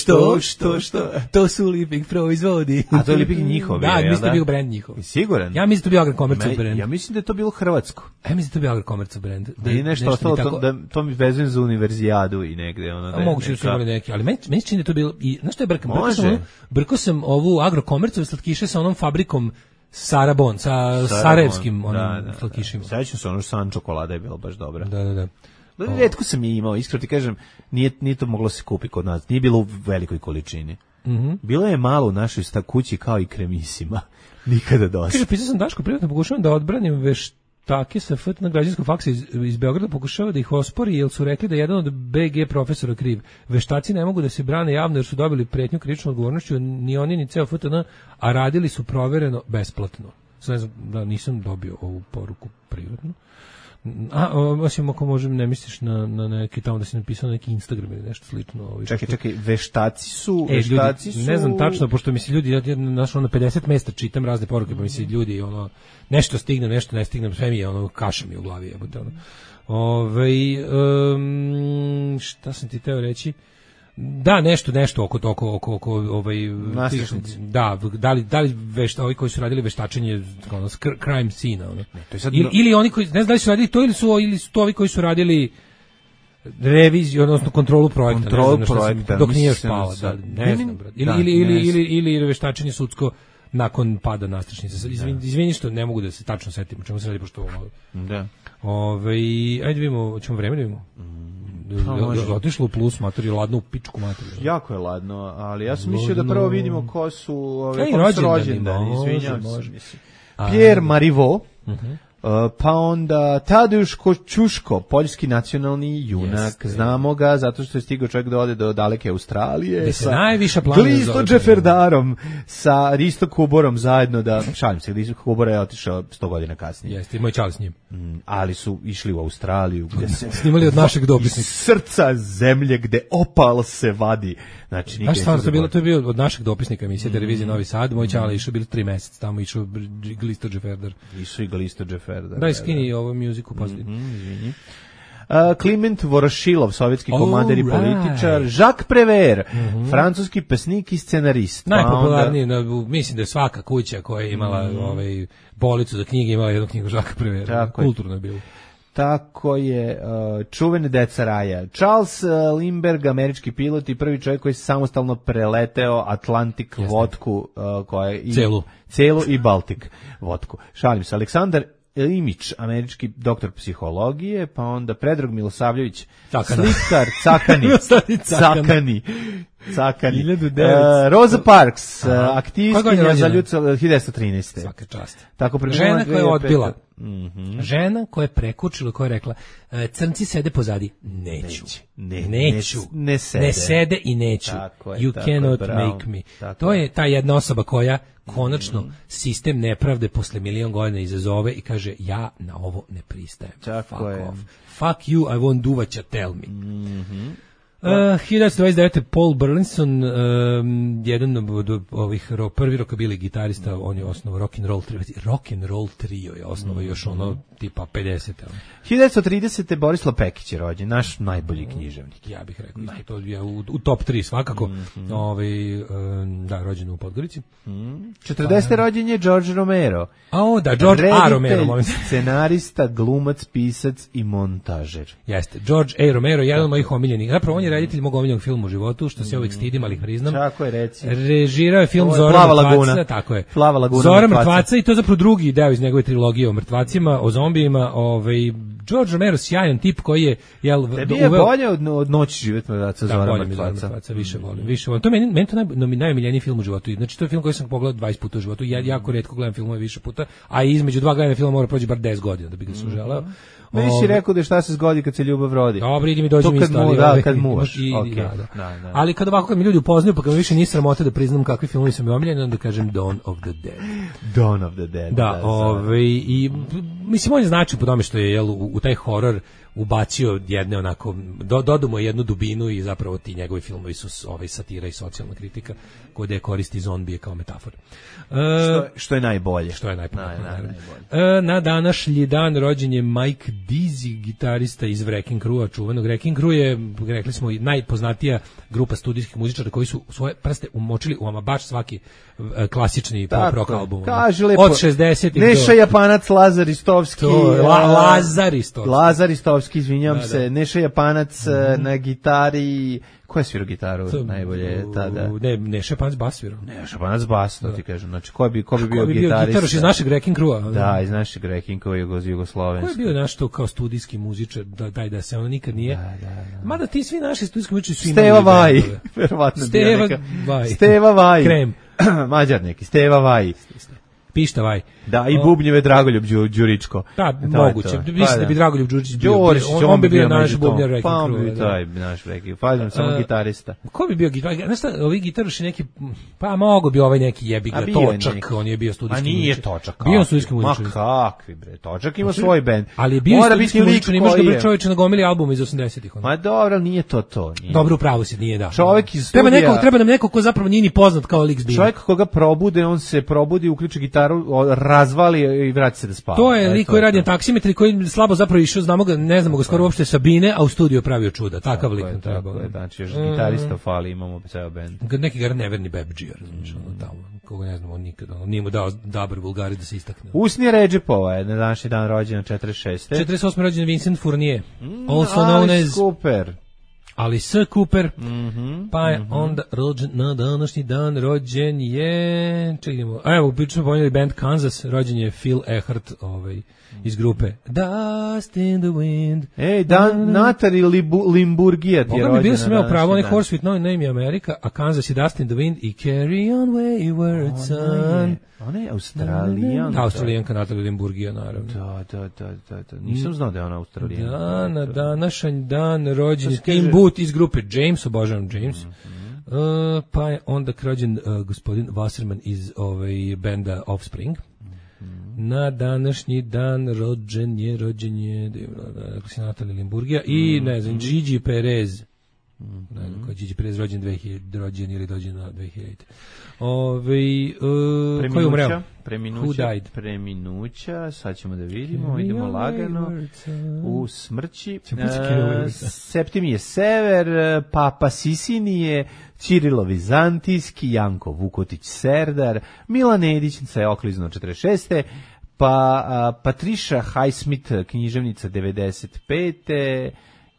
to su Liping proizvodi. A to je Liping njihov. Da, mislim da je bio brend njihov. Siguran? Ja mislim da je bio agrokomercov brend. Ja mislim da je to bilo hrvatsko. Ja mislim da je to bio agrokomercov brend. Da je nešto ostalo da to mi vezujem za univerzijadu i negde ono. Moguće su imali neki, ali meni čini da je to bilo i znaš što je brkao sam ovu agrokomercove slatkiše sa onom fabrikom Sarabon, sa sarajevskim slatkišima. Sećam se, san čokolada je bila baš dobra. Da. Retko sam je imao, iskreno ti kažem, nije to moglo se kupiti kod nas, nije bilo u velikoj količini. Bilo je malo u našoj kući kao i kremisima, nikada dosta. Kaže, pisao sam Daško, privatno pokušavam da odbranim veštake sa FT na građanskog faksa iz Beograda, pokušava da ih ospori, jer su rekli da je jedan od BG profesora kriv. Veštaci ne mogu da se brane javno jer su dobili pretnju krivičnom odgovornošću, ni oni ni ceo FTN, a radili su provereno besplatno. Ne znam da nisam dobio ovu poruku privatno. Osim ako možem, ne misliš na neki tamo da si napisao neki Instagram ili nešto slično. Čekaj, veštaci su... Ne znam tačno, pošto mi se ljudi, ja na 50 mesta čitam razne poruke, pa mi se ljudi, nešto stignem, nešto ne stignem, sve mi je, kaša mi u glavi, jebote, šta sam ti teo reći? Da, nešto oko nastrešnici. Da li ovi koji su radili veštačenje crime scene, ili oni koji, ne znam da li su radili to ili su to ovi koji su radili reviziju, odnosno kontrolu projekta, dok nije još pala, ne znam, ili veštačenje sudsko nakon pada nastrešnice. Izvini što ne mogu da se tačno setim o čemu se radi, pošto ovo... Da. Ajde vidimo, ćemo vreme da vidimo. Otišlo u plus mater, je ladno u pičku mater. Jako je ladno, ali ja sam mislio da prvo vidimo ko su rođendani, izvinjam se. Pierre Marivaux, pa onda Tadeusz Kościuszko, poljski nacionalni junak. Znamo ga zato što je stigao čovjek da ode do daleke Australije sa Glisto Džeferdarom, sa Risto Kuborom zajedno šalim se, Risto Kubor je otišao 100 godina kasnije. Jeste, imao je čali s njim. Ali su išli u Australiju gde se snimali od našeg dopisnika. Srca zemlje gde opal se vadi. Znači, to je bio od našeg dopisnika emisije televizije Novi Sad. Moj čale išao bilo 3 meseca tamo, išao Glisto Džeferdar. Išao i Glisto Džeferdar. Da, skini ovu muziku pozadnji. Kliment Vorošilov, sovjetski komander i političar. Jacques Prévert, francuski pesnik i scenarist. Najpopularniji, mislim da je svaka kuća koja je imala policu za knjige imala jednu knjigu Jacques Prévert. Kulturno je bilo. Tako je, čuvene deca raja. Charles Lindbergh, američki pilot i prvi čovjek koji se samostalno preleteo Atlantik vodku, koja je celu i Baltik vodku. Šalim se. Aleksandar Imić, američki doktor psihologije, pa onda Predrag Milosavljević, slikar, Cakani. Rosa Parks, aktivistkinja za ljudsko 1913. Svaka čast. Tako žena koja je odbila. Žena koja je prekučila, koja je rekla crnci sede pozadi. Neću. Ne sede i neću. You cannot make me. To je ta jedna osoba koja konačno sistem nepravde posle milion godina izazove i kaže ja na ovo ne pristajem. Fuck you, I won't do what you tell me. 1929. Paul Burleson, jedan od ovih prvi rockabilly gitarista, on je osnovao rock and roll trio je osnovao još ono tipa 50. 1930. Borislav Pekić je rođen, naš najbolji književnik. Ja bih rekao, to je u top 3 svakako. Da, rođen u Podgorici. 40. rođen je George Romero. George A. Romero. Scenarista, glumac, pisac i montažer. Jeste, George A. Romero, jedan od mojih omiljenih. Zapravo on je reditelj mog omiljenog filma u životu, što se uvijek stidim, ali ih priznam. Tako je, reci. Režirao je film Zora mrtvaca, tako je. Plava laguna Zora mrtvaca i to je zapravo drugi deo iz njegove trilogije o mrtvacima, o zombijima. George Romero, sjajan tip koji je tebi je bolje od Noći život mrtvaca, Zora mrtvaca. Više volim. To je meni to najomiljeniji film u životu. Znači to je film koji sam pogledao 20 puta u životu. Ja jako retko gledam filmove više puta, a između dva gledanja filma mora proći bar 10 godina da bi ga suželeo. Meni si rekao da šta se zgodi kad se ljubav rodi. Dobro, idi mi dođi mi isto. Kad muvaš. Ali kad ovako mi ljudi upoznaju, pa kad mi više nije sramota da priznam kakvi filmovi su mi omiljeni, onda kažem Dawn of the Dead. Dawn of the Dead. Da, i mislim on je značaj po tome što je u taj horor ubacio jedne onako, dodao mu jednu dubinu i zapravo ti njegovi filmovi su satira i socijalna kritika koja koristi zombije kao metafor. Što je najbolje. Što je najbolje. Na današnji dan rođen je Mike Dizzy, gitarista iz Wrecking Crew-a, čuvenog. Wrecking Crew je, rekli smo, najpoznatija grupa studijskih muzičara koji su svoje prste umočili u ama baš svaki klasični pop rock album. Od 60-ih Neša Japanac, Lazar Istovski. Lazar Istovski, izvinjam se. Neša Japanac na gitari. Ko je svirao gitaru najbolje tada? Neša Japanac bas svirao. Neša Japanac bas, to ti kažem. Znači, ko bi bio gitarista? Gitaraš iz našeg Wrecking Crew-a. Da, iz našeg Wrecking Crew-a Jugoslovenska. Ko je bio naš to kao studijski muzičar, da se ono nikad nije... Da. Mada ti svi naši studijski muzičari su imali... Steva Vaj, verovatno bio neka. Steva Vaj. Krem. Mađar neki, Steva Vaj. Pišta Vaj. Da, i bubnjeve Dragoljub Đuričko. Da, moguće. Mislim da bi Dragoljub Đuričić bio. On bi bio naš bubnjar Wrecking Crew. Pa on bi taj naš Wrecking. Pažem, samo gitarista. Ko bi bio gitarista? Znaš šta, ovi gitaroši neki, pa mogo bi ovaj neki jebiga, Točak, on je bio studijski muzičar. A nije Točak. Bio studijski muzičar. Ma kakvi bre, Točak ima svoj bend. Ali je bio studijski muzičar, imaš ga bre čovječe na gomili albuma iz 80-ih. Ma dobro, nije to. Dobro, upravo si, nije da. Čovjek iz studija. Treba nam neko ko zapravo nije ni poznat kao lik s bine. Čovjek koga probude, on se probudi, uključi gitaru, razvali i vrati se da spava. To je lik koji radi na taksimetri, koji slabo zapravo išao, ne znamo ga skoro uopšte sa bine, a u studiju pravio čuda. Takav lik nam treba. Znači, još gitarista fali, imamo ceo bend. Neki gar neverni bebdžija, razumiješ, tamo, koga ne znamo nikad, nije mu dao dobar vulgari da se istakne. Usnije Redžepova je na današnji dan rođena 46. 48. rođen Vincent Fournier, also known as... Cooper. Alice Cooper, pa je onda rođen na današnji dan, rođen je, čekajmo, evo, pričamo ponijeli band Kansas, rođen je Phil Eckert, iz grupe Dust in the Wind. Natali Limburgija ti je rođena. Boga mi bio sam imao pravo, onaj Horse with No Name je Amerika, a Kansas je Dust in the Wind i Carry on Wayward Son. Ona je Australijanka. Australijanka Natali Limburgija, naravno. Da. Nisam znao da je ona Australijanka. Da, na današnji dan rođen je Tim Booth iz grupe James, obožavam James. Pa je onda rođen gospodin Wasserman iz benda Offspring. Na današnji dan rođen je Natali Limburgija i ne znam, Gigi Perez. Ne znam ko je Gigi Perez rođen 2000 ili rođen na 2000. Ko je umreo? Preminuća, sad ćemo da vidimo, idemo lagano u smrći. Septimije Sever, Papa Sisinije, Ćirilo Vizantijski, Janko Vukotić Serdar, Milan Edić se okliznuo 46. Pa Patricia Highsmith, književnica 95.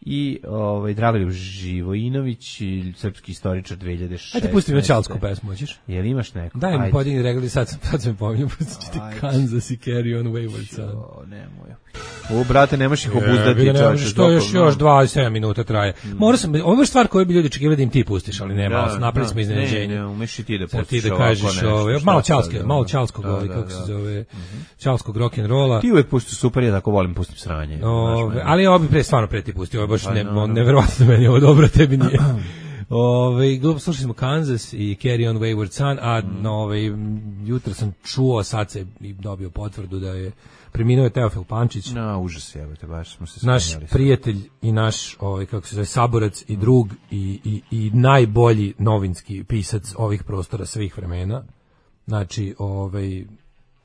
I Dragoljub Živojinović, srpski istoričar 2006. Ajde pusti mi Ćalsku pesmu, hoćeš? Jel imaš neku? Daj mi podigni regali, sad se mi pominjam, pustit Kansas i Carry On Wayward Son. Nemoj. Brate, nemaš ih obuzdati. Što još 27 minuta traje. Mora sam, ovo je stvar koju bi ljudi očekivali da im ti pustiš, ali nema, napravili smo iznenađenje. Ne, umeš i ti da pustiš ti da kažeš malo Ćalskog, kako se zove, Ćalskog rock'n'rolla. Ti uvek pustiš super, ja tako volim pustim sranje. Ali ovo bi stvarno pre ti pustio, ovo je baš neverovatno meni, ovo dobro, tebi nije. Slušali smo Kansas i Carry On Wayward Son, a jutro sam čuo, sad se dobio potvrdu da je preminuo Teofil Pančić. Užas je, baš smo se naš prijatelj i naš, kako se zove, saborac i drug i najbolji novinski pisac ovih prostora svih vremena. Znači,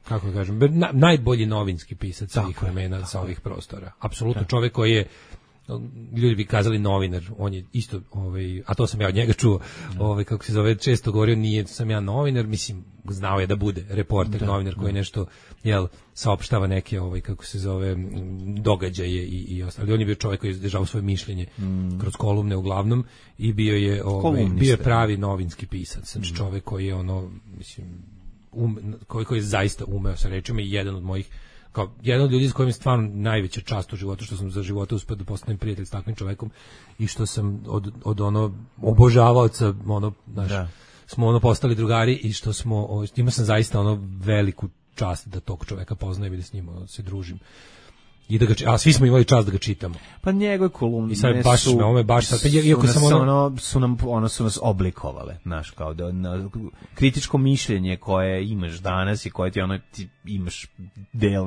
kako da kažem, najbolji novinski pisac svih vremena sa ovih prostora. Apsolutno čovjek koji je, ljudi bi kazali novinar, on je isto, a to sam ja od njega čuo, kako se zove, često govorio, nije sam ja novinar, mislim, znao je da bude reporter, novinar koji nešto, saopštava neke, kako se zove, događaje i ostalo. Ali on je bio čovjek koji je izdržao svoje mišljenje kroz kolumne uglavnom i bio je pravi novinski pisac, znači čovjek koji je mislim, koji je zaista umeo sa rečima i jedan od mojih, kao jedan od ljudi s kojim je stvarno najveća čast u životu, što sam za života uspio da postanem prijatelj s takvim čovjekom i što sam od obožavaoca, smo postali drugari i što smo, imao sam zaista veliku čast da tog čovjeka poznajem i da s njim se družim. I da a svi smo imali čast da ga čitamo. Pa njegove kolumne su nas oblikovale, znaš, kao da kritičko mišljenje koje imaš danas i koje ti imaš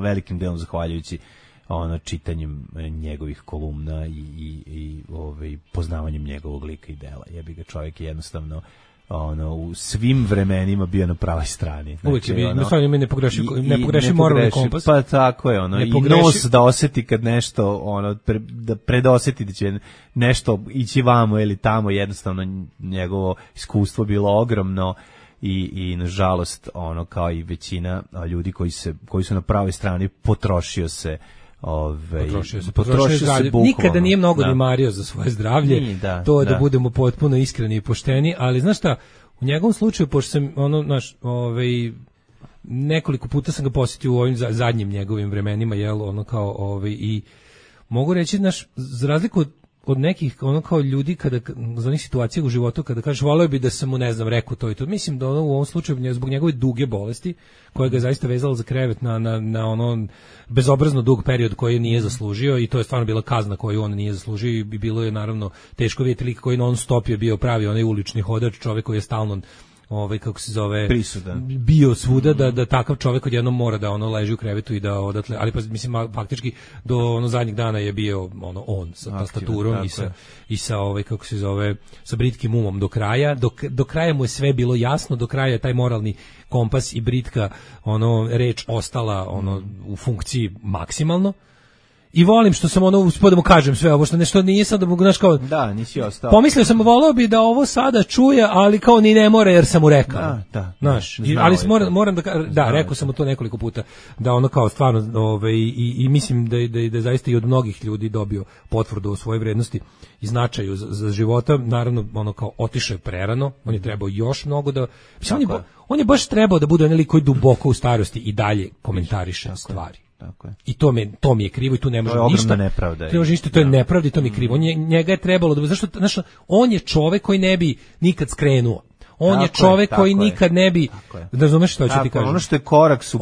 velikim delom zahvaljujući čitanjem njegovih kolumna i poznavanjem njegovog lika i dela. Jebi ga, čovjek je jednostavno u svim vremenima bio na pravoj strani. Uvijek je bio, ne pogreši moralni kompas. Pa tako je, i nos da osjeti kad nešto, da predosjeti da će nešto ići vamo ili tamo, jednostavno njegovo iskustvo bilo ogromno i nažalost, kao i većina ljudi koji su na pravoj strani, potrošio se bukvalno. Nikada nije mnogo ni mario za svoje zdravlje, da budemo potpuno iskreni i pošteni, ali znaš šta, u njegovom slučaju, pošto sam nekoliko puta sam ga posjetio u ovim zadnjim njegovim vremenima, i mogu reći, za razliku od nekih kao ljudi kada za onih situacija u životu kada kažeš voleo bi da sam mu rekao to i to, mislim da u ovom slučaju zbog njegove duge bolesti koja ga je zaista vezala za krevet na bezobrazno dug period koji nije zaslužio i to je stvarno bila kazna koju on nije zaslužio i bilo je naravno teško vidjeti lik koji non stop je bio pravi onaj ulični hodač, čovjek koji je stalno kako se zove, prisudan, bio svuda, da takav čovjek odjednom mora da leži u krevetu i da odatle, ali pa mislim faktički do zadnjeg dana je bio on sa tastaturom i sa kako se zove, sa britkim umom do kraja, do kraja mu je sve bilo jasno, do kraja je taj moralni kompas i britka reč ostala u funkciji maksimalno. I volim što sam uspio da mu kažem sve ovo, što nešto nije sad da mogu, kao... Da, nisi ostao. Pomislio sam, volao bi da ovo sada čuje, ali kao ni ne mora jer sam mu rekao. Da. Znaš, ali moram da rekao sam mu to nekoliko puta, da kao stvarno, i mislim da zaista i od mnogih ljudi dobio potvrdu o svojoj vrednosti i značaju za života, naravno, kao otišao je prerano, on je trebao još mnogo da... Mislim, on je baš trebao da bude onaj koji duboko u starosti i dalje komentariše stvari. I to mi je krivo i tu ne može ništa. Nepravda. To je nepravda i to mi je krivo. Njega je trebalo da, zašto, on je čovek koji ne bi nikad skrenuo. On je čovek koji nikad ne bi, da razumeš što ću ti kažem. Ono što je korak su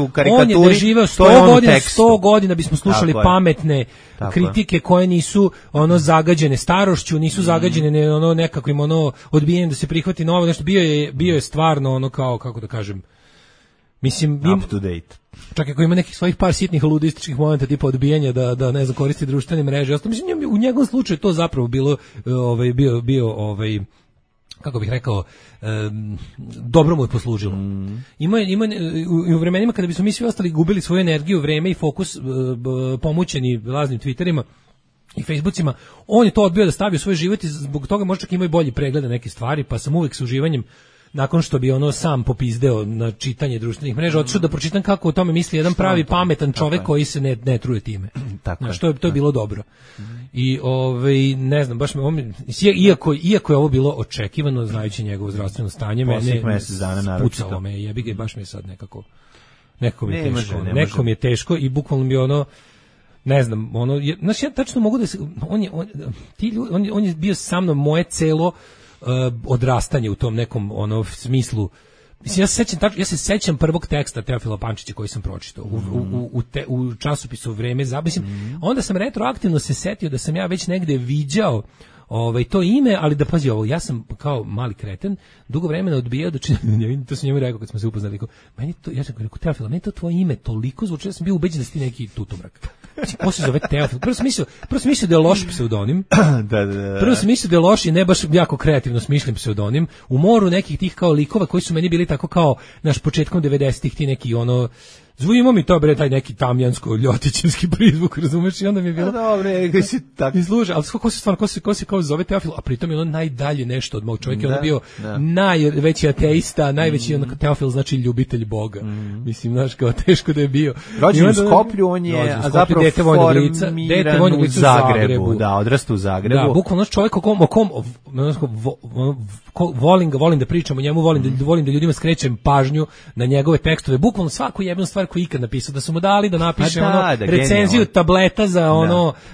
u karikaturi, on je doživeo 100 godina bismo slušali pametne kritike koje nisu zagađene starošću, nisu zagađene nekakvim odbijanjem da se prihvati novo, nešto bio je stvarno kao, kako da kažem, mislim, up to date. Čak ako ima nekih svojih par sitnih ludističkih momenta tipa odbijanja da ne znam koristi društvene mreže, mislim u njegovom slučaju to zapravo bilo bio kako bih rekao, dobro mu je poslužilo. Ima u vremenima kada bismo mi svi ostali gubili svoju energiju, vreme i fokus pomućeni raznim Twitterima i Facebookima, on je to odbio da stavi u svoj život i zbog toga možda čak ima i bolji pregled na neke stvari, pa sam uvek s uživanjem nakon što bi ono sam popizdeo na čitanje društvenih mreža, otišao da pročitam kako o tome misli jedan pravi pametan čovek koji se ne truje time. Znaš, to je bilo dobro. I ne znam, baš iako je ovo bilo očekivano, znajući njegovo zdravstveno stanje, mene pucalo me, jebi ga, baš mi je sad nekako mi je teško. Neko mi je teško i bukvalno mi ono, ne znam, ono, znači ja tačno mogu da se, on je bio sa mnom moje celo odrastanje u tom nekom ono smislu. Mislim, ja se sećam prvog teksta Teofila Pančića koji sam pročitao u časopisu Vreme, onda sam retroaktivno se setio da sam ja već negde viđao to ime, ali da pazi ovo, ja sam kao mali kreten dugo vremena odbijao da to sam njemu rekao kad smo se upoznali, ja sam rekao, Teofila, meni to tvoje ime toliko zvuči, ja sam bio ubeđen da si ti neki tutomrak. Ko se zove Teofil? Prvo sam mislio da je loš pseudonim. Prvo sam mislio da je loš i ne baš jako kreativno smišljen pseudonim. U moru nekih tih kao likova koji su meni bili tako kao naš početkom 90-ih ti neki ono zvujimo mi to bre taj neki tamjansko-ljotićevski prizvuk, razumeš? I onda mi je bilo dobre, gde si tako izluže, ali ko se kao zove Teofil, a pritom je ono najdalje nešto od mog čovjeka, on je bio najveći ateista, najveći Teofil znači ljubitelj Boga. Mislim, znaš, kao teško da je bio. Rođen u Skoplju, on je zapravo dete vojnog lica u Zagrebu. Da, odrastao u Zagrebu. Da, bukvalno čovjek o kom volim da pričam o njemu, volim da ljudima skrećem pažnju na njegove tekstove, bukvalno svaku jebnu stvar koju ikad napisao, da su mu dali da napiše recenziju tableta za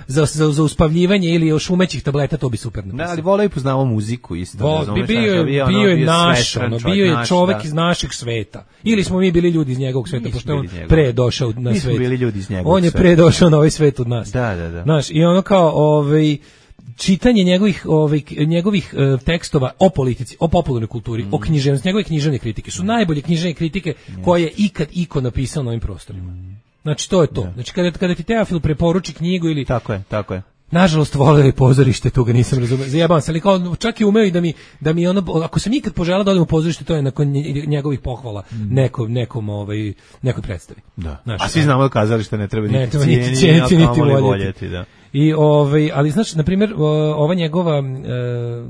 za uspavljivanje ili još umećih tableta, to bi super napisao. Da, ali voleo i poznavao muziku isto. Bio je naš, bio je čovek iz našeg sveta. Ili smo mi bili ljudi iz njegovog sveta, pošto on pre došao na svet. Mi smo bili ljudi iz njegovog sveta. On je pre došao na ovaj svet od nas. Da. Znaš, i ono kao čitanje njegovih tekstova o politici, o popularnoj kulturi, o književnosti, njegove književne kritike su najbolje književne kritike koje je ikad iko napisao na ovim prostorima. Znači to je to. Znači kada ti Teofil preporuči knjigu ili Tako je. Nažalost voleo je pozorište, tu ga nisam razumeo. Zajebavam se, ali kao čak i umeo i da mi ono, ako sam ikad poželao da odem u pozorište, to je nakon njegovih pohvala nekoj predstavi. Da. Znaš, a svi znamo da kazalište ne treba niti cijeniti niti voljeti, da. I ali znači na primjer ova njegova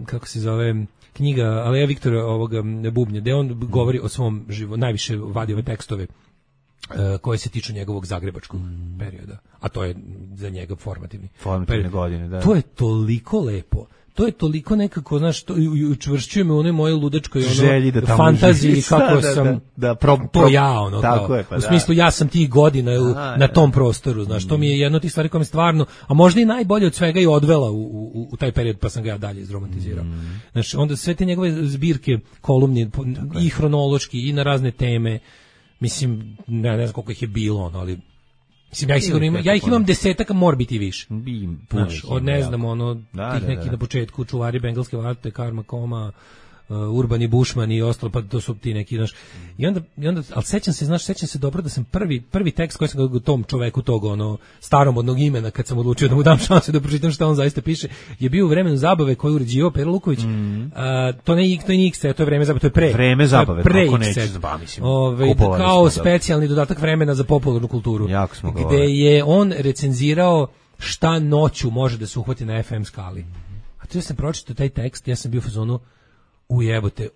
kako se zove knjiga Aleja Viktora ovoga Bubnja, gde on govori o svom najviše vadi ove tekstove koje se tiču njegovog zagrebačkog perioda, a to je za njega formativne godine, da. To je toliko lepo. To je toliko nekako, znaš, to učvršćuje me u onoj moje ludačkoj fantaziji kako sam to ja, ono, tako je, pa u smislu ja sam tih godina na tom prostoru, znaš, to mi je jedno od tih stvari koja mi stvarno, a možda i najbolje od svega i odvela u taj period, pa sam ga ja dalje izromantizirao. Znači, onda sve te njegove zbirke, kolumni, i hronološki, i na razne teme, mislim, ne znam koliko ih je bilo, ali mislim, ja ih imam desetaka, mora biti više. Od ne znam, tih nekih na početku, Čuvari bengalske varte, Karma Koma, Urbani Bušman i ostalo, pa to su ti neki, znaš. I onda, ali sećam se dobro da sam prvi tekst koji sam ga tom čoveku tog, staromodnog imena, kad sam odlučio da mu dam šansu da pročitam šta on zaista piše, je bio u Vremenu zabave koju uređivao Pero Luković. To nije XT, to je Vreme zabave, to je pre. Vreme zabave, kako neće, mislim. Kao specijalni dodatak vremena za popularnu kulturu. Jako smo gde je on recenzirao šta noću može da se uhvati na FM skali. A to ja sam pročitao taj tekst, ja sam bio u fazonu, ujebote,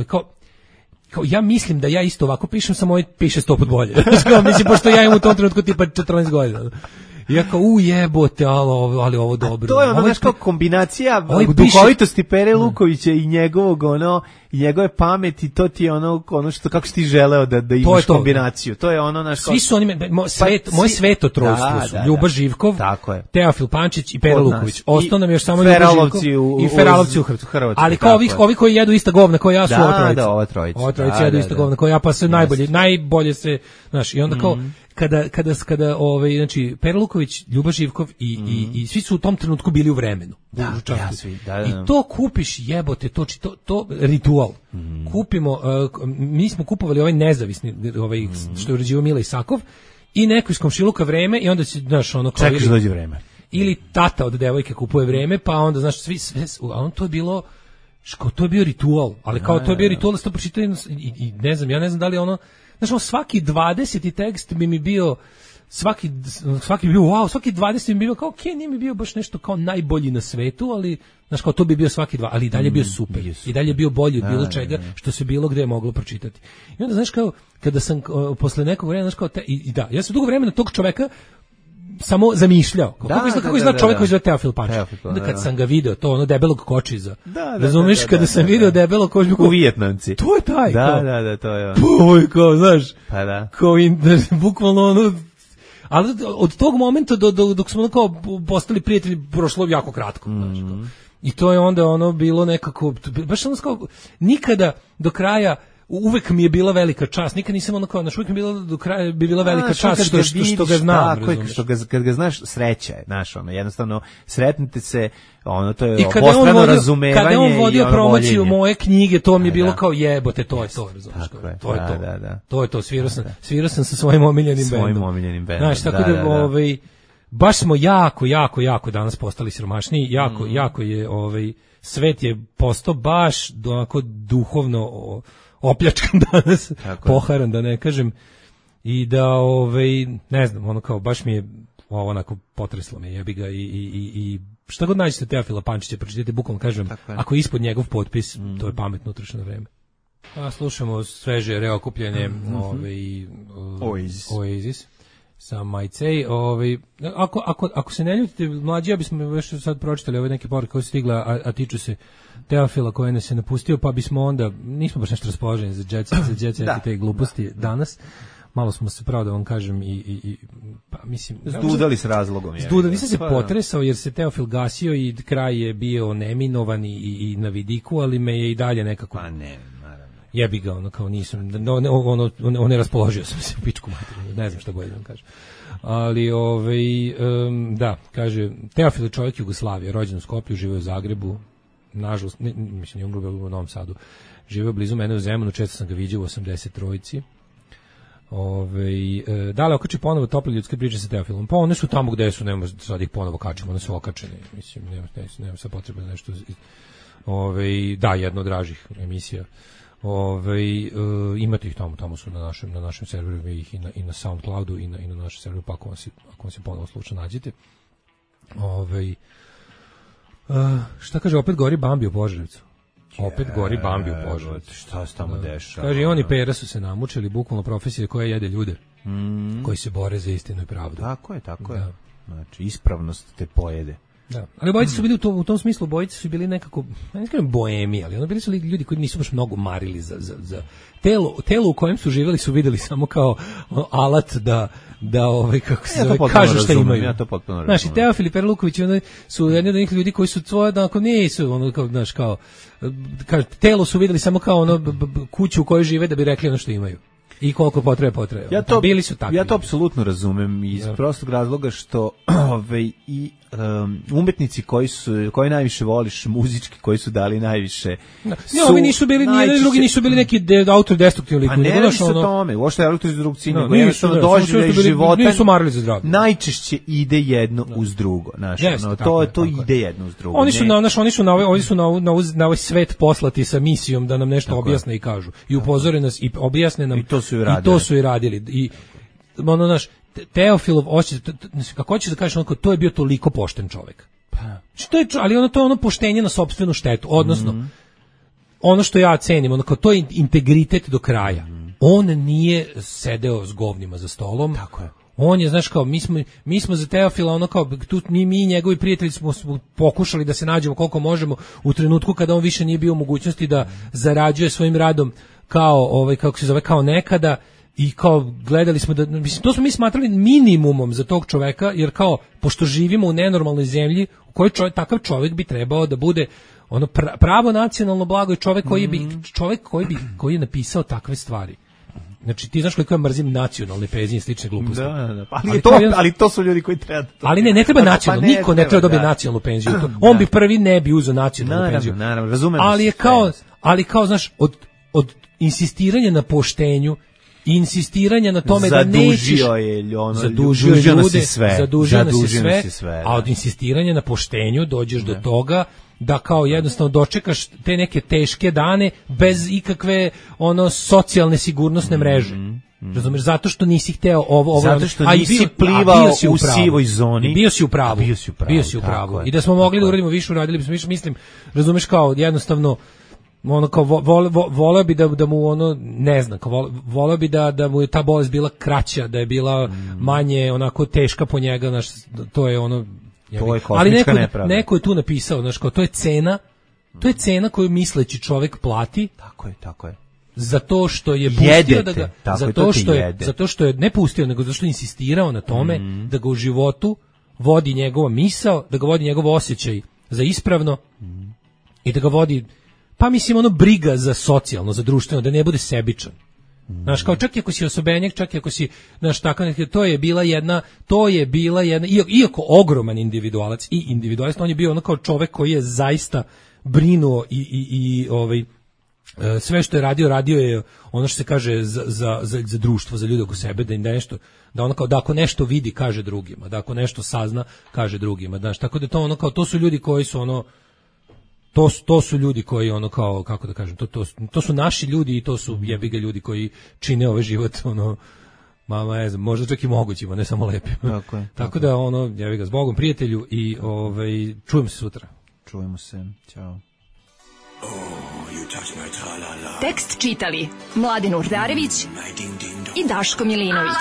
kao ja mislim da ja isto ovako pišem, samo ovaj piše 100 put bolje. Mislim, pošto ja imam u tom trenutku tipa 14 godina. Ja kao, ujebote, ali ovo dobro. A to je ono, znaš, kao kombinacija duhovitosti Pere Lukovića i njegovog, i njegove pameti, to ti je ono što, kako si ti želeo da imaš kombinaciju. To je ono, svi su oni, moje svetotrojstvo su Ljuba Živkov, Teofil Pančić i Pera Luković. Ostao nam još samo Ljuba Živkov i Feralovci u Hrvatskoj. Ali kao ovi koji jedu ista govna koja ja su ova trojica. Ova trojica jedu ista govna koja ja, pa se najbolje se, znaš, i onda kao kada znači Pera Luković, Ljuba Živkov i svi su u tom trenutku bili u Vremenu. I to kupiš, jebote, to ritual. Kupimo, mi smo kupovali ovaj nezavisni, što je uređivao Mila Isakov, i neko iz komšiluka Vreme, i onda se, znaš, ono kao čekaš da dođe Vreme. Ili tata od devojke kupuje Vreme, pa onda, znaš, a on to je bilo, to je bio ritual, ali kao to je bio ritual da ste pročitali i ne znam, ja ne znam da li ono, znaš, svaki 20. tekst bi mi bio svaki bi bio wow, svaki 20 bi bio kao okej, nije mi bio baš nešto kao najbolji na svetu, ali znaš kao to bi bio svaki 2, ali i dalje bio super. I dalje bio bolji od bilo čega što se bilo gde je moglo pročitati. I onda znaš kao kada sam posle nekog vremena znaš kao da, ja sam dugo vremena tog čoveka samo zamišljao. Kako izgleda čovjek koji zove Teofil Pančić. Onda kad sam ga video, to ono debelog kočiza. Razumeš, kada sam video debelog kočiza u Vijetnamci. To je taj. Da, to je on. Puj, kao, znaš. Pa da. Kao bukvalno ono. Ali od tog momenta dok smo kao postali prijatelji prošlo jako kratko, znaš. I to je onda ono bilo nekako baš ono kao nikada do kraja. Uvek mi je bila velika čast, nikad nisam ono kao, uvek mi je bila do kraja bi bila velika čast što ga znam. Tako je, kad ga znaš, sreća je, znaš, ono, jednostavno, sretnite se, ono, to je obostrano razumevanje. Kada on vodio promociju moje knjige, to mi je bilo kao jebote, to je to, razumiješ, to je to. To je to, svirao sam sa svojim omiljenim bendom. Znaš, tako da, baš smo jako danas postali siromašniji, jako je, svet je postao baš onako duhovno opljačkan danas, poharan da ne kažem, i da ne znam, ono kao baš mi je ovo onako potreslo me, jebi ga i šta god nađete Teofila Pančića, pročitajte, bukvalno kažem, ako je ispod njegov potpis, to je pametno utrošeno vreme. A slušamo sveže reokupljene Oasis sa Majcej. Ako se ne ljutite, mlađi, ja bismo još sad pročitali ove neke poruke koje su stigla, a tiču se Teofila koji nas je napustio, pa bismo onda, nismo baš nešto raspoloženi za jet set i te gluposti danas. Malo smo se, pravo da vam kažem, pa mislim... Zdudali s razlogom. Nisam se potresao jer se Teofil gasio i kraj je bio neminovan i na vidiku, ali me je i dalje nekako... Pa ne, naravno. Jebi ga, ono kao nisam, ne raspoložio sam se u pičku materiju, ne znam šta bolje da vam kažem. Ali, da, kaže, Teofil je čovjek Jugoslavije, rođen u Skoplju, živio u Zagrebu, nažalost, mislim, je umro u Novom Sadu, živio blizu mene u Zemunu, često sam ga viđao u 83-ici. Da li okači ponovo tople ljudske priče sa Teofilom? Pa one su tamo gde su, nema sad ih ponovo kačimo, one su okačene, mislim, nema sad potrebe nešto. Da, jedno od dražih emisija. Imate ih tamo su na našem serveru, ih i na SoundCloudu i na našem serveru, pa ako vam se ponovo slučaj nađete. Šta kaže, opet gori Bambi u Požarevcu? Opet gori Bambi u Požarevcu. Šta se tamo dešava? Kaže, i oni Pera su se namučili, bukvalno profesije koja jede ljude, koji se bore za istinu i pravdu. Tako je. Znači, ispravnost te pojede. Da, ali bojice su bili u tom smislu, bojice su bili nekako, ne kažem boemi, ali bili su ljudi koji nisu baš mnogo marili za telo u kojem su živjeli, su videli samo kao alat da kako se zove, kažu šta imaju. Ja to potpuno razumem. Znaš, i Teofil i Pera Luković su jedni od njih ljudi koji su svoje, nisu, znaš, kao, telo su videli samo kao kuću u kojoj žive da bi rekli ono što imaju. I koliko potrebe. Bili su takvi. Ja to apsolutno razumem iz prostog razloga što umetnici koji najviše voliš muzički, koji su dali najviše. Ovi nisu bili, nijedni drugi nisu bili neki autodestruktivni lik. Pa ne radi se o tome, uopšte autodestrukciji, nego jednostavno doživljaj života. Nisu marili za zdravlje. Najčešće ide jedno uz drugo. To ide jedno uz drugo. Oni su na ovaj svet poslati sa misijom da nam nešto objasne i kažu. I upozore nas i objasne nam. I to su i radili. I Teofilov osjećaj, kako hoćeš da kažeš, to je bio toliko pošten čovjek. Ali to je ono poštenje na sopstvenu štetu, odnosno ono što ja cenim, to je integritet do kraja. On nije sedeo s govnima za stolom. Tako je. On je, znaš, kao, mi smo za Teofila, mi i njegovi prijatelji smo pokušali da se nađemo koliko možemo u trenutku kada on više nije bio u mogućnosti da zarađuje svojim radom kao, kako se zove, kao nekada. I kao gledali smo da, mislim, to smo mi smatrali minimumom za tog čoveka, jer kao, pošto živimo u nenormalnoj zemlji u kojoj takav čovjek bi trebao da bude pravo nacionalno blago i čovjek koji je napisao takve stvari. Znači, ti znaš koliko ja mrzim nacionalne penzije i slične gluposti. Da. Ali to su ljudi koji treba. Ali ne treba nacionalno, niko ne treba dobiti nacionalnu penziju. On bi prvi ne bi uzeo nacionalnu penziju. Naravno, razumem. Ali kao, znaš, od insistiranja na poštenju, insistiranja na tome da nećeš zadužio nas je sve, a od insistiranja na poštenju dođeš do toga da kao jednostavno dočekaš te neke teške dane bez ikakve socijalne sigurnosne mreže. Razumeš, zato što nisi hteo ovo, zato što nisi plivao u sivoj zoni. Bio si u pravu. I da smo mogli da uradimo više, uradili bismo više, mislim, razumeš, kao jednostavno ono kao voleo bi da mu ono, ne znam, voleo bi da mu je ta bolest bila kraća, da je bila manje onako teška po njega, znaš, to je ono, ali neko je tu napisao, znaš, kao to je cena koju misleći čovjek plati. Tako je. Zato što je pustio da ga, zato što je ne pustio, nego zato što je insistirao na tome da ga u životu vodi njegova misao, da ga vodi njegov osjećaj za ispravno i da ga vodi, pa mislim, ono, briga za socijalno, za društveno, da ne bude sebičan. Znaš, kao čak i ako si osobenjak, čak i ako si, znaš, tako, to je bila jedna, iako ogroman individualac i individualist, on je bio ono kao čovek koji je zaista brinuo i sve što je radio je ono što se kaže za društvo, za ljude oko sebe, da im nešto, da ono kao, da ako nešto vidi, kaže drugima, da ako nešto sazna, kaže drugima, znaš, tako da to ono kao, to su ljudi koji su ono, to su ljudi koji ono kao, kako da kažem, to su naši ljudi i to su jebiga ljudi koji čine ovaj život ono, ne znam, možda čak i mogućima, ne samo lepim. Tako da ono, jebiga, s Bogom, prijatelju, i čujemo se sutra. Čujemo se, ćao. Tekst čitali Mladen Urdarević i Daško Milinović.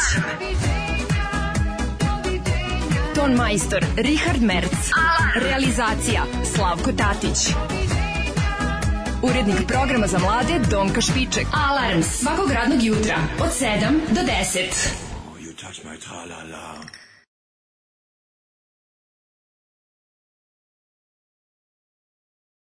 Ton majstor Richard Merc. Realizacija Slavko Tatić. Urednik programa za mlade Donka Špiček. Alarms svakog radnog jutra od 7 do 10.